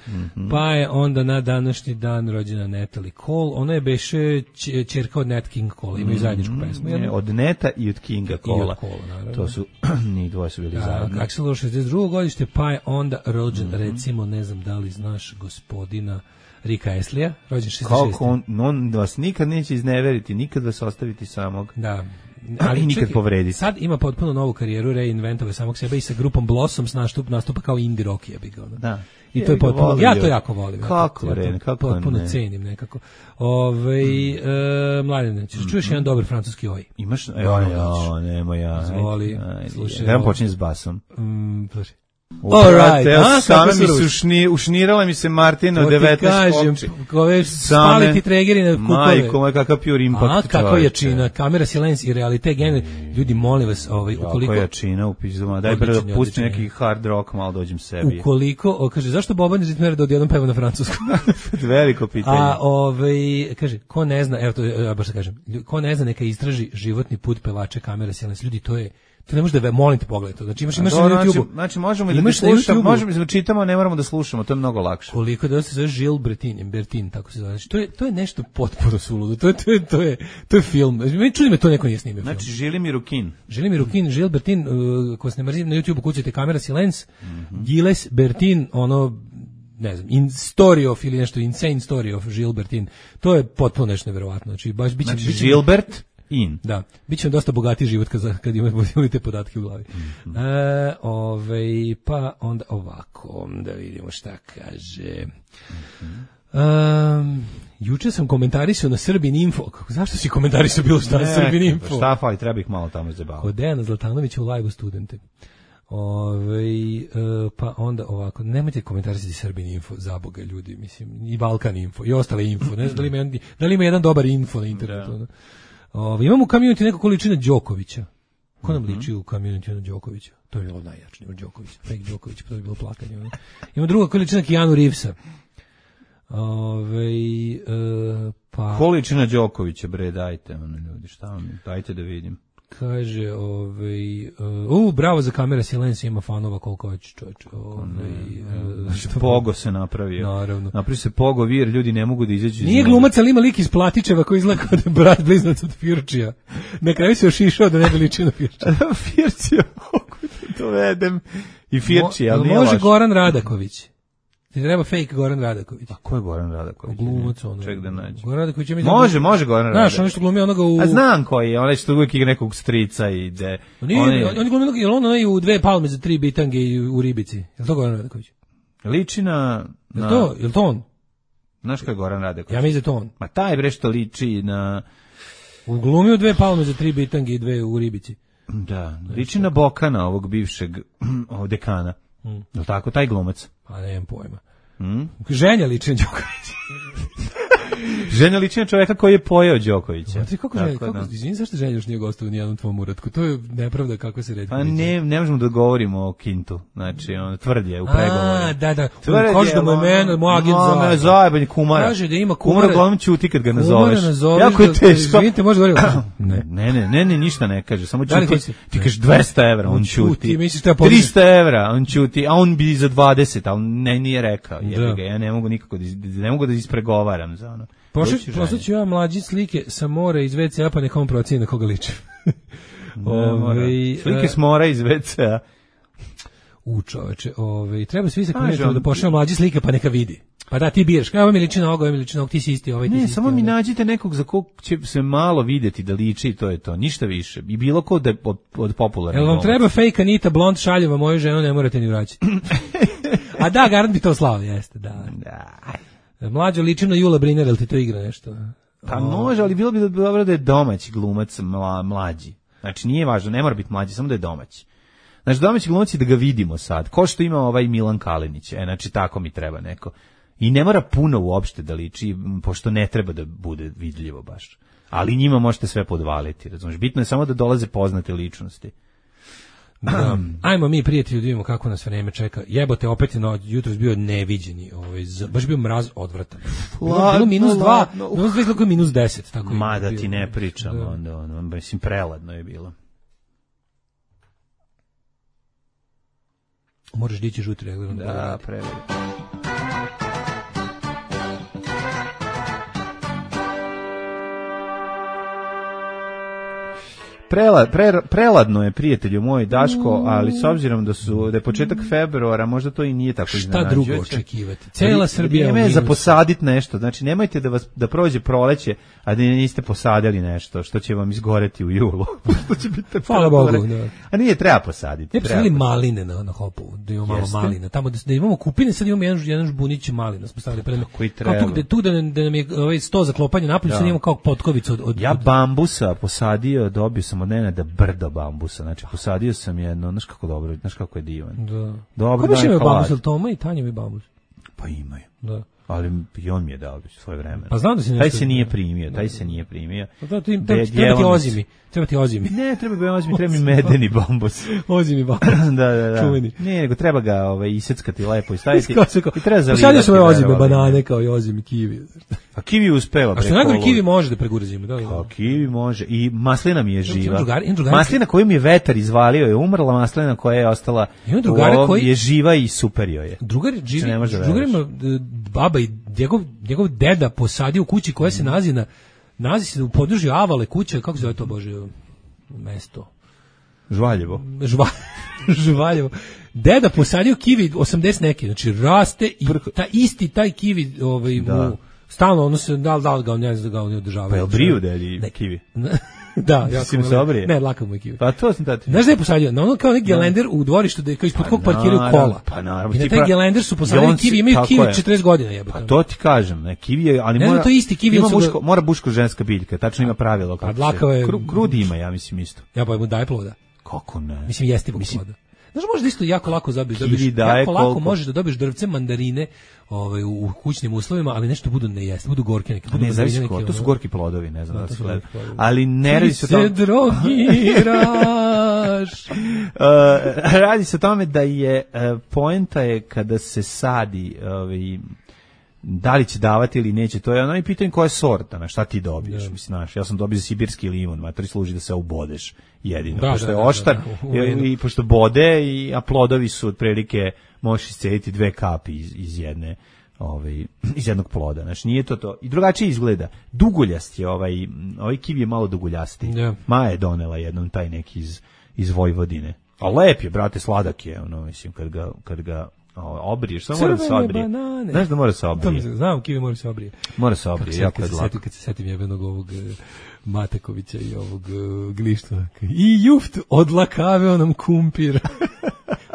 Speaker 6: pa je onda na današnji dan rođena Natalie Cole. Ona je beše ćerka od Nat King Cole, imaju zajedničku pesmu.
Speaker 7: Od Neta i od Kinga Cola. To su, ni dvoje su bili zajedno.
Speaker 6: Axl 62. godište, pa je onda rođen, recimo, ne znam da li znaš gospodina Rika Astley-a, rođen 66.
Speaker 7: Kako on vas nikad neće izneveriti, nikad vas ostaviti samog.
Speaker 6: Da.
Speaker 7: Ali nikad povrediti.
Speaker 6: Sad ima potpuno novu karijeru, reinventovao samog sebe i sa grupom Blossoms nastupa kao indie rock, ja bih ga.
Speaker 7: Da.
Speaker 6: I to je potpuno, ja to jako volim.
Speaker 7: Kako Ren, kako
Speaker 6: potpuno cenim nekako. Mladene, čuješ jedan dobar francuski oj?
Speaker 7: Imaš? Nema ja.
Speaker 6: Zvoli, slušaj.
Speaker 7: Da počinje s basom.
Speaker 6: Slušaj.
Speaker 7: Ušnirala mi se Martina od 19 kopči.
Speaker 6: Ove spaliti tregeri na kukove.
Speaker 7: Majko, moj kakav pure impact.
Speaker 6: Kako jačina, kamera, silence i realite, ljudi, molim vas, ukoliko...
Speaker 7: Kako jačina u pizuma, daj bre da pusti neki hard rock, malo dođem sebi.
Speaker 6: Ukoliko, kaže, zašto Boban ritmera da odjednom peva na francuskom?
Speaker 7: Veliko pitanje.
Speaker 6: Kaže, ko ne zna, evo to, ja baš da kažem, ko ne zna neka istraži životni put pevača kamera, silence, ljudi, to ne može da molim te pogledaj to. Znači imaš na YouTubeu.
Speaker 7: Znači možemo i da slušamo, možemo da čitamo, ne moramo da slušamo, to je mnogo lakše.
Speaker 6: Koliko da se zove Gilles Bertin, tako se zove. Znači to je nešto potpuno suludo. To je film. Meni čudi me to neko nije snimio.
Speaker 7: Znači Žilimi Rukin,
Speaker 6: Gilles Bertin, ko se ne mrzi na YouTubeu kucajte kamera silence. Gilles Bertin, ono ne znam, story of ili nešto insane story of Gilles Bertin. To je potpuno nešto neverovatno. Znači baš biće
Speaker 7: Gilbert
Speaker 6: Da, bit će vam dosta bogatiji život kad imate te podatke u glavi. Pa onda ovako, da vidimo šta kaže. Juče sam komentarisao na Srbin Info. Zašto si komentarisao bilo šta na Srbin Info?
Speaker 7: Šta fali, treba ih malo tamo zabaviti.
Speaker 6: Kod Dejana Zlatanovića u live-u studente. Pa onda ovako, nemojte komentarisati Srbin Info, za Boga ljudi, mislim, i Balkan Info, i ostale Info. Ne znam da li ima jedan dobar info na internetu. Imamo u community neko količina Đokovića. Ko nam liči u community na Đokovića? To je bilo najjačnije od Đokovića. Fake Đoković, to je bilo plakanje. Ima druga količina Keanu Reevesa. Pa...
Speaker 7: Količina Đokovića, bre, dajte, ljudi, šta vam, dajte da vidim.
Speaker 6: Kaže, bravo za kamera silence, ima fanova koliko hoće, čovječe.
Speaker 7: Pogo se napravio.
Speaker 6: Naravno.
Speaker 7: Napravio se Pogo vir, ljudi ne mogu da izađu.
Speaker 6: Nije glumac, ali ima lik iz Platičeva koji izgleda kao da je brat blizanac od Firčija. Na kraju se ošišao da ne bi ličio na Firčija.
Speaker 7: Firčija, dovedem. I Firčija, ali nije
Speaker 6: može Goran Radaković. Ti treba fake Goran Radaković.
Speaker 7: A ko je Goran Radaković?
Speaker 6: Glumac ono.
Speaker 7: Ček da nađe.
Speaker 6: Goran Radaković je
Speaker 7: Može Goran Radaković.
Speaker 6: Znaš, ono što glumi onoga u...
Speaker 7: A znam koji je, onaj što uvijek igra nekog strica i ide.
Speaker 6: On glumi onoga, je on onaj u 2 palme za 3 bitange i u Ribici. Je li to Goran Radaković?
Speaker 7: Liči na...
Speaker 6: Je li to on?
Speaker 7: Znaš ko je Goran Radaković?
Speaker 6: Ja mislim da to on.
Speaker 7: Ma taj bre što liči na...
Speaker 6: U glumi u 2 palme za 3 bitange i 2 u Ribici.
Speaker 7: Da, liči na Bokana, ovog bivšeg dekana. Je li tako, taj glumac?
Speaker 6: Pa nemam pojma. Ženja liči na Đokovića.
Speaker 7: Ženja liči na čovjeka koji je pojeo Đokovića.
Speaker 6: Izvini, zašto Ženja još nije gostao u nijednom tvom uratku? To je nepravda kako se redi.
Speaker 7: Pa ne možemo da govorimo o Kintu. Znači, on tvrd je u pregovoru.
Speaker 6: Da. Koš da mu je mene, moj agent zove.
Speaker 7: Zajebanje kumara.
Speaker 6: Kaže da ima kumara.
Speaker 7: Kumara glavno ćuti kad ga nazoveš.
Speaker 6: Jako je teško. Izvinite, može govoriti.
Speaker 7: Ne, ništa ne kaže. Samo ćuti. Ti kažeš 200 evra, on ćuti. 300 evra, on ćuti. A on bi za 20, ali nije rekao. Ja ne mogu nikako da ispregovaram za ono.
Speaker 6: Poslaću ja mlađi slike sa mora iz WC-a, pa neka on proceni na koga liči.
Speaker 7: Slike s mora iz WC-a.
Speaker 6: Čoveče, treba svi se komentirati da pošalju mlađi slike, pa neka vidi. Pa da, ti biraš, ovo mi liči na ovog, ti si isti, ovaj ti si isti.
Speaker 7: Ne, samo mi nađite nekog za kog će se malo vidjeti da liči i to je to, ništa više. I bilo ko da od popularnog.
Speaker 6: Jel vam treba fake Anita blond šaljeva moju ženu, ne morate ni vraćati. A da, garant bi to slao, jeste, da. Mlađo liči na Jula Briner, jel ti to igra nešto?
Speaker 7: Pa može, ali bilo bi dobro da je domaći glumac mlađi. Znači nije važno, ne mora biti mlađi, samo da je domaći. Znači domaći glumac je da ga vidimo sad, ko što ima ovaj Milan Kalinić, znači tako mi treba neko. I ne mora puno uopšte da liči, pošto ne treba da bude vidljivo baš. Ali njima možete sve podvaliti, razumiješ? Bitno je samo da dolaze poznate ličnosti.
Speaker 6: Da. Ajmo mi, prijatelji, da vidimo kako nas vreme čeka. Jebote, opet je jutros bio neviđeni, baš bio mraz odvratan. Bilo -2, -10, tako.
Speaker 7: Ma da ti ne pričam, onda mislim preladno je bilo.
Speaker 6: Moraš dići žuti regler.
Speaker 7: Da, preveliko. Preladno je, prijatelju moj Daško, ali s obzirom da je početak februara, možda to i nije tako iznenađujuće.
Speaker 6: Šta drugo očekivati? Cela Srbija
Speaker 7: je za posaditi nešto. Znači, nemojte da prođe proleće, a da niste posadili nešto, što će vam izgoreti u julu. Što će biti
Speaker 6: hvala Bogu, da.
Speaker 7: A nije, treba posaditi.
Speaker 6: Ne posadili maline na Hopovu, da imamo malo malina. Tamo da imamo kupine, sad imamo jedan žbunić malina. Smo stavili pre
Speaker 7: koji treba.
Speaker 6: Tu da nam je sto za klopanje napolju, sad imamo kao potkovicu od...
Speaker 7: Ja bambusa posadio, dobio sam od Nenada brdo bambusa, znači posadio sam jedno, znaš kako dobro, znaš kako je divan.
Speaker 6: Da.
Speaker 7: Dobro,
Speaker 6: kako imaju bambus, ili Toma i Tanja imaju bambus?
Speaker 7: Pa imaju.
Speaker 6: Da.
Speaker 7: Ali i on mi je dao svoje vreme.
Speaker 6: Pa znam da se
Speaker 7: taj se nije primio.
Speaker 6: Pa da, treba ti ozimi.
Speaker 7: Ne, treba ozimi, treba mi medeni bambus.
Speaker 6: Ozimi bambus.
Speaker 7: Da.
Speaker 6: Čuveni.
Speaker 7: Ne, nego treba ga iseckati lepo i staviti. I treba zalivati.
Speaker 6: Posadio sam ozime banane kao i ozimi kiwi.
Speaker 7: A kiwi uspeva.
Speaker 6: A što najgore kiwi može da pregura zimu, da.
Speaker 7: A kiwi može i maslina mi je živa. Maslina koju mi je vetar izvalio je umrla, maslina koja je ostala je živa i super joj je.
Speaker 6: Drugar ima baba i njegov deda posadio u kući koja se nalazi se u području Avale kuće, kako se zove to, Bože, mesto?
Speaker 7: Žvaljevo.
Speaker 6: Deda posadio kiwi 80 neki, znači raste i taj kiwi mu stalno ono se da ga ne znam da ga oni održavaju.
Speaker 7: Pa je briju dedi kiwi.
Speaker 6: Da, ja
Speaker 7: sam se obrije.
Speaker 6: Ne, laka mu je kiwi.
Speaker 7: Pa to sam tati.
Speaker 6: Znaš da je posadio? Na ono kao neki gelender u dvorištu da je kao ispod kog parkiraju kola.
Speaker 7: Pa naravno.
Speaker 6: I na taj gelender su posadili kiwi, imaju kiwi 40 godina jebote.
Speaker 7: Pa to ti kažem, ne, kiwi je, ali
Speaker 6: ne,
Speaker 7: mora.
Speaker 6: To isti kiwi
Speaker 7: mora muško ženska biljka, tačno ima pravilo kako. Krudi ima, ja mislim isto.
Speaker 6: Ja pa mu daje ploda.
Speaker 7: Kako ne?
Speaker 6: Mislim jestivog ploda. Znaš, možeš da isto jako lako dobiješ jako lako možeš da dobiješ drvce mandarine u kućnim uslovima, ali nešto budu nejesti, budu gorke neke.
Speaker 7: Ne, zavisi to su gorki plodovi, ne znam da se gleda. Ali ne radi se o tome.
Speaker 6: Ti se drogiraš.
Speaker 7: Radi se o tome da je poenta je kada se sadi da li će davati ili neće, to je ono i pitanje koja je sorta, na šta ti dobiješ. Mislim, znaš, ja sam dobio sibirski limun, matori služi da se ubodeš jedino, pošto je oštar i pošto bode, a plodovi su otprilike, možeš iscediti 2 kapi iz jednog ploda, znači nije to. I drugačije izgleda. Duguljast je ovaj kiwi je malo duguljasti. Maja je donela jednom taj neki iz Vojvodine. A lep je, brate, sladak je, mislim, kad ga obriješ, samo mora da se obrije. Znaš da mora se obrije?
Speaker 6: Znam, kiwi mora se obrije.
Speaker 7: Mora se obrije, jako je lako.
Speaker 6: Kad se setim jebenog ovog Matakovića i ovog Glištva. I juft odlakaveo nam kumpir.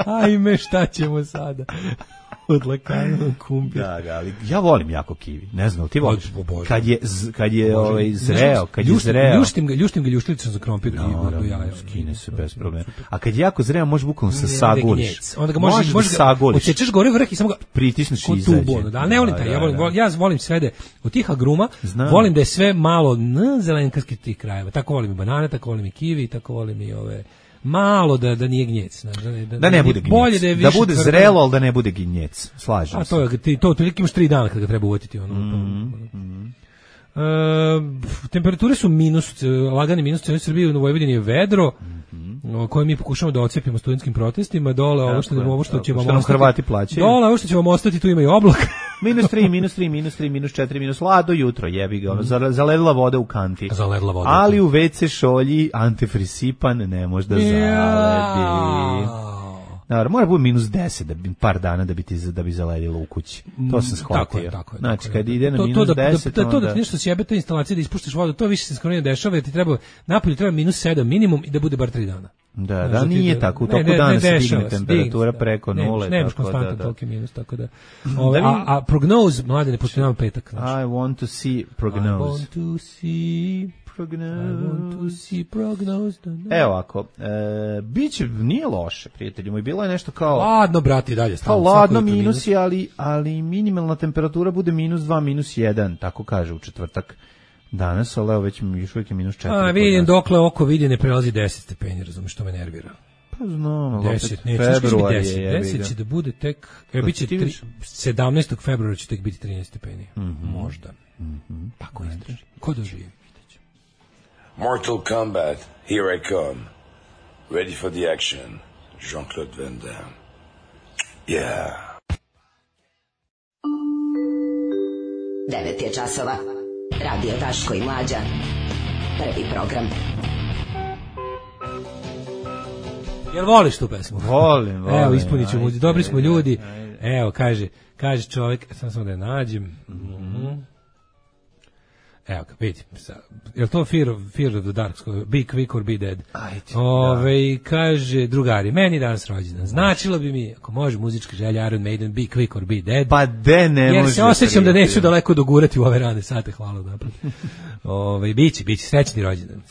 Speaker 6: Ajme, šta ćemo sada? Odlakaveo kumpir.
Speaker 7: Da, ali ja volim jako kiwi. Ne znam, ti voliš? Kad je zreo,
Speaker 6: ljuštim ga ljuštilicom za krompir i do jaja.
Speaker 7: Skine se bez problema. A kad je jako zreo, može bukvalno se sagoliš.
Speaker 6: Onda ga možeš odsečeš gore vrh i samo ga
Speaker 7: pritisneš i izađe.
Speaker 6: Ali ne volim taj, ja volim sve da od tih agruma, volim da je sve malo zelenkarskih tih krajeva. Tako volim i banane, tako volim i kiwi, tako volim i ove malo da nije gnjec,
Speaker 7: da ne bude gnjec, da bude zrelo, ali da ne bude gnjec, slažem se.
Speaker 6: A to otprilike imaš 3 dana kad ga treba uvatiti. Temperature su minus, lagani minus, u Srbiji, u Vojvodini je vedro, koje mi pokušamo da ocepimo studentskim protestima, dole ovo što će vam ostati.
Speaker 7: Hrvati plaćaju.
Speaker 6: Dole ovo što će vam ostati, tu ima i oblak.
Speaker 7: -3, -4, -lado jutro, jebi ga, zaledila voda u kanti. Ali u WC šolji antifrisipan ne može da zaledi. Naravno, mora biti -10 par dana da bi zaledilo u kući. To sam shvatio.
Speaker 6: Tako je.
Speaker 7: Znači, kad ide na -10...
Speaker 6: To da ti nešto sjebe, ta instalacija da ispuštiš vodu, to više se skoro ne dešava, jer ti treba, napolju treba -7 minimum i da bude bar 3 dana.
Speaker 7: Da, nije tako. U toku dana se digne temperatura preko 0.
Speaker 6: Nemaš konstantan toliki minus, tako da... A prognoz, mlade, ne postoji nam petak.
Speaker 7: I want to see prognoze. Evo ako, biće, nije loše, prijatelji moj, bilo je nešto kao...
Speaker 6: Ladno, brati, dalje.
Speaker 7: Kao ladno minusi, ali minimalna temperatura bude -2, -1, tako kaže u četvrtak danas, ali evo već još uvijek je -4.
Speaker 6: Vidim, dokle oko vidi ne prelazi 10 stepeni, razumiješ, što me nervira.
Speaker 7: Pa znam,
Speaker 6: 10,
Speaker 7: februar je.
Speaker 6: 10 će da bude tek, biće 17. februara će tek biti 13 stepeni, možda. Pa ko izdrži? Ko doživi?
Speaker 8: Mortal Kombat, here I come. Ready for the action. Jean-Claude Van Damme. Yeah.
Speaker 4: 9 je časova. Radio Daško i Mlađa. Prvi program.
Speaker 6: Jel voliš tu pesmu?
Speaker 7: Volim.
Speaker 6: Evo, ispunit ćemo, dobri smo ljudi. Evo, kaže čovjek, samo da je nađem. Evo ga, vidi. Je li to Fear of the Dark? Be quick or be dead. Kaže, drugari, meni danas rođendan. Značilo bi mi, ako može muzička želja Iron Maiden, be quick or be dead.
Speaker 7: Pa de ne može.
Speaker 6: Jer se osjećam da neću daleko dogurati u ove rane sate, hvala napad. Biće, srećni rođendan.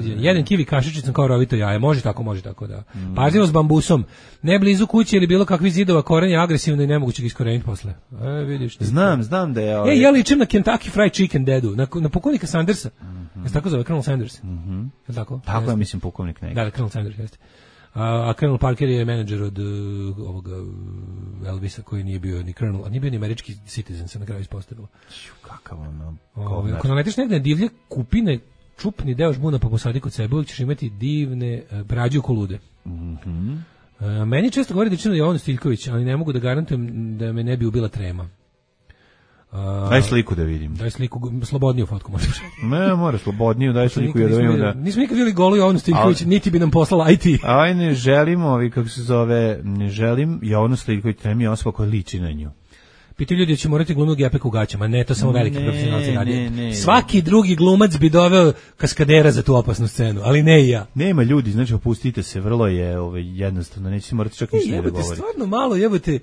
Speaker 6: Jedan kivi kašičicom kao rovito jaje, može tako da. Pažljivo s bambusom, ne blizu kuće ili bilo kakvih zidova, koren je agresivno i nemoguće ga iskoreniti posle. Vidiš.
Speaker 7: Znam da je...
Speaker 6: Ja ličim na Kentucky Fried Chicken dedu, na pukovnika Sandersa. Jeste tako zove, Colonel Sanders? Je tako?
Speaker 7: Tako ja mislim pukovnik neki.
Speaker 6: Da, Colonel Sanders, jeste. A Colonel Parker je menadžer od ovoga Elvisa koji nije bio ni Colonel, a nije bio ni američki citizen, se na kraju ispostavilo.
Speaker 7: Kakav ono...
Speaker 6: Ako nametiš negde divlje kupine, čupni deo žbuna pa posadi kod sebe, uvijek ćeš imati divne brađu kolude. Meni često govori da je Jovan Stiljković, ali ne mogu da garantujem da me ne bi ubila trema.
Speaker 7: Daj sliku da vidim.
Speaker 6: Daj sliku, slobodniju fotku možeš.
Speaker 7: Ne, mora slobodniju, daj sliku da vidim da...
Speaker 6: Nismo nikad vidjeli golu Jovanu Stiljković, niti bi nam poslala IT.
Speaker 7: Aj, ne želim Jovanu Stiljković, treba mi osoba koja liči na nju.
Speaker 6: Pitaju ljudi da će morati glumiti Gepek u gaćama, ne, to samo veliki profesionalci radi. Svaki drugi glumac bi doveo kaskadera za tu opasnu scenu, ali ne i ja.
Speaker 7: Nema ljudi, znači opustite se, vrlo je jednostavno, nećete morati čak ništa da govoriti.
Speaker 6: Stvarno malo, jebote,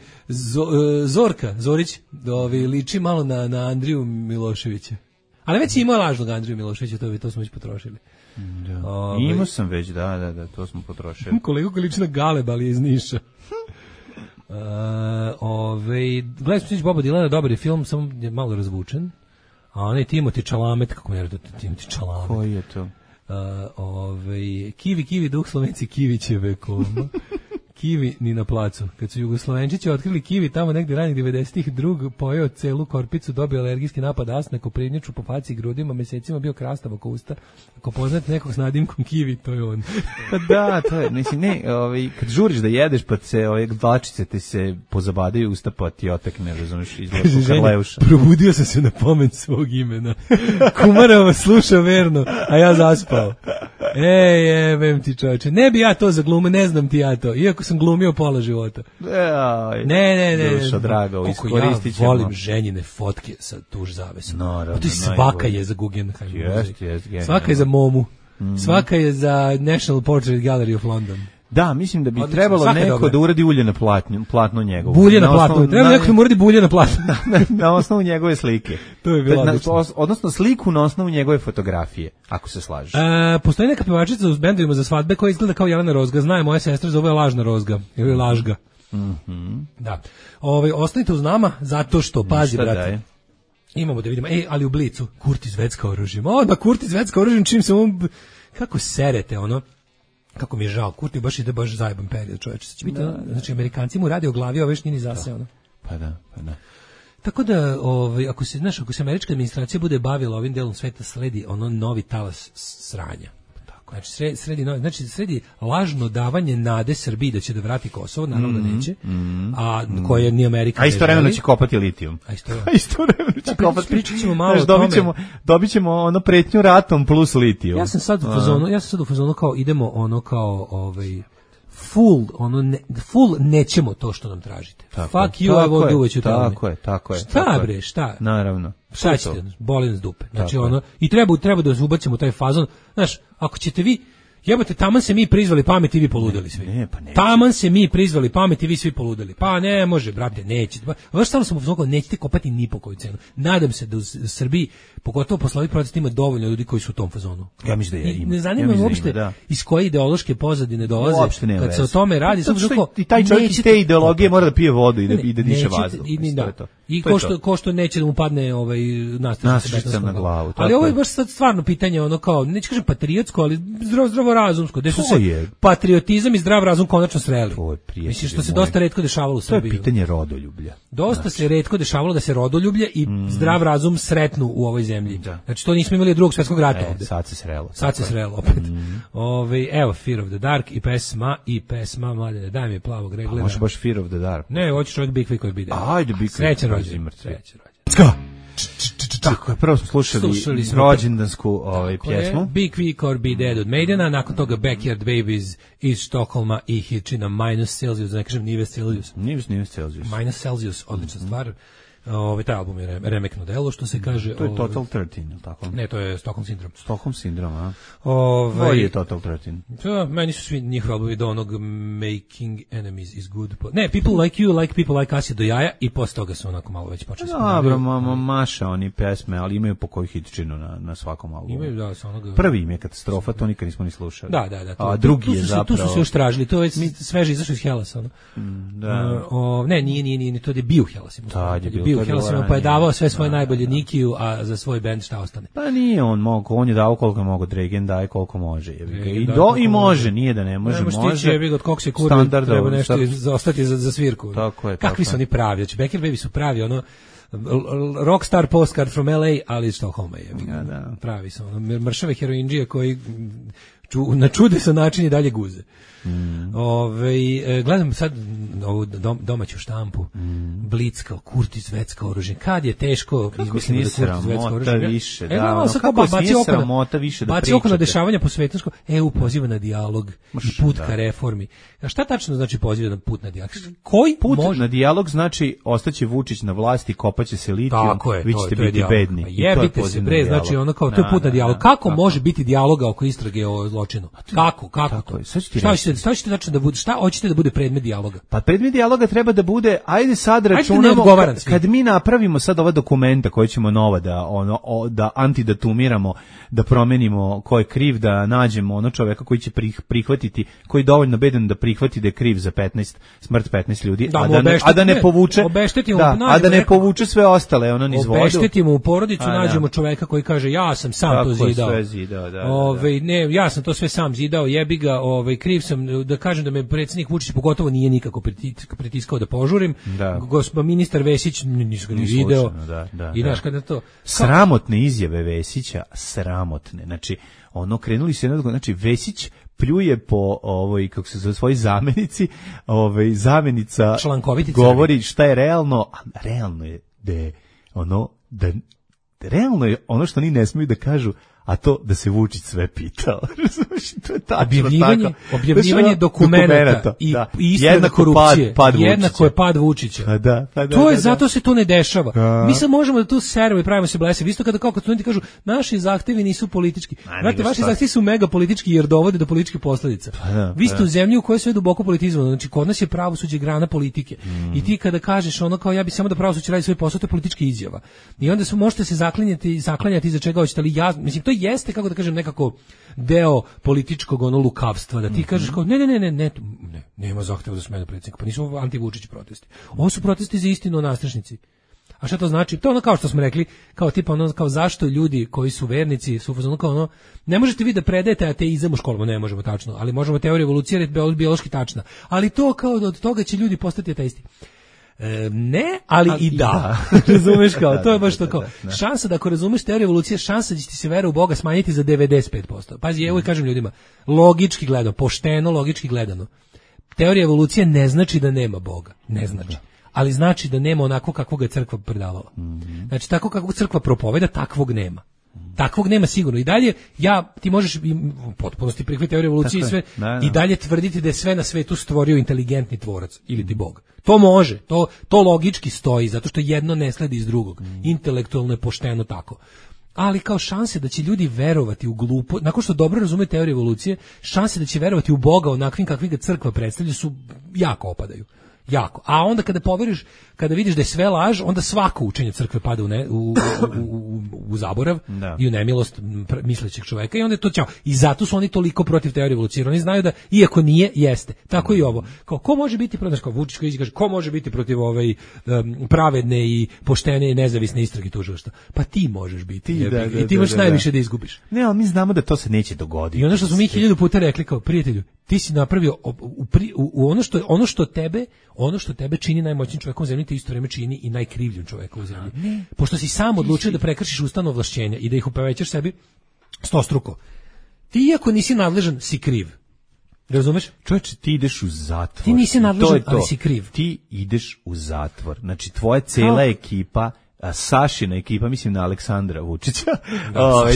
Speaker 6: Zorka, Zorić, liči malo na Andriju Miloševića. Ali već ima lažnog Andriju Miloševića, to smo već potrošili.
Speaker 7: Imao sam već, da, to smo potrošili.
Speaker 6: Koliko liči na Galeb, ali je iz Niša. Gledaj smo Boba Dilana, dobar je film, samo je malo razvučen. A onaj Timothy Chalamet, kako mi je Timothy Chalamet?
Speaker 7: Koji je to?
Speaker 6: Kivi, duh Slovenci Kivićeve koma. Kivi ni na placu. Kad su Jugoslovenčići otkrili kivi tamo negdje ranih 90-ih, drug pojeo celu korpicu, dobio alergijski napad asne, koprinjaču po faci i grudima, mesecima bio krastav oko usta. Ako poznate nekog s nadimkom kivi, to je on.
Speaker 7: Pa da, to je, mislim, kad žuriš da jedeš, pa se dlačice ti se pozabadaju usta, pa ti otekne, razumiješ, izgleda Karleuša.
Speaker 6: Probudio sam se na pomen svog imena. Kumarova sluša verno, a ja zaspao. Jebem ti čoveče, ne bi ja to za glume, ne znam ti ja to, iako sam glumio pola života. Ne.
Speaker 7: Duša draga, iskoristit ćemo.
Speaker 6: Ja volim ženjine fotke sa tuž zavesom. No, to je svaka je za Guggenheim. Svaka je za Momu. Svaka je za National Portrait Gallery of London.
Speaker 7: Da, mislim da bi trebalo neko da uradi ulje na platno njegovo.
Speaker 6: Bulje na platno. Treba neko da uradi bulje na platno.
Speaker 7: Na osnovu njegove slike.
Speaker 6: To je bilo
Speaker 7: odnosno sliku na osnovu njegove fotografije, ako se slažeš.
Speaker 6: Postoji neka pevačica u bendovima za svadbe koja izgleda kao Jelena Rozga. Zna je moja sestra, zove je Lažna Rozga. Ili Lažga. Da. Ostanite uz nama, zato što, pazi, brate. Imamo da vidimo. Ali u Blicu, Kurti Zvetska oružjem. Da, Kurti Zvetska oružjem, čim se on... Kako serete, ono... Kako mi je žao, Kurti baš zajeban period, čoveče. Znači, Amerikanci mu radi o glavi, ove šnjini zase, ono.
Speaker 7: Pa da.
Speaker 6: Tako da, ako se američka administracija bude bavila ovim delom sveta, sledi ono novi talas sranja. Znači, sredi lažno davanje nade Srbiji da će da vrati Kosovo, naravno da neće, a koje ni Amerika ne želi.
Speaker 7: A istovremeno će kopati litijum. Istovremeno će kopati.
Speaker 6: Pričat ćemo malo o tome.
Speaker 7: Dobit ćemo ono pretnju ratom plus litijum.
Speaker 6: Ja sam sad u fazonu kao idemo ono kao full nećemo to što nam tražite. Fuck you, I won't do what you tell me.
Speaker 7: Tako je.
Speaker 6: Šta bre, šta?
Speaker 7: Naravno.
Speaker 6: Šta ćete, boli nas dupe. Znači i treba da ubacimo taj fazon. Znaš, ako ćete vi, jebote, taman se mi prizvali pameti, vi poludeli svi. Taman se mi prizvali pameti, vi svi poludeli. Pa ne može, brate, neće. Vaš stvarno sam uzokao, nećete kopati ni po koju cenu. Nadam se da u Srbiji, pogotovo posle ovih protesta, ima dovoljno ljudi koji su u tom fazonu.
Speaker 7: Ja mislim da ima.
Speaker 6: Ne zanima me uopšte iz koje ideološke pozadine dolaze. Kad se o tome radi,
Speaker 7: i taj čovjek iz te ideologije mora da pije vodu i da diše vazduh.
Speaker 6: I ko što neće da mu padne nastrčica
Speaker 7: na glavu.
Speaker 6: Ali ovo je baš sad stvarno pitanje, ono kao, neću kažem patriotsko, ali zdravorazumsko. Gde su se patriotizam i zdrav razum konačno sreli. Mislim, što se dosta retko dešavalo u Srbiji.
Speaker 7: To je pitanje rodoljublja.
Speaker 6: Dosta se retko dešavalo da se rodoljublje i zdrav razum sretnu u ovoj zemlji. Znači, to nismo imali od Drugog svjetskog rata ovde.
Speaker 7: Sad se srelo.
Speaker 6: Sad se srelo opet. Evo, Fear of the Dark i pesma, mladene, daj mi plavog reglera.
Speaker 7: Može baš Fear of the Dark.
Speaker 6: Ne, hoćeš ovdje Big Vic koji bide.
Speaker 7: Ajde, Big Vic.
Speaker 6: Srećan rođendan.
Speaker 7: Tako je, prvo smo slušali rođendansku pjesmu.
Speaker 6: Big Vic or Be Dead od Maidena, nakon toga Backyard Babies iz Štokholma i Hitchina Minus Celsius, da ne kažem Nives Celsius.
Speaker 7: Nives Celsius.
Speaker 6: Minus Celsius, odlična stvar. Taj album je remekno delo, što se kaže.
Speaker 7: To je Total 13, ili tako?
Speaker 6: Ne, to je Stockholm Syndrome.
Speaker 7: Stockholm Syndrome, a? Koji je Total 13?
Speaker 6: To, meni su svi njihovi albumi do onog Making Enemies is Good. Ne, People Like You, Like People Like Us je do jaja i posle toga su onako malo već počeli.
Speaker 7: Dobro, maša oni pesme, ali imaju po koju hitčinu na svakom albumu.
Speaker 6: Imaju, da, sa onoga...
Speaker 7: Prvi im je katastrofa, to nikad nismo ni slušali.
Speaker 6: Da.
Speaker 7: A drugi je zapravo...
Speaker 6: Tu su se još tražili, to je sveže izašlo iz Hellasa, ono. Ne, nije, to je bio Hellas. Pa je davao sve svoje najbolje Nikiju, a za svoj bend šta ostane.
Speaker 7: Pa nije on je davao koliko mogo, Dragan daje koliko može. I može, nije da ne može.
Speaker 6: Može stići, jebi ga, od kog se kurvi, treba nešto ostati za svirku.
Speaker 7: Tako je.
Speaker 6: Kakvi su oni pravi, znači Backyard Baby su pravi, ono, rockstar postcard from LA, ali iz Stockholma je. Pravi su, ono, mršave heroinđije koji na čudesan način i dalje guze. Gledam sad ovu domaću štampu, Blic kao Kurtis Vetska oružje. Kad je teško izmisliti da Kurtis Vetska oružje.
Speaker 7: Više,
Speaker 6: kako nije sramota više da pričate. Baci oko na dešavanja po svetu, EU poziva na dijalog i put ka reformi. A šta tačno znači poziva na put na dijalog? Koji
Speaker 7: put na dijalog znači ostaće Vučić na vlasti, kopaće se litijum, vi ćete biti bedni.
Speaker 6: Jebite se bre, znači ono kao to je put na dijalog. Kako može biti dijaloga oko istrage o zločinu? Kako? Šta ćete tačno da bude? Šta hoćete da bude predmet dijaloga?
Speaker 7: Pa predmet dijaloga treba da bude, ajde sad računamo, kad mi napravimo sad ova dokumenta koje ćemo nova da antidatumiramo, da promenimo ko je kriv, da nađemo ono čoveka koji će prihvatiti, koji je dovoljno bedan da prihvati da je kriv za smrt 15 ljudi, a da ne povuče sve ostale, ono niz vodu.
Speaker 6: Obeštetimo u porodicu, nađemo čoveka koji kaže ja sam sam to zidao. Ne, ja sam to sve sam zidao, jebi ga, kriv sam, da kažem da me predsjednik Vučić pogotovo nije nikako pritiskao da požurim. Ministar Vesić nisu ga ni video. I znaš kada to...
Speaker 7: Sramotne izjave Vesića, sramotne. Znači, krenuli se znači Vesić pljuje po kako se zove, svojoj zamenici, zamenica govori šta je realno, a realno je realno je ono što oni ne smiju da kažu, a to da se Vučić sve pitao. To je tačno
Speaker 6: objavljivanje dokumenata i istraga korupcije. Jednako je pad Vučića. To je, zato se to ne dešava. Mi sad možemo da tu seremo i pravimo se blesavi. Isto kada kao studenti kažu, naši zahtevi nisu politički. Znate, vaši zahtevi su mega politički jer dovode do političkih posledica. Vi ste u zemlji u kojoj je sve duboko politizovano. Znači, kod nas je pravosuđe grana politike. I ti kada kažeš ono kao ja bi samo da pravosuđe radi svoj posao, to je politička izjava. I onda možete se zaklanjati za čega hoćete, ali ja, mislim, to jeste, kako da kažem, nekako deo političkog lukavstva, da ti kažeš kao ne, nema zahteva za smenu predsjednika, pa nisu anti-Vučić protesti. Ovo su protesti za istinu o nastrešnici. A šta to znači? To je kao što smo rekli, kao tipa kao zašto ljudi koji su vernici su kao ne možete vi da predajete ateizam u školama, ne možemo tačno, ali možemo teoriju evolucije, jer je biološki tačna. Ali to kao od toga će ljudi postati ateisti. Ne, ali i da. Razumeš kao, to je baš to kao. Šansa da ako razumeš teoriju evolucije, šansa da će ti se vera u Boga smanjiti za 95%. Pazi, evo i kažem ljudima, logički gledano, pošteno logički gledano, teorija evolucije ne znači da nema Boga, ne znači. Ali znači da nema onako kakvog je crkva predavala. Znači, tako kakvog crkva propoveda, takvog nema. Takvog nema sigurno. I dalje, ti možeš u potpunosti prihvatiti teoriju evolucije i sve, i dalje tvrditi da je sve na svetu stvorio inteligentni tvorac ili ti Bog. To može, to logički stoji, zato što jedno ne sledi iz drugog. Intelektualno je pošteno tako. Ali kao šanse da će ljudi verovati u glupo, nakon što dobro razume teoriju evolucije, šanse da će verovati u Boga onakvim kakvim ga crkva predstavlja su jako opadaju. Jako. A onda kada poveriš, kada vidiš da je sve laž, onda svako učenje crkve pada u zaborav i u nemilost mislećeg čoveka i onda je to ćao. I zato su oni toliko protiv teorije evolucije. Oni znaju da iako nije, jeste. Tako i ovo. Kao, ko može biti protiv, kao Vučić koji kaže, ko može biti protiv pravedne i poštene i nezavisne istrage tužilaštva? Pa ti možeš biti. I ti imaš najviše da izgubiš.
Speaker 7: Ne, ali mi znamo da to se neće dogoditi.
Speaker 6: I ono što smo mi 1000 puta rekli kao prijatelju, ti si napravio ono što tebe čini najmoćnijim čovekom u zemlji, te isto vreme čini i najkrivljim čovekom u zemlji. Pošto si sam odlučio da prekršiš ustavno ovlašćenja i da ih upovećaš sebi stostruko. Ti iako nisi nadležan, si kriv. Razumeš?
Speaker 7: Čovječe, ti ideš u zatvor.
Speaker 6: Ti nisi nadležan, ali si kriv.
Speaker 7: Ti ideš u zatvor. Znači, tvoja cela ekipa, Sašina ekipa, mislim na Aleksandra Vučića,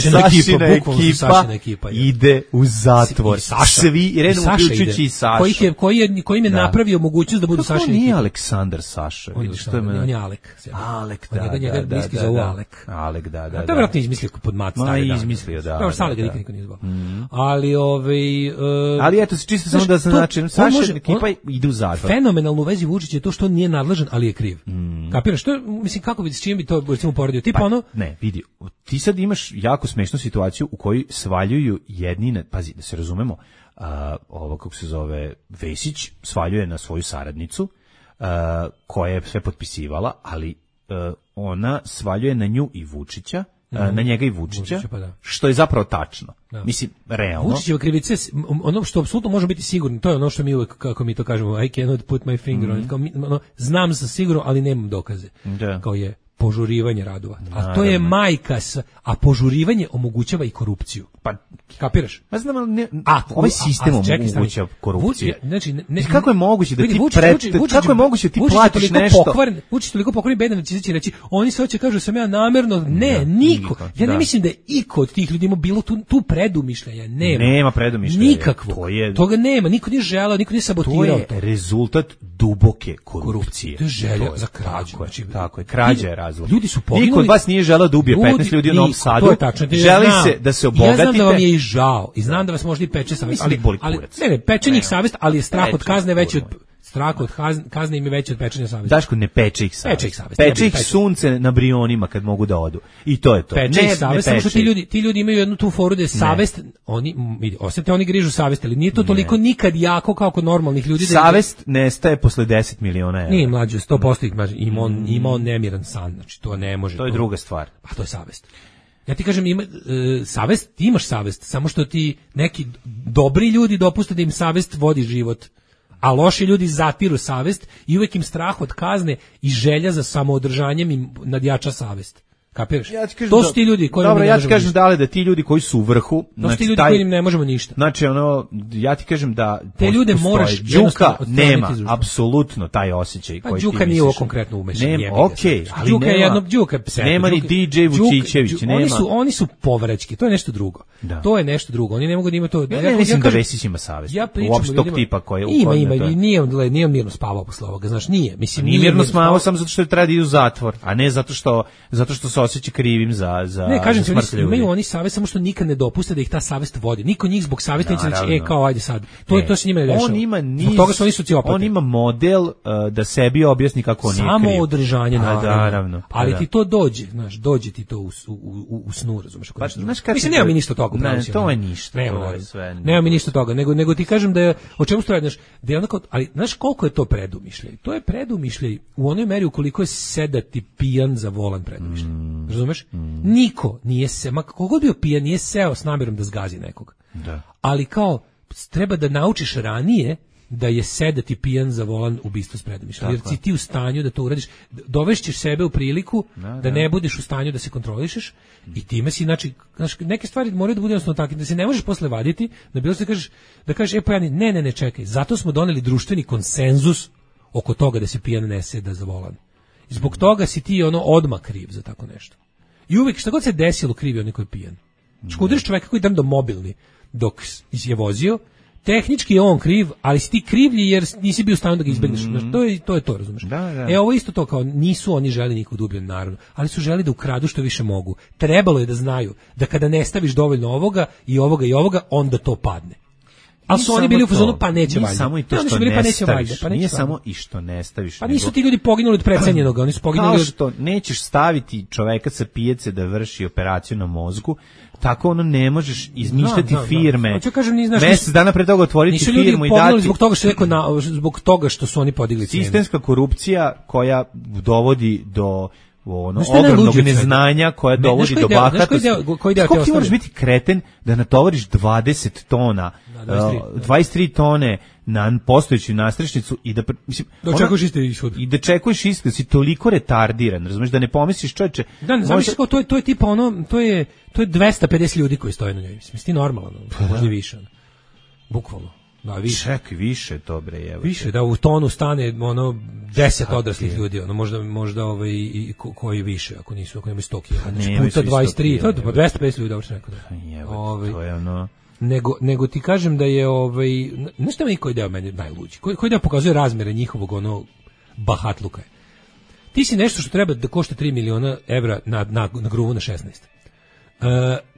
Speaker 7: Sašina ekipa ide u zatvor. Svi, redom uključujući i Sašu.
Speaker 6: Koji im je napravio mogućnost da budu Sašina ekipa.
Speaker 7: To nije Aleksandar Saša.
Speaker 6: On je Alek.
Speaker 7: Alek,
Speaker 6: njega bliski zovu Alek.
Speaker 7: Alek, da.
Speaker 6: To je vjerojatno izmislio pod mat stari dan.
Speaker 7: Izmislio, da.
Speaker 6: Dobro, Sale ga nikad niko nije zvao.
Speaker 7: Ali eto, čisto samo da se način, Sašina ekipa ide u zatvor.
Speaker 6: Fenomenalno u vezi Vučića je to što on nije nadležan, ali je kriv. Kapiraš? Mislim, kako bi s čim bi to recimo poredio? Tipa ono...
Speaker 7: Ne, vidi, ti sad imaš jako smešnu situaciju u kojoj svaljuju jedni, pazi, da se razumemo, ovo kako se zove Vesić, svaljuje na svoju saradnicu, koja je sve potpisivala, ali ona svaljuje na nju i Vučića, na njega i Vučića, što je zapravo tačno. Mislim, realno.
Speaker 6: Vučićeva krivica, ono što apsolutno može biti sigurno, to je ono što mi uvek, kako mi to kažemo, I cannot put my finger on it, kao znam sa sigurno, ali nemam dokaze. Kao je požurivanje radova. A to je majka a požurivanje omogućava i korupciju.
Speaker 7: Pa
Speaker 6: kapiraš?
Speaker 7: Pa znam, ovaj sistem omogućava korupciju.
Speaker 6: Znači,
Speaker 7: kako je moguće da ti kako je moguće ti platiš nešto?
Speaker 6: Vučić toliko pokvaren bedan da će se reći, oni se hoće kažu sam ja namerno, niko. Ja ne mislim da je iko od tih ljudi ima bilo tu predumišljaja,
Speaker 7: nema predumišljaja.
Speaker 6: Nikakvo. Toga nema, niko nije želeo, niko nije sabotirao.
Speaker 7: To je rezultat duboke korupcije.
Speaker 6: To je želja za krađu.
Speaker 7: Tako je, krađa je razlog.
Speaker 6: Ljudi su poginuli.
Speaker 7: Niko od vas nije želeo da ubije 15 ljudi u Novom Sadu.
Speaker 6: To je tačno.
Speaker 7: Želi se da se obogatite.
Speaker 6: Ja znam da vam je i žao i znam da vas možda i peče savest, ali ne, peče njih savest, ali je strah od kazne veći od kazne im je veći od pečenja savesti.
Speaker 7: Daško, ne peče ih savest. Peče ih sunce na Brionima kad mogu da odu. I to je to.
Speaker 6: Peče ih savest, samo što ti ljudi imaju jednu tu foru da je savest, oni grižu savest, ali nije to toliko nikad jako kao kod normalnih ljudi.
Speaker 7: Savest nestaje posle 10 miliona evra.
Speaker 6: Nije mlađe, 100% ima on nemiran san, znači to ne može.
Speaker 7: To je druga stvar.
Speaker 6: A to je savest. Ja ti kažem, savest, ti imaš savest, samo što ti neki dobri ljudi dopuste da im savest vodi život, a loši ljudi zatiru savest i uvek im strah od kazne i želja za samoodržanjem im nadjača savest. Kapiraš? To su ti ljudi koji
Speaker 7: dobro, ja ti kažem da ti ljudi koji su u vrhu,
Speaker 6: to su ti ljudi koji im ne možemo ništa.
Speaker 7: Znači ja ti kažem da
Speaker 6: te ljude moraš
Speaker 7: Đuka nema apsolutno taj osjećaj koji ti
Speaker 6: Đuka nije ovo konkretno umešan.
Speaker 7: Ali
Speaker 6: Đuka je jedno
Speaker 7: nema ni DJ Vučićević, nema.
Speaker 6: Oni su povraćki, to je nešto drugo. To je nešto drugo. Oni ne mogu da imaju to.
Speaker 7: Ja mislim da Vesić ima savest. Uopšte tog tipa koji je
Speaker 6: ima i nije mirno spavao posle ovoga, znaš, nije. Mislim
Speaker 7: nije mirno spavao samo zato što treba da ide u zatvor, a ne zato što se osjeća krivim za
Speaker 6: ne, kažem ti, imaju oni savest, samo što nikad ne dopuste da ih ta savest vodi. Niko njih zbog savesti neće reći, kao ajde sad. To se njima ne dešava. Zbog toga su oni sociopati.
Speaker 7: On ima model da sebi objasni kako on nije kriv.
Speaker 6: Samo održanje, naravno. Ali ti to dođe, znaš, dođe ti to u snu, razumeš? Mislim, nema mi ništa toga.
Speaker 7: Ne, to je ništa.
Speaker 6: Nema mi ništa toga, nego ti kažem da je, o čemu se radi, da je onako, ali znaš koliko je to predumišljaj? To je predumišljaj u onoj meri ukoliko je sedati pijan za volan predumišljaj. Razumeš? Niko nije se, ma kogod bio pijan, nije seo s namjerom da zgazi nekog. Da. Ali kao, treba da naučiš ranije da je sedati pijan za volan ubistvo s predumišljajom. Jer si ti u stanju da to uradiš, dovešćeš sebe u priliku da ne budeš u stanju da se kontrolišeš i time si, znači, neke stvari moraju da budu jednostavno takve, da se ne možeš posle vaditi, da bilo se da kažeš, ne, čekaj, zato smo doneli društveni konsenzus oko toga da se pijan ne seda za volan. Zbog toga si ti odmah kriv za tako nešto. I uvijek šta god se desilo krivi onaj koji je pijan. Udariš čoveka koji do mobilni dok je vozio, tehnički je on kriv, ali si ti krivlji jer nisi bio u stanju da ga izbegneš. To je to, razumeš? Da. Ovo isto to, kao nisu oni želi nikog ubijen, naravno, ali su želi da ukradu što više mogu. Trebalo je da znaju da kada ne staviš dovoljno ovoga i ovoga i ovoga, onda to padne. Ali su oni bili u fazonu, pa neće valjda.
Speaker 7: Nije samo i to
Speaker 6: Oni su
Speaker 7: što
Speaker 6: bili,
Speaker 7: ne
Speaker 6: pa neće valjda,
Speaker 7: staviš.
Speaker 6: pa neće
Speaker 7: Nije
Speaker 6: valjda.
Speaker 7: samo i što ne staviš.
Speaker 6: Pa nisu ti ljudi poginuli od precenjenog, oni su poginuli
Speaker 7: Kao
Speaker 6: od...
Speaker 7: što nećeš staviti čoveka sa pijace da vrši operaciju na mozgu, tako ono ne možeš izmišljati firme.
Speaker 6: Hoću kažem, ni znaš,
Speaker 7: mesec dana pre toga otvoriti
Speaker 6: nisu
Speaker 7: firmu i
Speaker 6: ljudi poginuli
Speaker 7: dati.
Speaker 6: zbog toga što je neko zbog toga što su oni podigli cenu.
Speaker 7: Sistemska korupcija koja dovodi do
Speaker 6: Znaš šta je
Speaker 7: ogromnog
Speaker 6: najluđe od svega?
Speaker 7: neznanja koja dovodi do bahatosti.
Speaker 6: Koji deo te
Speaker 7: Kako ti moraš
Speaker 6: ostavlja?
Speaker 7: biti kreten da natovariš 20 tona, 23 tone na postojeću nastrešnicu i da mislim
Speaker 6: Da očekuješ isti ishod.
Speaker 7: i da čekuješ isto, da si toliko retardiran, razumeš, da ne pomisliš čoveče.
Speaker 6: Da, ne zamisliš kao to je tipa ono, to je 250 ljudi koji stoje na njoj. Mislim, ti normalno, možda i više. Bukvalno. Da, više.
Speaker 7: Čekaj, više to bre, evo.
Speaker 6: Više, da u tonu stane ono 10 odraslih ljudi, ono možda i koji više, ako nemaju 100 kg.
Speaker 7: Nemaju
Speaker 6: Puta
Speaker 7: svi
Speaker 6: 23,
Speaker 7: 100
Speaker 6: to je
Speaker 7: kg,
Speaker 6: 250 ljudi, uopšte neko da.
Speaker 7: Evo, to je ono.
Speaker 6: Nego ti kažem da je znaš šta meni koji deo meni najluđi? Koji deo pokazuje razmere njihovog ono bahatluka. Ti si nešto što treba da košta 3 miliona evra na gruvu na 16.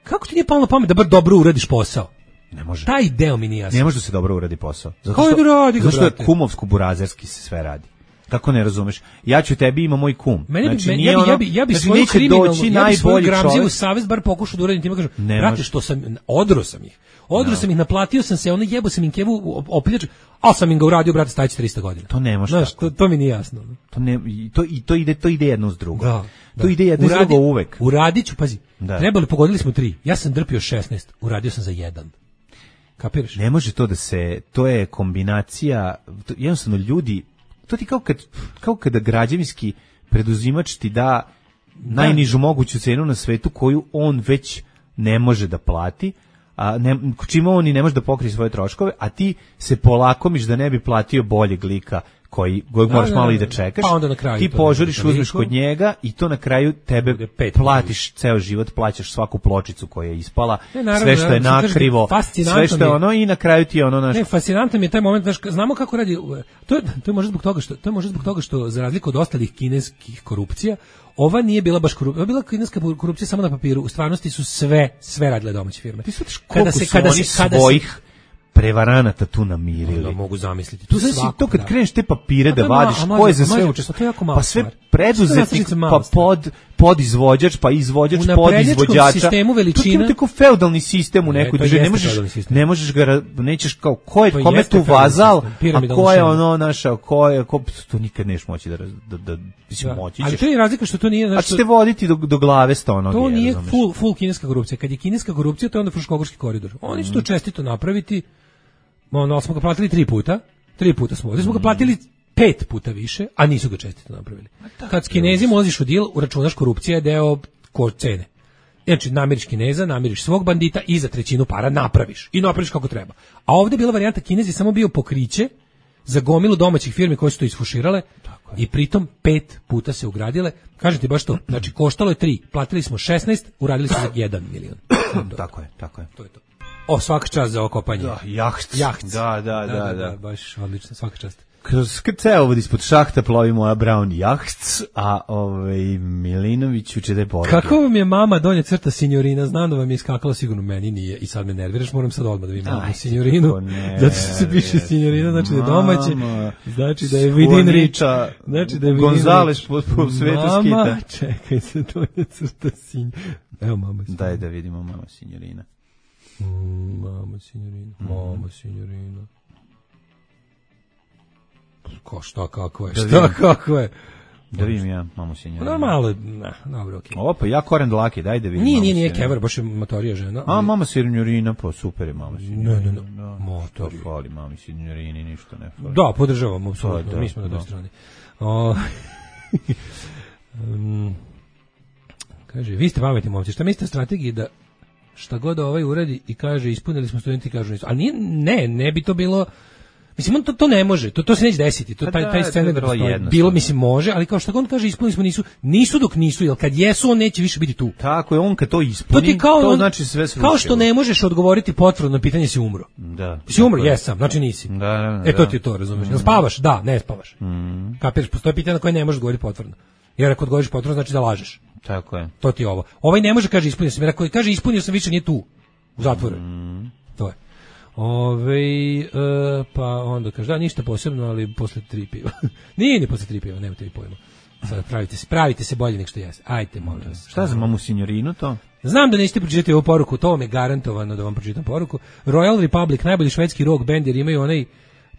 Speaker 6: Kako ti nije palo na pamet da bar dobro uradiš posao?
Speaker 7: Ne može.
Speaker 6: Taj deo mi nije jasno.
Speaker 7: Ne može da se dobro uradi posao.
Speaker 6: Kako da radi ga,
Speaker 7: zato što je
Speaker 6: brate?
Speaker 7: kumovsko-burazerski se sve radi. Kako ne razumeš? Ja ću tebi, ima moj kum.
Speaker 6: Ja bi svoju kriminalnu, svoju gramziju u savez bar pokušao da uradim, ti kažem, brate, što sam, odro sam ih, naplatio sam se, ono jebo sam im kevu opljač, ali sam im ga uradio, brate, staći 300 godina.
Speaker 7: To ne može.
Speaker 6: Znaš, to mi nije jasno.
Speaker 7: To ide jedno uz drugo.
Speaker 6: Da.
Speaker 7: To ide jedno uz drugo uvek.
Speaker 6: Uradit ću, pazi,
Speaker 7: Da.
Speaker 6: pogodili smo 3, ja sam drpio 16, uradio sam za 1. Kapiraš?
Speaker 7: Ne može to da se, to je kombinacija, jednostavno ljudi, to ti kao kada građevinski preduzimač ti da najnižu moguću cenu na svetu koju on već ne može da plati, čime on i ne može da pokrije svoje troškove, a ti se polakomiš da ne bi platio boljeg lika koji moraš malo i da čekaš,
Speaker 6: pa onda na kraju
Speaker 7: ti požuriš, uzmeš kod njega i to na kraju tebe platiš ceo život, plaćaš svaku pločicu koja je ispala, sve što je nakrivo, sve što je ono i na kraju ti je ono naš...
Speaker 6: Ne, fascinantan mi je taj moment, znaš, znamo kako radi, to je možda zbog toga što za razliku od ostalih kineskih korupcija, ova nije bila baš korupcija, ova bila kineska korupcija samo na papiru, u stvarnosti su sve radile domaće firme.
Speaker 7: Ti shvatiš koliko su oni svojih prevaranata tu namirili.
Speaker 6: Da mogu zamisliti.
Speaker 7: Tu znači to kad kreneš te papire da vadiš, ko je za sve učestvovao, pa sve preduzetnik, pa podizvođač, pa izvođač, podizvođača.
Speaker 6: U sistemu veličina.
Speaker 7: To je tako feudalni sistem u nekoj državi. Ne možeš ga, nećeš kao, kome tu vazal, a ko je ono naša, to nikad neš moći da moći ćeš.
Speaker 6: Ali to je razlika što to nije...
Speaker 7: A ćete voditi do glave stonoge.
Speaker 6: To nije full kineska korupcija. Kad je kineska korupcija, to je onda Fruškogorski koridor. Oni su to čestito napraviti. Ono, smo ga platili 3 puta. 3 puta smo. Ovdje smo ga platili 5 puta više, a nisu ga čestito napravili. Kad s Kinezima ulaziš u deal, uračunaš korupcija je deo cene. Znači, namiriš Kineza, namiriš svog bandita i za trećinu para napraviš. I napraviš kako treba. A ovdje je bila varijanta, Kinez je samo bio pokriće za gomilu domaćih firmi koje su to isfuširale i pritom 5 puta se ugradile. Kažete baš to. Znači, koštalo je 3, platili smo 16, uradili smo za 1 milion.
Speaker 7: Tako je.
Speaker 6: To je to. O, svaka čast za okopanje.
Speaker 7: Da, jaht.
Speaker 6: Da, baš odlično, svaka čast.
Speaker 7: Kroz ceo ispod šahta plovi moja Brown jaht, a Milinoviću će da je poruke.
Speaker 6: Kako vam je mama donja crta signorina? Znam da vam je iskakala, sigurno meni nije i sad me nerviraš, moram sad odmah da vidim mamu signorinu. Zato što se piše signorina, znači da je domaće, znači da je within reach. Znači da je
Speaker 7: Gonzales po svetu skita.
Speaker 6: Mama, čekaj se, donja crta signorina. Evo mama signorina.
Speaker 7: Daj da vidimo mama signorina.
Speaker 6: Mama signorina. Šta kako je?
Speaker 7: Da vidim ja, mamu signorina.
Speaker 6: Malo, dobro, okej.
Speaker 7: Opa, ja koren dlake, daj da vidim.
Speaker 6: Nije kever, baš je matorija žena.
Speaker 7: A, mama signorina, pa super je mama signorina.
Speaker 6: Ne. Motor.
Speaker 7: Fali mami signorini, ništa ne fali.
Speaker 6: Da, podržavamo, apsolutno, mi smo na toj strani. Kaže, vi ste pametni momci, šta mislite o strategiji da šta god uradi i kaže ispunili smo, studenti kažu nisu. Ali ne bi to bilo, mislim, on to ne može, to se neće desiti, taj scenarij bilo, mislim, može, ali kao šta god on kaže ispunili smo, nisu dok nisu, jer kad jesu on neće više biti tu.
Speaker 7: Tako je, on kad to ispuni, to znači sve srušilo. Kao
Speaker 6: što ne možeš odgovoriti potvrdno na pitanje si umro.
Speaker 7: Da.
Speaker 6: Si umro, jesam, znači nisi.
Speaker 7: Da.
Speaker 6: To ti je to, razumiješ. Jel spavaš? Da, ne spavaš. Kapiraš, postoje pitanje na koje ne možeš odgovoriti potvrdno. Jer ako odgovoriš potvrdno, znači da lažeš.
Speaker 7: Tako je.
Speaker 6: To ti je ovo. Ovaj ne može kaže ispunio sam, jer ako kaže ispunio sam više nije tu u zatvoru. To je. Pa onda kaže, da, ništa posebno, ali posle 3 piva. Nije ni posle 3 piva, nemate vi pojma. Sad pravite se bolje nek što jeste. Ajte, molim vas.
Speaker 7: Šta za mamu signorinu to?
Speaker 6: Znam da nećete pročitati ovu poruku, to vam je garantovano da vam pročitam poruku. Royal Republic, najbolji švedski rock band, jer imaju onaj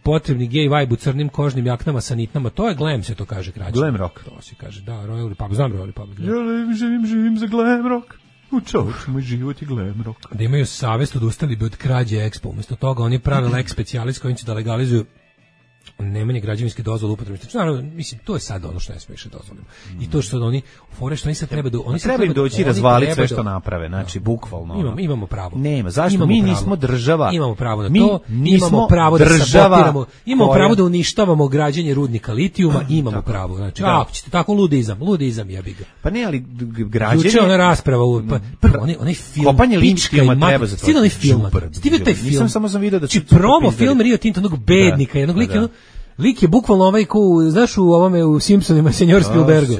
Speaker 6: potrebni gay vibe u crnim kožnim jaknama sa nitnama. To je glam, se to kaže kraće.
Speaker 7: Glam rock.
Speaker 6: To se kaže, da, Royal Republic. Znam Royal Republic. Da.
Speaker 7: Ja živim za glam rock. U čovječ, moj život je glam rock.
Speaker 6: Da imaju savest, odustali bi od krađe Expo. Umjesto toga oni prave lex specialis kojim će da legalizuju nemanje građevinske dozvole upotrebe. Naravno, mislim, to je sad ono što ne smiješ dozvoliti. I to što oni fore što oni sad treba da
Speaker 7: treba im doći razvaliti sve što naprave, znači bukvalno.
Speaker 6: Imamo pravo.
Speaker 7: Nema, zašto mi nismo država?
Speaker 6: Imamo pravo na to. Imamo pravo da sabotiramo. Imamo pravo da uništavamo građenje rudnika litijuma, imamo pravo. Znači, ako ćete tako ludizam jebi ga.
Speaker 7: Pa ne, ali građenje.
Speaker 6: Juče ona rasprava, prvo onaj film
Speaker 7: kopanje litijuma treba za to.
Speaker 6: Stiže onaj film. Stiže taj film.
Speaker 7: Nisam samo video da
Speaker 6: će promo film Rio Tinto onog bednika, jednog lika. Lik je bukvalno ovaj ko, znaš u ovome u Simpsonima, senjor Spielbergu.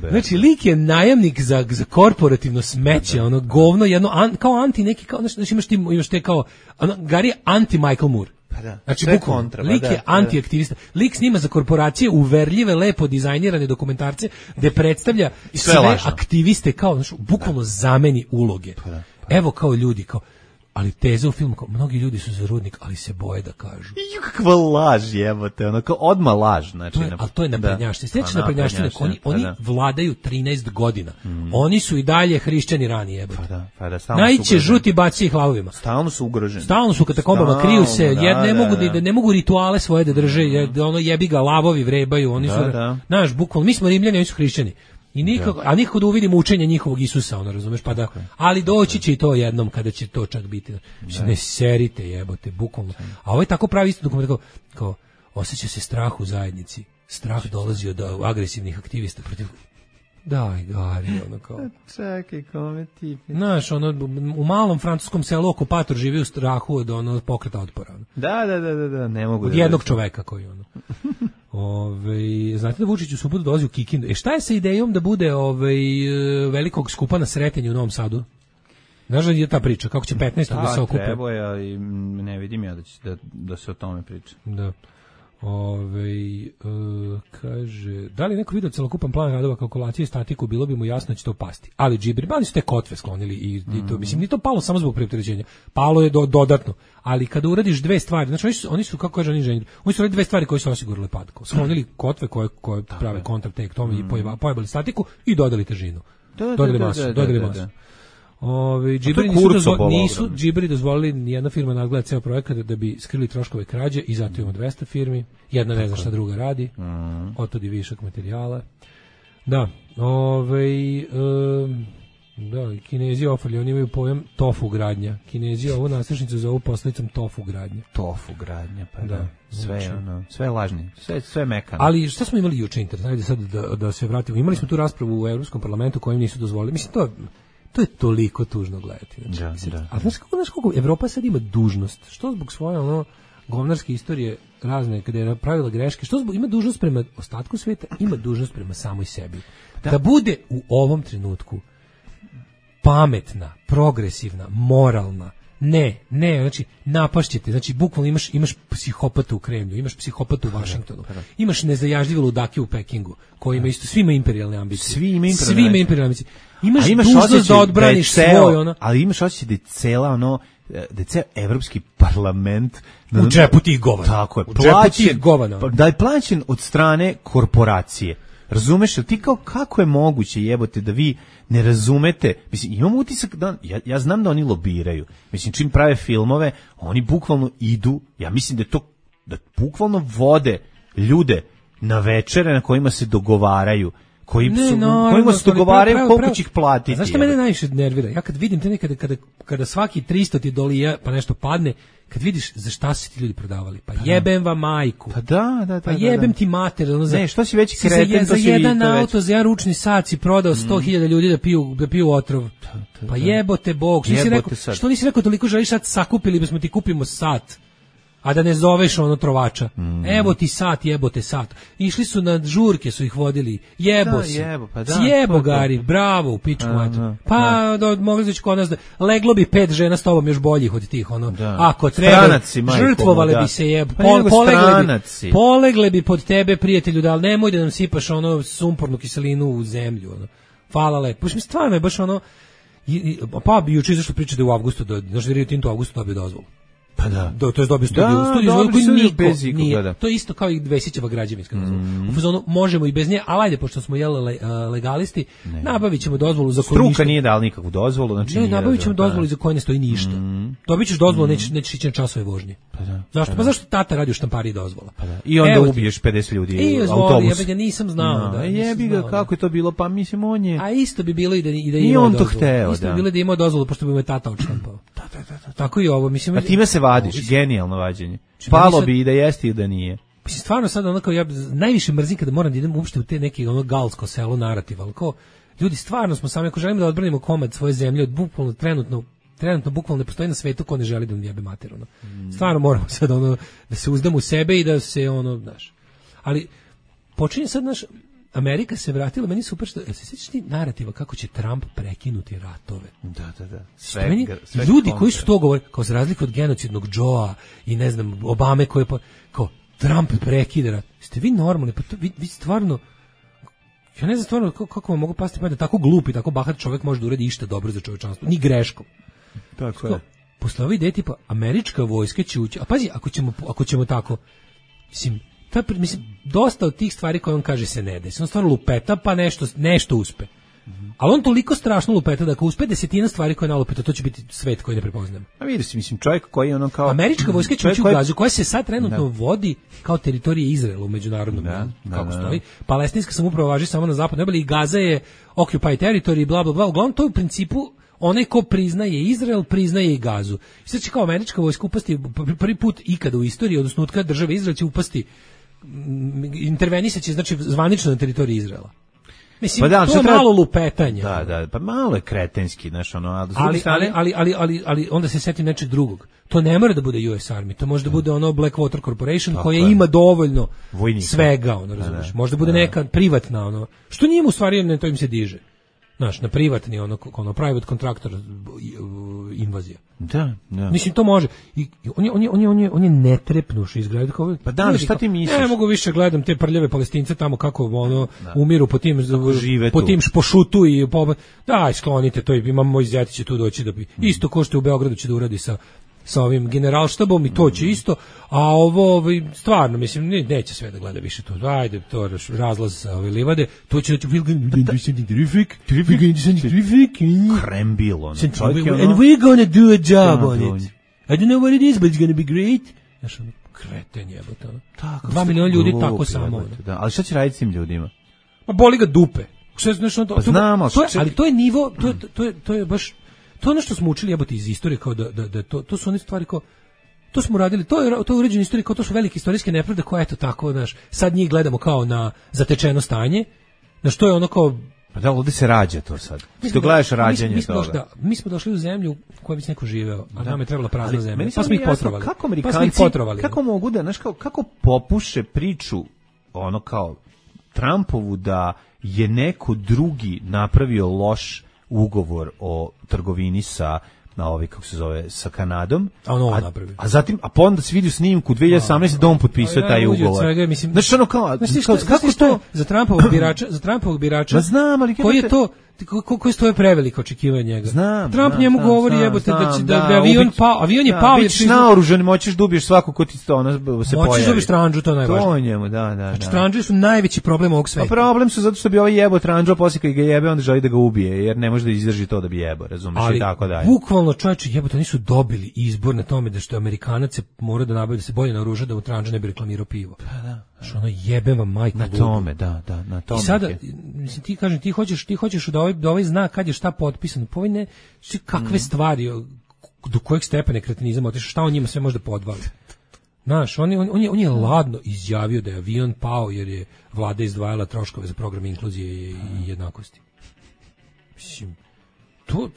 Speaker 6: Znači, lik je najamnik za korporativno smeće, ono govno, jedno, kao anti neki, kao, znači imaš te kao, Gari je anti-Michael Moore. Znači, bukvalno, lik je anti-aktivista. Lik snima za korporacije uverljive, lepo dizajnirane dokumentarce, gde predstavlja sve aktiviste kao, znači, bukvalno zameni uloge. Evo kao ljudi, kao, ali teza u filmu, kao, mnogi ljudi su za rudnik, ali se boje da kažu.
Speaker 7: I kakva laž, jebote, ono, kao odmah laž. Znači,
Speaker 6: ali to je naprednjaštine. Sljedeće naprednjaštine, oni vladaju 13 godina. Oni su i dalje hrišćani rani, jebote. Najće žuti baci ih lavovima.
Speaker 7: Stalno su ugroženi.
Speaker 6: Stalno su katakombama, kriju se, ne mogu rituale svoje da drže, ono jebi ga, lavovi vrebaju, oni su, znaš, bukvalno, mi smo Rimljani, oni su hrišćani. I nikako da uvidimo učenje njihovog Isusa, ono, razumeš, pa da, ali doći će i to jednom kada će to čak biti. Ne serite, jebote, bukvalno. A ovo je tako pravi isto dokument, kao osjeća se strah u zajednici. Strah dolazi od agresivnih aktivista protiv. Daj, Gari, ono kao.
Speaker 7: Čekaj, kome ti?
Speaker 6: Znaš, ono, u malom francuskom selu okupator živi u strahu od ono pokreta otpora. Ono.
Speaker 7: Da, ne mogu.
Speaker 6: Od jednog čoveka koji ono. Znate da Vučić u subotu dolazi u Kikindu. Šta je sa idejom da bude velikog skupa na Sretenju u Novom Sadu? Znaš da je ta priča, kako će 15. da se okupe?
Speaker 7: Da, treba je, i ne vidim ja da se o tome priča.
Speaker 6: Da. Kaže, da li neko vidio celokupan plan radova kalkulacije i statiku, bilo bi mu jasno da će to pasti. Ali džibri, su te kotve sklonili i to, mislim, nije to palo samo zbog preopterećenja. Palo je dodatno. Ali kada uradiš dve stvari, znači oni su kako kaže inženjer, oni su radili dve stvari koje su osigurale pad. Sklonili kotve koje prave kontrakt tome i pojebali statiku i dodali težinu. Dodali masu. Nisu džibri dozvolili nijedna firma nadgleda ceo projekat da bi skrili troškove krađe i zato imamo 200 firmi, jedna ne zna šta druga radi, otod i višak materijala. Da, da, Kinezi ofrli, oni imaju pojam tofu gradnja. Kinezi ovu nastrešnicu zovu posledicom tofu gradnja.
Speaker 7: Tofu gradnja, pa da. Sve lažni, sve mekano.
Speaker 6: Ali šta smo imali juče internet? Ajde sad da se vratimo. Imali smo tu raspravu u Evropskom parlamentu kojim nisu dozvolili. Mislim, to je toliko tužno gledati. Znači, a znaš kako Evropa sad ima dužnost? Što zbog svoje govnarske istorije razne, kada je napravila greške, što zbog ima dužnost prema ostatku sveta, ima dužnost prema samoj sebi. Da bude u ovom trenutku pametna, progresivna, moralna. Ne, znači napašćete, znači bukvalno imaš psihopata u Kremlju, imaš psihopata u Vašingtonu, imaš nezajažljive ludake u Pekingu, koji ima isto, svi imaju imperijalne ambicije.
Speaker 7: Svi imaju imperijalne ambicije.
Speaker 6: Imaš dužnost da odbraniš svoj, ono.
Speaker 7: Ali imaš osjećaj da je cela, da je ceo evropski parlament
Speaker 6: u džepu tih govana.
Speaker 7: Tako je, da je plaćen od strane korporacije. Razumeš, ti kao kako je moguće, jebote, da vi ne razumete, mislim, imam utisak da, ja znam da oni lobiraju, mislim, čim prave filmove, oni bukvalno idu, ja mislim da je to, da bukvalno vode ljude na večere na kojima se dogovaraju, kojima se dogovaraju koliko će ih platiti.
Speaker 6: Znaš što mene najviše nervira? Ja kad vidim te nekada, kada svaki 300 ti dolija, pa nešto padne, kad vidiš za šta se ti ljudi prodavali, pa jebem vam majku.
Speaker 7: Pa da.
Speaker 6: Pa jebem ti mater.
Speaker 7: Ne, što si veći kreten,
Speaker 6: za jedan auto, za jedan ručni sat si prodao 100.000 ljudi da piju otrov. Pa jebote Bog. Što nisi rekao toliko želiš sad sakupili, bismo ti kupimo sat. a da ne zoveš ono trovača. Evo ti sat, jebote sat. Išli su na žurke, su ih vodili. Jebo si. Sjebo Gari, bravo, u pičku mater. Pa mogli znači kod nas da leglo bi 5 žena s tobom još boljih od tih ono. Ako treba, žrtvovale bi se polegle bi pod tebe, prijatelju, da, ali nemoj da nam sipaš ono sumpornu kiselinu u zemlju, ono. Hvala lepo. Mislim, stvarno je baš ono, pa bi juče izašlo priča da u avgustu, znaš da Rio Tinto u avgustu dobio dozvolu. Pa da. To je dobio studiju koji niko nije. To je isto kao i Vesićeva građevinska dozvola. U fazonu možemo i bez nje, ali ajde, pošto smo legalisti, nabavit ćemo dozvolu za koju
Speaker 7: struka nije dala nikakvu dozvolu. Znači
Speaker 6: ne, nabavit ćemo dozvolu za koju ne stoji ništa. Dobit ćeš dozvolu, nećeš ići na časove vožnje. Zašto? Pa zašto tata radi u štampariji dozvola?
Speaker 7: I onda ubiješ 50 ljudi u autobusu.
Speaker 6: Ja ga nisam znao.
Speaker 7: Jebi ga, kako je to bilo, pa mislim on je...
Speaker 6: A isto bi bilo i da ima
Speaker 7: on to hteo,
Speaker 6: isto bi bilo da ima dozvolu, pošto bi mu je tata odštampao. Tako i ovo, mislim...
Speaker 7: A time se vadiš, genijalno vađenje. Palo bi i da jeste i da nije.
Speaker 6: Mislim, stvarno sad onako, ja najviše mrzim kada moram da idem uopšte u te neke ono galsko selo narativ, ali kao, ljudi, stvarno smo sami, ako želimo da odbranimo komad svoje zemlje, od bukvalno trenutno bukvalno ne postoji na svetu ko ne želi da nam jebe mater, ono. Stvarno moramo sad ono, da se uzdamo u sebe i da se ono, znaš. Ali, počinje sad, naš Amerika se vratila, meni super što, se sjećaš ti narativa kako će Trump prekinuti ratove?
Speaker 7: Da.
Speaker 6: Sve ljudi koji su to govore, kao za razliku od genocidnog Joea i ne znam, Obame koje kao Trump prekida rat. Ste vi normalni? Pa to, vi stvarno, ja ne znam stvarno kako vam mogu pasti pa da tako glup i tako bahat čovjek može da uredi išta dobro za čovečanstvo, ni greškom.
Speaker 7: Tako je.
Speaker 6: Posle ove ideje tipa američka vojska će ući, a pazi, ako ćemo tako, mislim, dosta od tih stvari koje on kaže se ne desi. On stvarno lupeta, pa nešto uspe. Ali on toliko strašno lupeta da ako uspe 10 stvari koje nalupeta, to će biti svet koji ne prepoznam.
Speaker 7: A vidiš, mislim, čovjek koji je ono kao...
Speaker 6: Američka vojska će ući u Gazu, koja se sad trenutno vodi kao teritorija Izraela u međunarodnom kako stoji. Palestinska samouprava važi samo na zapadnoj obali i Gaza je occupied territory, bla, bla, bla. Uglavnom, to je u principu onaj ko priznaje Izrael, priznaje i Gazu. I sad će kao američka vojska upasti prvi put ikada u istoriji, odnosno od kada države Izrael će upasti, intervenisat će, znači, zvanično na teritoriji Izraela. Mislim, pa da, to je malo lupetanje.
Speaker 7: Da, pa malo je kretenski, znaš, ono,
Speaker 6: ali onda se setim nečeg drugog. To ne mora da bude US Army, to može da bude ono Blackwater Corporation koja ima dovoljno vojnika. Svega, ono, razumiješ. Možda bude neka privatna, ono, što njima u stvari ne, to im se diže. Znaš, na privatni, ono private contractor invazija.
Speaker 7: Da.
Speaker 6: Mislim, to može. I on je netrepnuš izgledati kao...
Speaker 7: Pa da, ali šta ti misliš?
Speaker 6: Ne mogu više gledam te prljave Palestince tamo kako umiru po tim špošutu i daj, sklonite to, imam moj zjati će tu doći da bi... Isto ko što u Beogradu će da uradi sa ovim generalštabom i to će isto, a ovo stvarno, mislim, neće sve da gleda više to. Ajde, to razlaz sa ove livade, to će reći
Speaker 7: Krembil, ono.
Speaker 6: And we're gonna do a job on it. I don't know what it is, but it's gonna be great. Znaš, ono, kreten jebote. 2 miliona ljudi tako samo.
Speaker 7: Ali šta će raditi s tim ljudima?
Speaker 6: Pa boli ga dupe.
Speaker 7: Znamo.
Speaker 6: Ali to je nivo, to je baš... To je ono što smo učili jebote iz istorije, kao da to su one stvari kao, to smo radili, to je uređena istorija, kao to su velike istorijske nepravde koje eto tako, znaš, sad njih gledamo kao na zatečeno stanje, znaš, to je ono kao...
Speaker 7: Pa da, ovdje se rađa to sad. Ti gledaš rađanje toga.
Speaker 6: Mi smo došli u zemlju u kojoj bi se neko živeo, a nam je trebala prazna zemlja, pa smo ih potrovali.
Speaker 7: Kako Amerikanci, kako mogu da, znaš, kako popuše priču, ono kao, Trumpovu da je neko drugi napravio loš ugovor o trgovini sa kako se zove, sa Kanadom, a zatim, a onda se vidi u snimku 2018 da on potpisao taj ugovor. Znači ono kao, kako to
Speaker 6: za Trumpovog birača,
Speaker 7: znam, ali
Speaker 6: koji je to, koji stoje preveliko očekivanje njega. Trump njemu govori jebote da avion je pao,
Speaker 7: bić naoružan, moćeš da ubiješ svakog ko ti se pojavi.
Speaker 6: Moćeš da ubiješ tranđu, to je najvažnije.
Speaker 7: To njemu, da.
Speaker 6: Znači tranđe su najveći problem ovog sveta.
Speaker 7: A problem su zato što bi ovaj jebo tranđu, a poslije kad ga jebe, onda želi da ga ubije, jer ne može da izdrži to da bi jebo, razumiješ, i tako dalje.
Speaker 6: Bukvalno, čovječe, jebote, oni su dobili izbor na tome da što Amerikanac se mora da nabavi, da se bolje naoruža, da u tranđu ne bi reklamirao pivo.
Speaker 7: Pa da.
Speaker 6: Što ono jebem vam majku
Speaker 7: na tome, da, na tome.
Speaker 6: I sada, mislim, ti kažem, ti hoćeš da ovaj zna kad je šta potpisano, pa ovaj ne, kakve stvari, do kojeg stepena kretenizam otišao, šta on njima sve može da podvali. Znaš, on je ladno izjavio da je avion pao jer je vlada izdvajala troškove za program inkluzije i jednakosti. Mislim, to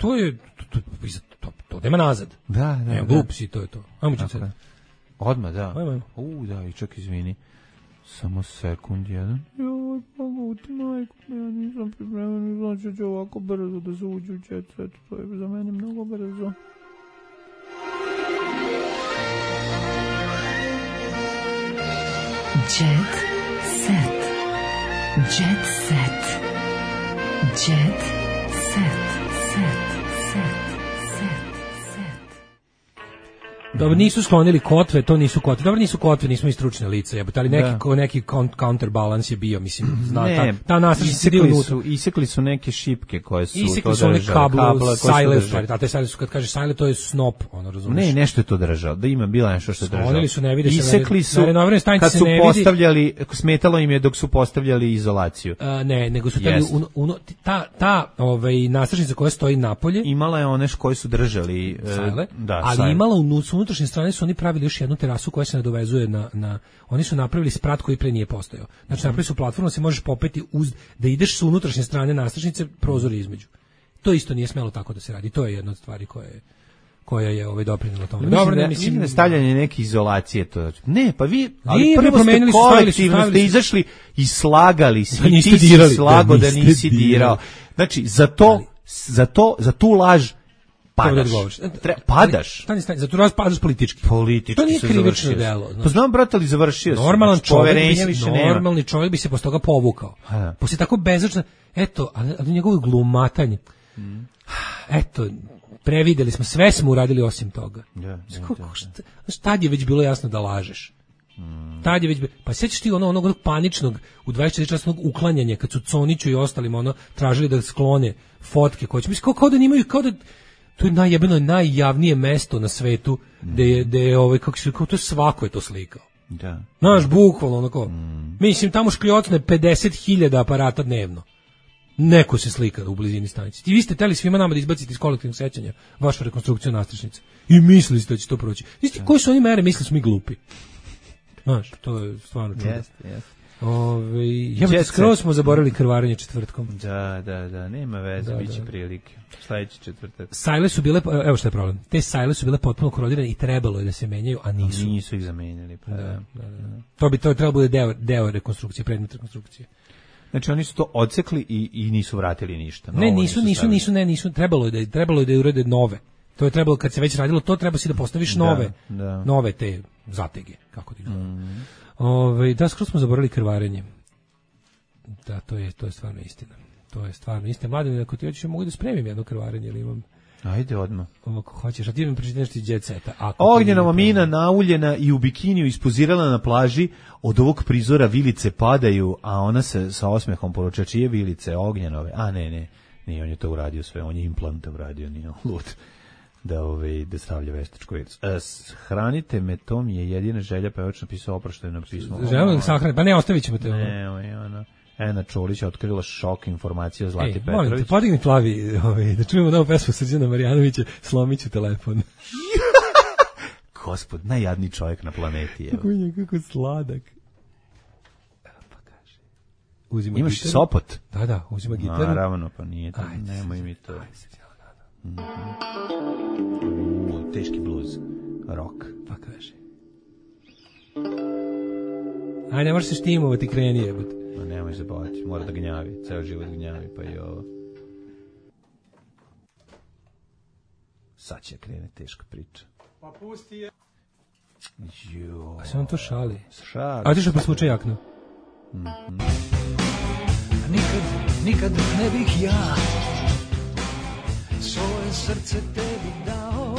Speaker 6: nema nazad.
Speaker 7: Da.
Speaker 6: Glup si, to je to. Ajmo ćemo sad.
Speaker 7: Odmah, da.
Speaker 6: Ajmo.
Speaker 7: Da, i čak izvini. Samo sekund jedan. Joj, poguti, majko, ja nisam pripreman, znači ću ovako brzo da se uđu u jet set, to je za mene mnogo brzo.
Speaker 4: Jet set. Jet set. Jet set.
Speaker 6: Dobro, nisu sklonili kotve, to nisu kotve. Dobro, nisu kotve, nismo i stručne lice, jebote, ali neki counterbalans je bio, mislim, ta nastražnica se dio unutra.
Speaker 7: Isekli su neke šipke koje su
Speaker 6: isekli su one kabla, sajle, stvari, te sajle su, kad kaže sajle, to je snop, ono, razumiješ?
Speaker 7: Ne, nešto je to držao, da ima bila nešto što je držao.
Speaker 6: Sklonili su, ne vidi se.
Speaker 7: Isekli su, kad su postavljali, smetalo im je dok su postavljali izolaciju.
Speaker 6: Ne, nego su tali, ta nastražnica koja stoji napolje,
Speaker 7: imala je one koje su držali
Speaker 6: sajle, ali imala unutrašnje strane su oni pravili još jednu terasu koja se nadovezuje na oni su napravili sprat koji pre nije postojao. Znači napravili su platformu, se možeš popeti da ideš sa unutrašnje strane nastražnice, prozor između. To isto nije smelo tako da se radi. To je jedna od stvari koja je doprinela tome.
Speaker 7: Dobro, ne mislim stavljanje neke izolacije to. Ne, pa vi ali prvo ste kolektivno ste izašli i slagali se, i ti si slago da nisi dirao. Znači za tu laž padaš.
Speaker 6: Za tu raz padaš politički. To nije krivično delo.
Speaker 7: Pa znam, brate, ali završio sam.
Speaker 6: Normalni čovjek bi se posle toga povukao. Posle tako bezočno, eto, ali njegovo glumatanje. Eto, prevideli smo, sve smo uradili osim toga. Tad je već bilo jasno da lažeš. Tad je već, pa sjećaš ti onog paničnog u 24 časnog uklanjanja kad su Coniću i ostalima tražili da sklone fotke koje će, mislim, kao da nimaju, kao da to je najjavnije mesto na svetu gde je kako se rekao, to svako je to slikao.
Speaker 7: Da.
Speaker 6: Znaš, bukvalno onako. Mislim, tamo škljocne 50.000 aparata dnevno. Neko se slika u blizini stanice. Vi ste teli svima nama da izbacite iz kolektivnog sećanja vašu rekonstrukciju nastražnice. I mislili ste da će to proći. Isti, koje su oni mere, mislili smo mi glupi. Znaš, to je stvarno čudo.
Speaker 7: Jeste.
Speaker 6: Skroz smo zaboravili krvarenje četvrtkom.
Speaker 7: Da, nema veze, bit će prilike. Sledeći četvrtak.
Speaker 6: Sajle su bile, evo što je problem, te sajle su bile potpuno korodirane i trebalo je da se menjaju, a nisu.
Speaker 7: Nisu ih zamenjali. Pa da.
Speaker 6: To trebalo bude deo rekonstrukcije, predmet rekonstrukcije.
Speaker 7: Znači oni su to odsekli i nisu vratili ništa.
Speaker 6: Ne, nisu, trebalo je da urede nove. To je trebalo, kad se već radilo, to treba si da postaviš nove te zatege, kako ti zove. Da, skoro smo zaboravili krvarenje. Da, to je stvarno istina. To je stvarno istina. Mladen, ako ti hoćeš, mogu da spremim jedno krvarenje, ili imam...
Speaker 7: Ajde odmah.
Speaker 6: Ako hoćeš, a ti mi pričati nešto iz Jet Seta.
Speaker 7: Ognjenova mina nauljena i u bikiniju ispozirala na plaži, od ovog prizora vilice padaju, a ona se sa osmehom poruča, čije vilice, Ognjenove? A ne, on je to uradio sve, on je implanta uradio, nije lud. Da stavlja veštačku virus. Hranite me, to mi je jedina želja, pa je već napisao oproštajno pismo.
Speaker 6: Želim da sahranite, pa ne, ostavit ćemo te.
Speaker 7: Ena Čolić je otkrila šok informacije o Zlati Petrović.
Speaker 6: Molim te, podigni plavi, da čujemo novu pesmu Srđana Marjanovića, slomit ću telefon.
Speaker 7: Gospod, najjadniji čovjek na planeti.
Speaker 6: Kako sladak. Pa kaže.
Speaker 7: Imaš gitaru? Sopot?
Speaker 6: Da, uzima gitaru.
Speaker 7: Naravno, pa nije to, nemoj mi to. Teški bluz, rock.
Speaker 6: Pa kaže. Aj, ne možeš se štimovati, kreni jebati.
Speaker 7: Ma nemoj se baviti, mora da gnjavi, ceo život gnjavi, pa i ovo. Sad će krene teška priča.
Speaker 6: Pa pusti je.
Speaker 7: Jo.
Speaker 6: A se on to šali?
Speaker 7: Šali.
Speaker 6: A ti što presvuče jaknu?
Speaker 9: Nikad ne bih ja svoje srce tebi dao.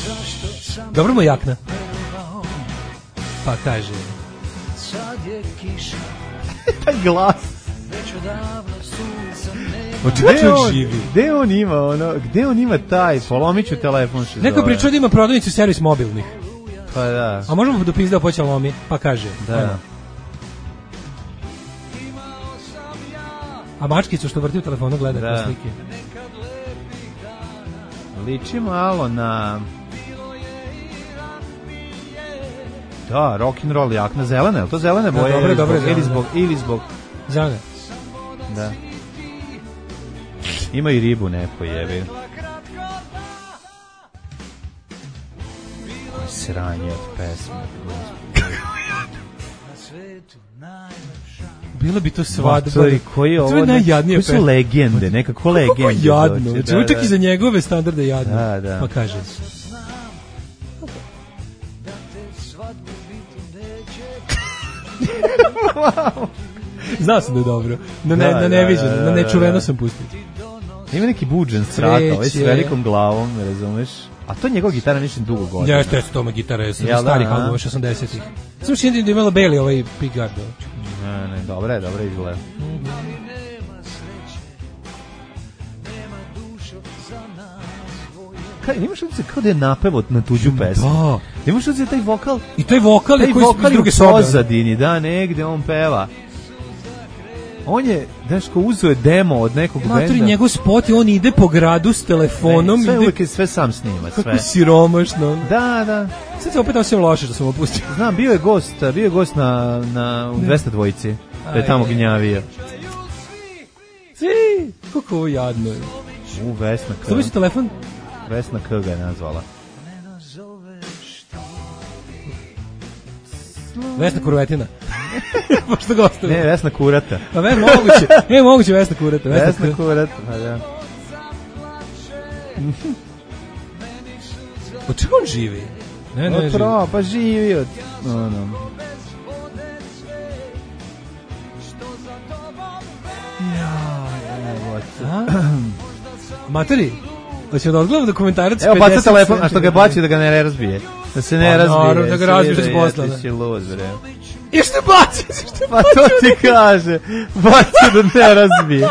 Speaker 9: Zašto sam...
Speaker 6: Dobro mu jakna. Pa kaže...
Speaker 9: Sad je kiša.
Speaker 7: Taj glas.
Speaker 9: Već odavno sunca nema.
Speaker 6: Očekaj on živi.
Speaker 7: Gde on ima taj? Polomit ću telefon se zove.
Speaker 6: Neko pričao da ima prodavnicu servis mobilnih.
Speaker 7: Pa da.
Speaker 6: A možemo da pizdao poća lomi? Pa kaže.
Speaker 7: Da.
Speaker 6: A mačkicu što vrti u telefonu gleda kao slike.
Speaker 7: Liči malo na... Da, rock and roll jakna, zelena, je li to zelene boje?
Speaker 6: Dobre,
Speaker 7: ili zbog...
Speaker 6: Zelene.
Speaker 7: Da. Ima i ribu neko jebi. sranje od pesme.
Speaker 6: Bilo bi to svadba.
Speaker 7: Koji je ovo?
Speaker 6: To je najjadnije
Speaker 7: pesma. Koji su legende, nekako legende.
Speaker 6: Kako jadno. Znači, da, čak i za njegove standarde jadno.
Speaker 7: Da.
Speaker 6: Pa kaže.
Speaker 7: Wow.
Speaker 6: Znao sam da je dobro. Na neviđeno, na nečuveno sam pustio.
Speaker 7: Ima neki buđen strata, ovaj s velikom glavom, razumeš? A to je njegova gitara ništa dugo godina.
Speaker 6: Ja, to je gitara, ja sam starih albuma 80-ih. Sam čini da je imala Bailey ovaj pickguard.
Speaker 7: Ne, dobro je izgleda. Imaš li se kao da je napevao na tuđu pesmu?
Speaker 6: Da.
Speaker 7: Imaš li se taj vokal?
Speaker 6: I taj vokal je koji iz druge sobe.
Speaker 7: Pozadini, da, negde on peva. On je, Daško, uzeo je demo od nekog benda.
Speaker 6: Matori, njegov spot i on ide po gradu s telefonom.
Speaker 7: Sve uvijek je sve sam snima, sve.
Speaker 6: Kako siromašno.
Speaker 7: Da.
Speaker 6: Sad se opet osjećam loše što sam opustio.
Speaker 7: Znam, bio je gost na u 200 dvojici. Da je tamo gnjavio.
Speaker 6: Svi! Kako ovo jadno je.
Speaker 7: Vesna K.
Speaker 6: Što si telefon?
Speaker 7: Vesna K ga je nazvala.
Speaker 6: Vesna Kurvetina. Pošto gostuje.
Speaker 7: Ne, Vesna Kurata.
Speaker 6: Pa moguće Vesna Kurata.
Speaker 7: Vesna Kurata, pa da.
Speaker 6: Od čega on živi? Ne živi.
Speaker 7: Pa živi od...
Speaker 6: Materi, hoće da odgledam dokumentarac 50
Speaker 7: Evo, baca telefon, a što ga baci da ga ne razbije. Da se ne razbije.
Speaker 6: Naravno, da ga razbiješ iz posla.
Speaker 7: Ti si lud, bre.
Speaker 6: I što baci?
Speaker 7: Pa to ti kaže. Baci da ne razbije.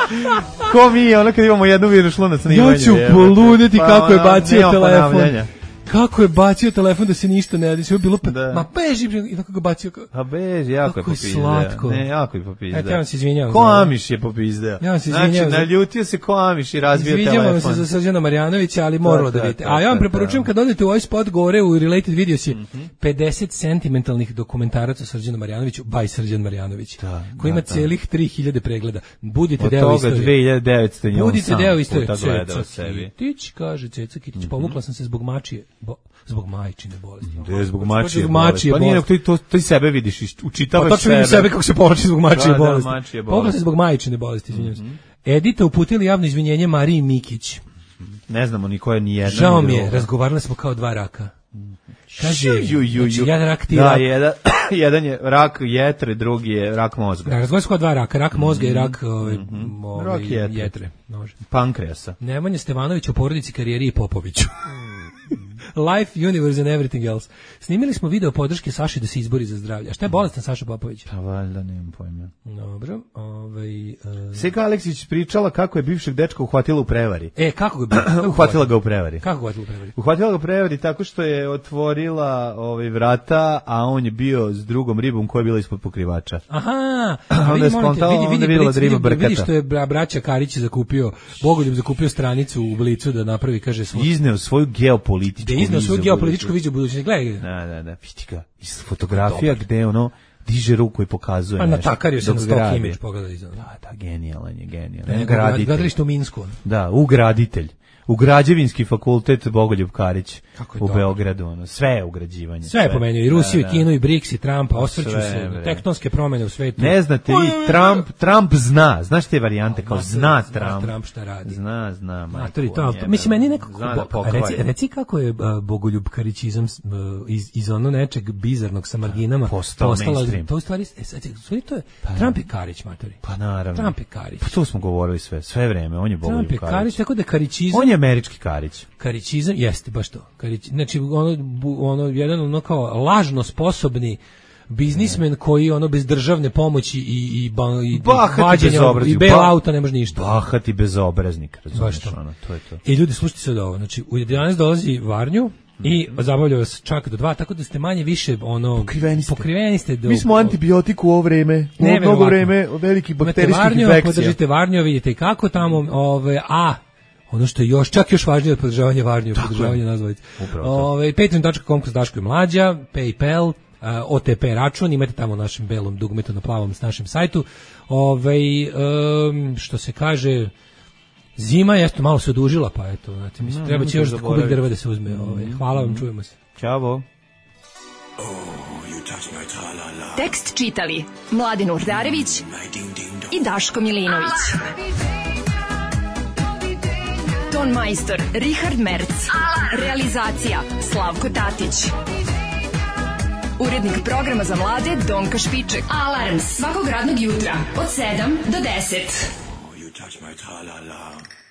Speaker 7: Ko mi je, ono kad imamo jednu virus šlunac na imanju.
Speaker 6: Ja ću poludeti kako je bacio telefon. Kako je bacio telefon da se ništa ne radi, sve je bilo ma beži i tako ga bacio.
Speaker 7: A beži, jako je popizdeo.
Speaker 6: Slatko.
Speaker 7: Ne, jako je popizdeo.
Speaker 6: Eto, ja vam se izvinjavam.
Speaker 7: Ko Amiš je popizdeo.
Speaker 6: Ja vam se izvinjavam.
Speaker 7: Znači, naljutio se ko Amiš i razbio telefon.
Speaker 6: Izvinjavam se za Srđana Marjanovića, ali moralo da vidite. A ja vam preporučujem kad odete u ovaj spot gore u Related Videos je 50 sentimentalnih dokumentaraca o Srđanu Marjanoviću, by Srđan Marjanović, koji ima celih 3000 pregleda. Budite deo istorije.
Speaker 7: Od toga 2900 njom
Speaker 6: budite deo istorije.
Speaker 7: Ceca
Speaker 6: Kitić, kaže Ceca Kitić, povukla sam se zbog mačije. Zbog majčine bolesti.
Speaker 7: Zbog mačije bolesti. Pa nije, to i sebe vidiš, učitavaš
Speaker 6: pa,
Speaker 7: sebe.
Speaker 6: Pa vidim sebe kako se povlači zbog mačije bolesti.
Speaker 7: Da,
Speaker 6: povukla se zbog majčine bolesti, izvinjam se. Edita uputili javno izvinjenje Mariji Mikić.
Speaker 7: Ne znamo ni koja ni jedna.
Speaker 6: Žao mi je, razgovarali smo kao dva raka. Kaže, znači, jedan rak ti rak.
Speaker 7: Jedan je rak jetre, drugi je rak mozga.
Speaker 6: Da, razgovarali smo kao dva raka, rak mozga i rak jetre.
Speaker 7: Pankreasa.
Speaker 6: Nemanja Stevanović o porodici, karijeri i Popoviću. Life, Universe and Everything Else. Snimili smo video podrške Saši da se izbori za zdravlje. A šta je bolestan Saša Popović?
Speaker 7: Pa valjda, nemam pojma.
Speaker 6: Dobro.
Speaker 7: Seka Aleksić pričala kako je bivšeg dečka uhvatila u prevari.
Speaker 6: Kako ga
Speaker 7: uhvatila ga u prevari.
Speaker 6: Kako uhvatila u prevari?
Speaker 7: Uhvatila ga u prevari tako što je otvorila vrata, a on je bio s drugom ribom koja je bila ispod pokrivača.
Speaker 6: Aha.
Speaker 7: Onda je skontala, onda je vidjela da riba brkata.
Speaker 6: Vidi što je braća Karić zakupio, Bogoljub zakupio stranicu u Blicu da napravi, kaže,
Speaker 7: izneo svoju geopolitičku
Speaker 6: viziju budućnosti. Gledaj.
Speaker 7: Da. Vidi ga. Iz fotografija gde ono diže ruku i pokazuje nešto.
Speaker 6: Pa natakario se na stock image, pogledaj iza.
Speaker 7: Da, genijalan je.
Speaker 6: Gradilište u Minsku.
Speaker 7: Da, ugraditelj. U građevinski fakultet Bogoljub Karić u Beogradu, sve je ugrađivanje.
Speaker 6: Sve je pomenuo, i Rusiju, i Kinu, i BRICS, i Trumpa, osvrću se, tektonske promene u svetu.
Speaker 7: Ne znate vi, Trump zna, znaš te varijante, kao zna Trump
Speaker 6: šta radi.
Speaker 7: Zna.
Speaker 6: Mislim, meni nekako, reci kako je Bogoljub Karićizam iz ono nečeg bizarnog sa marginama
Speaker 7: postala mainstream.
Speaker 6: To u stvari, to je, Trump je Karić, matori.
Speaker 7: Pa naravno.
Speaker 6: Trump je Karić.
Speaker 7: Pa to smo govorili sve vreme, on je Bogoljub Karić.
Speaker 6: Trump je Karić, tako da Karićizam
Speaker 7: američki Karić.
Speaker 6: Karićizam, jeste, baš to. Znači, jedan kao lažno sposobni biznismen koji bez državne pomoći i vađenja i bailouta ne može ništa.
Speaker 7: Bahati bezobraznik, razumiješ, to je to.
Speaker 6: I ljudi, slušajte se od ovo, znači, u 11 dolazi Varnju i zabavljaju vas čak do 2, tako da ste manje više pokriveni ste.
Speaker 7: Mi smo antibiotik u ovo vreme, u mnogo vreme velikih bakterijskih infekcija.
Speaker 6: Podržite Varnju, vidite kako tamo, ono što je čak još važnije od podržavanja Varnje, podržavanja nazvalice. Patreon.com kroz Daško i Mlađa, PayPal, OTP račun, imate tamo u našem belom dugmetu na plavom s našem sajtu. Što se kaže, zima je malo se odužila, pa eto, znači, treba će još kubik drva da se uzme. Hvala vam, čujemo se.
Speaker 7: Ćao.
Speaker 10: Tekst čitali Mladin Urdarević i Daško Milinović. Ton majstor Richard Merc. Realizacija Slavko Tatić. Urednik programa za mlade Donka Špiček. Alarms svakog radnog jutra od 7 do 10.
Speaker 8: You touch my tra-la-la.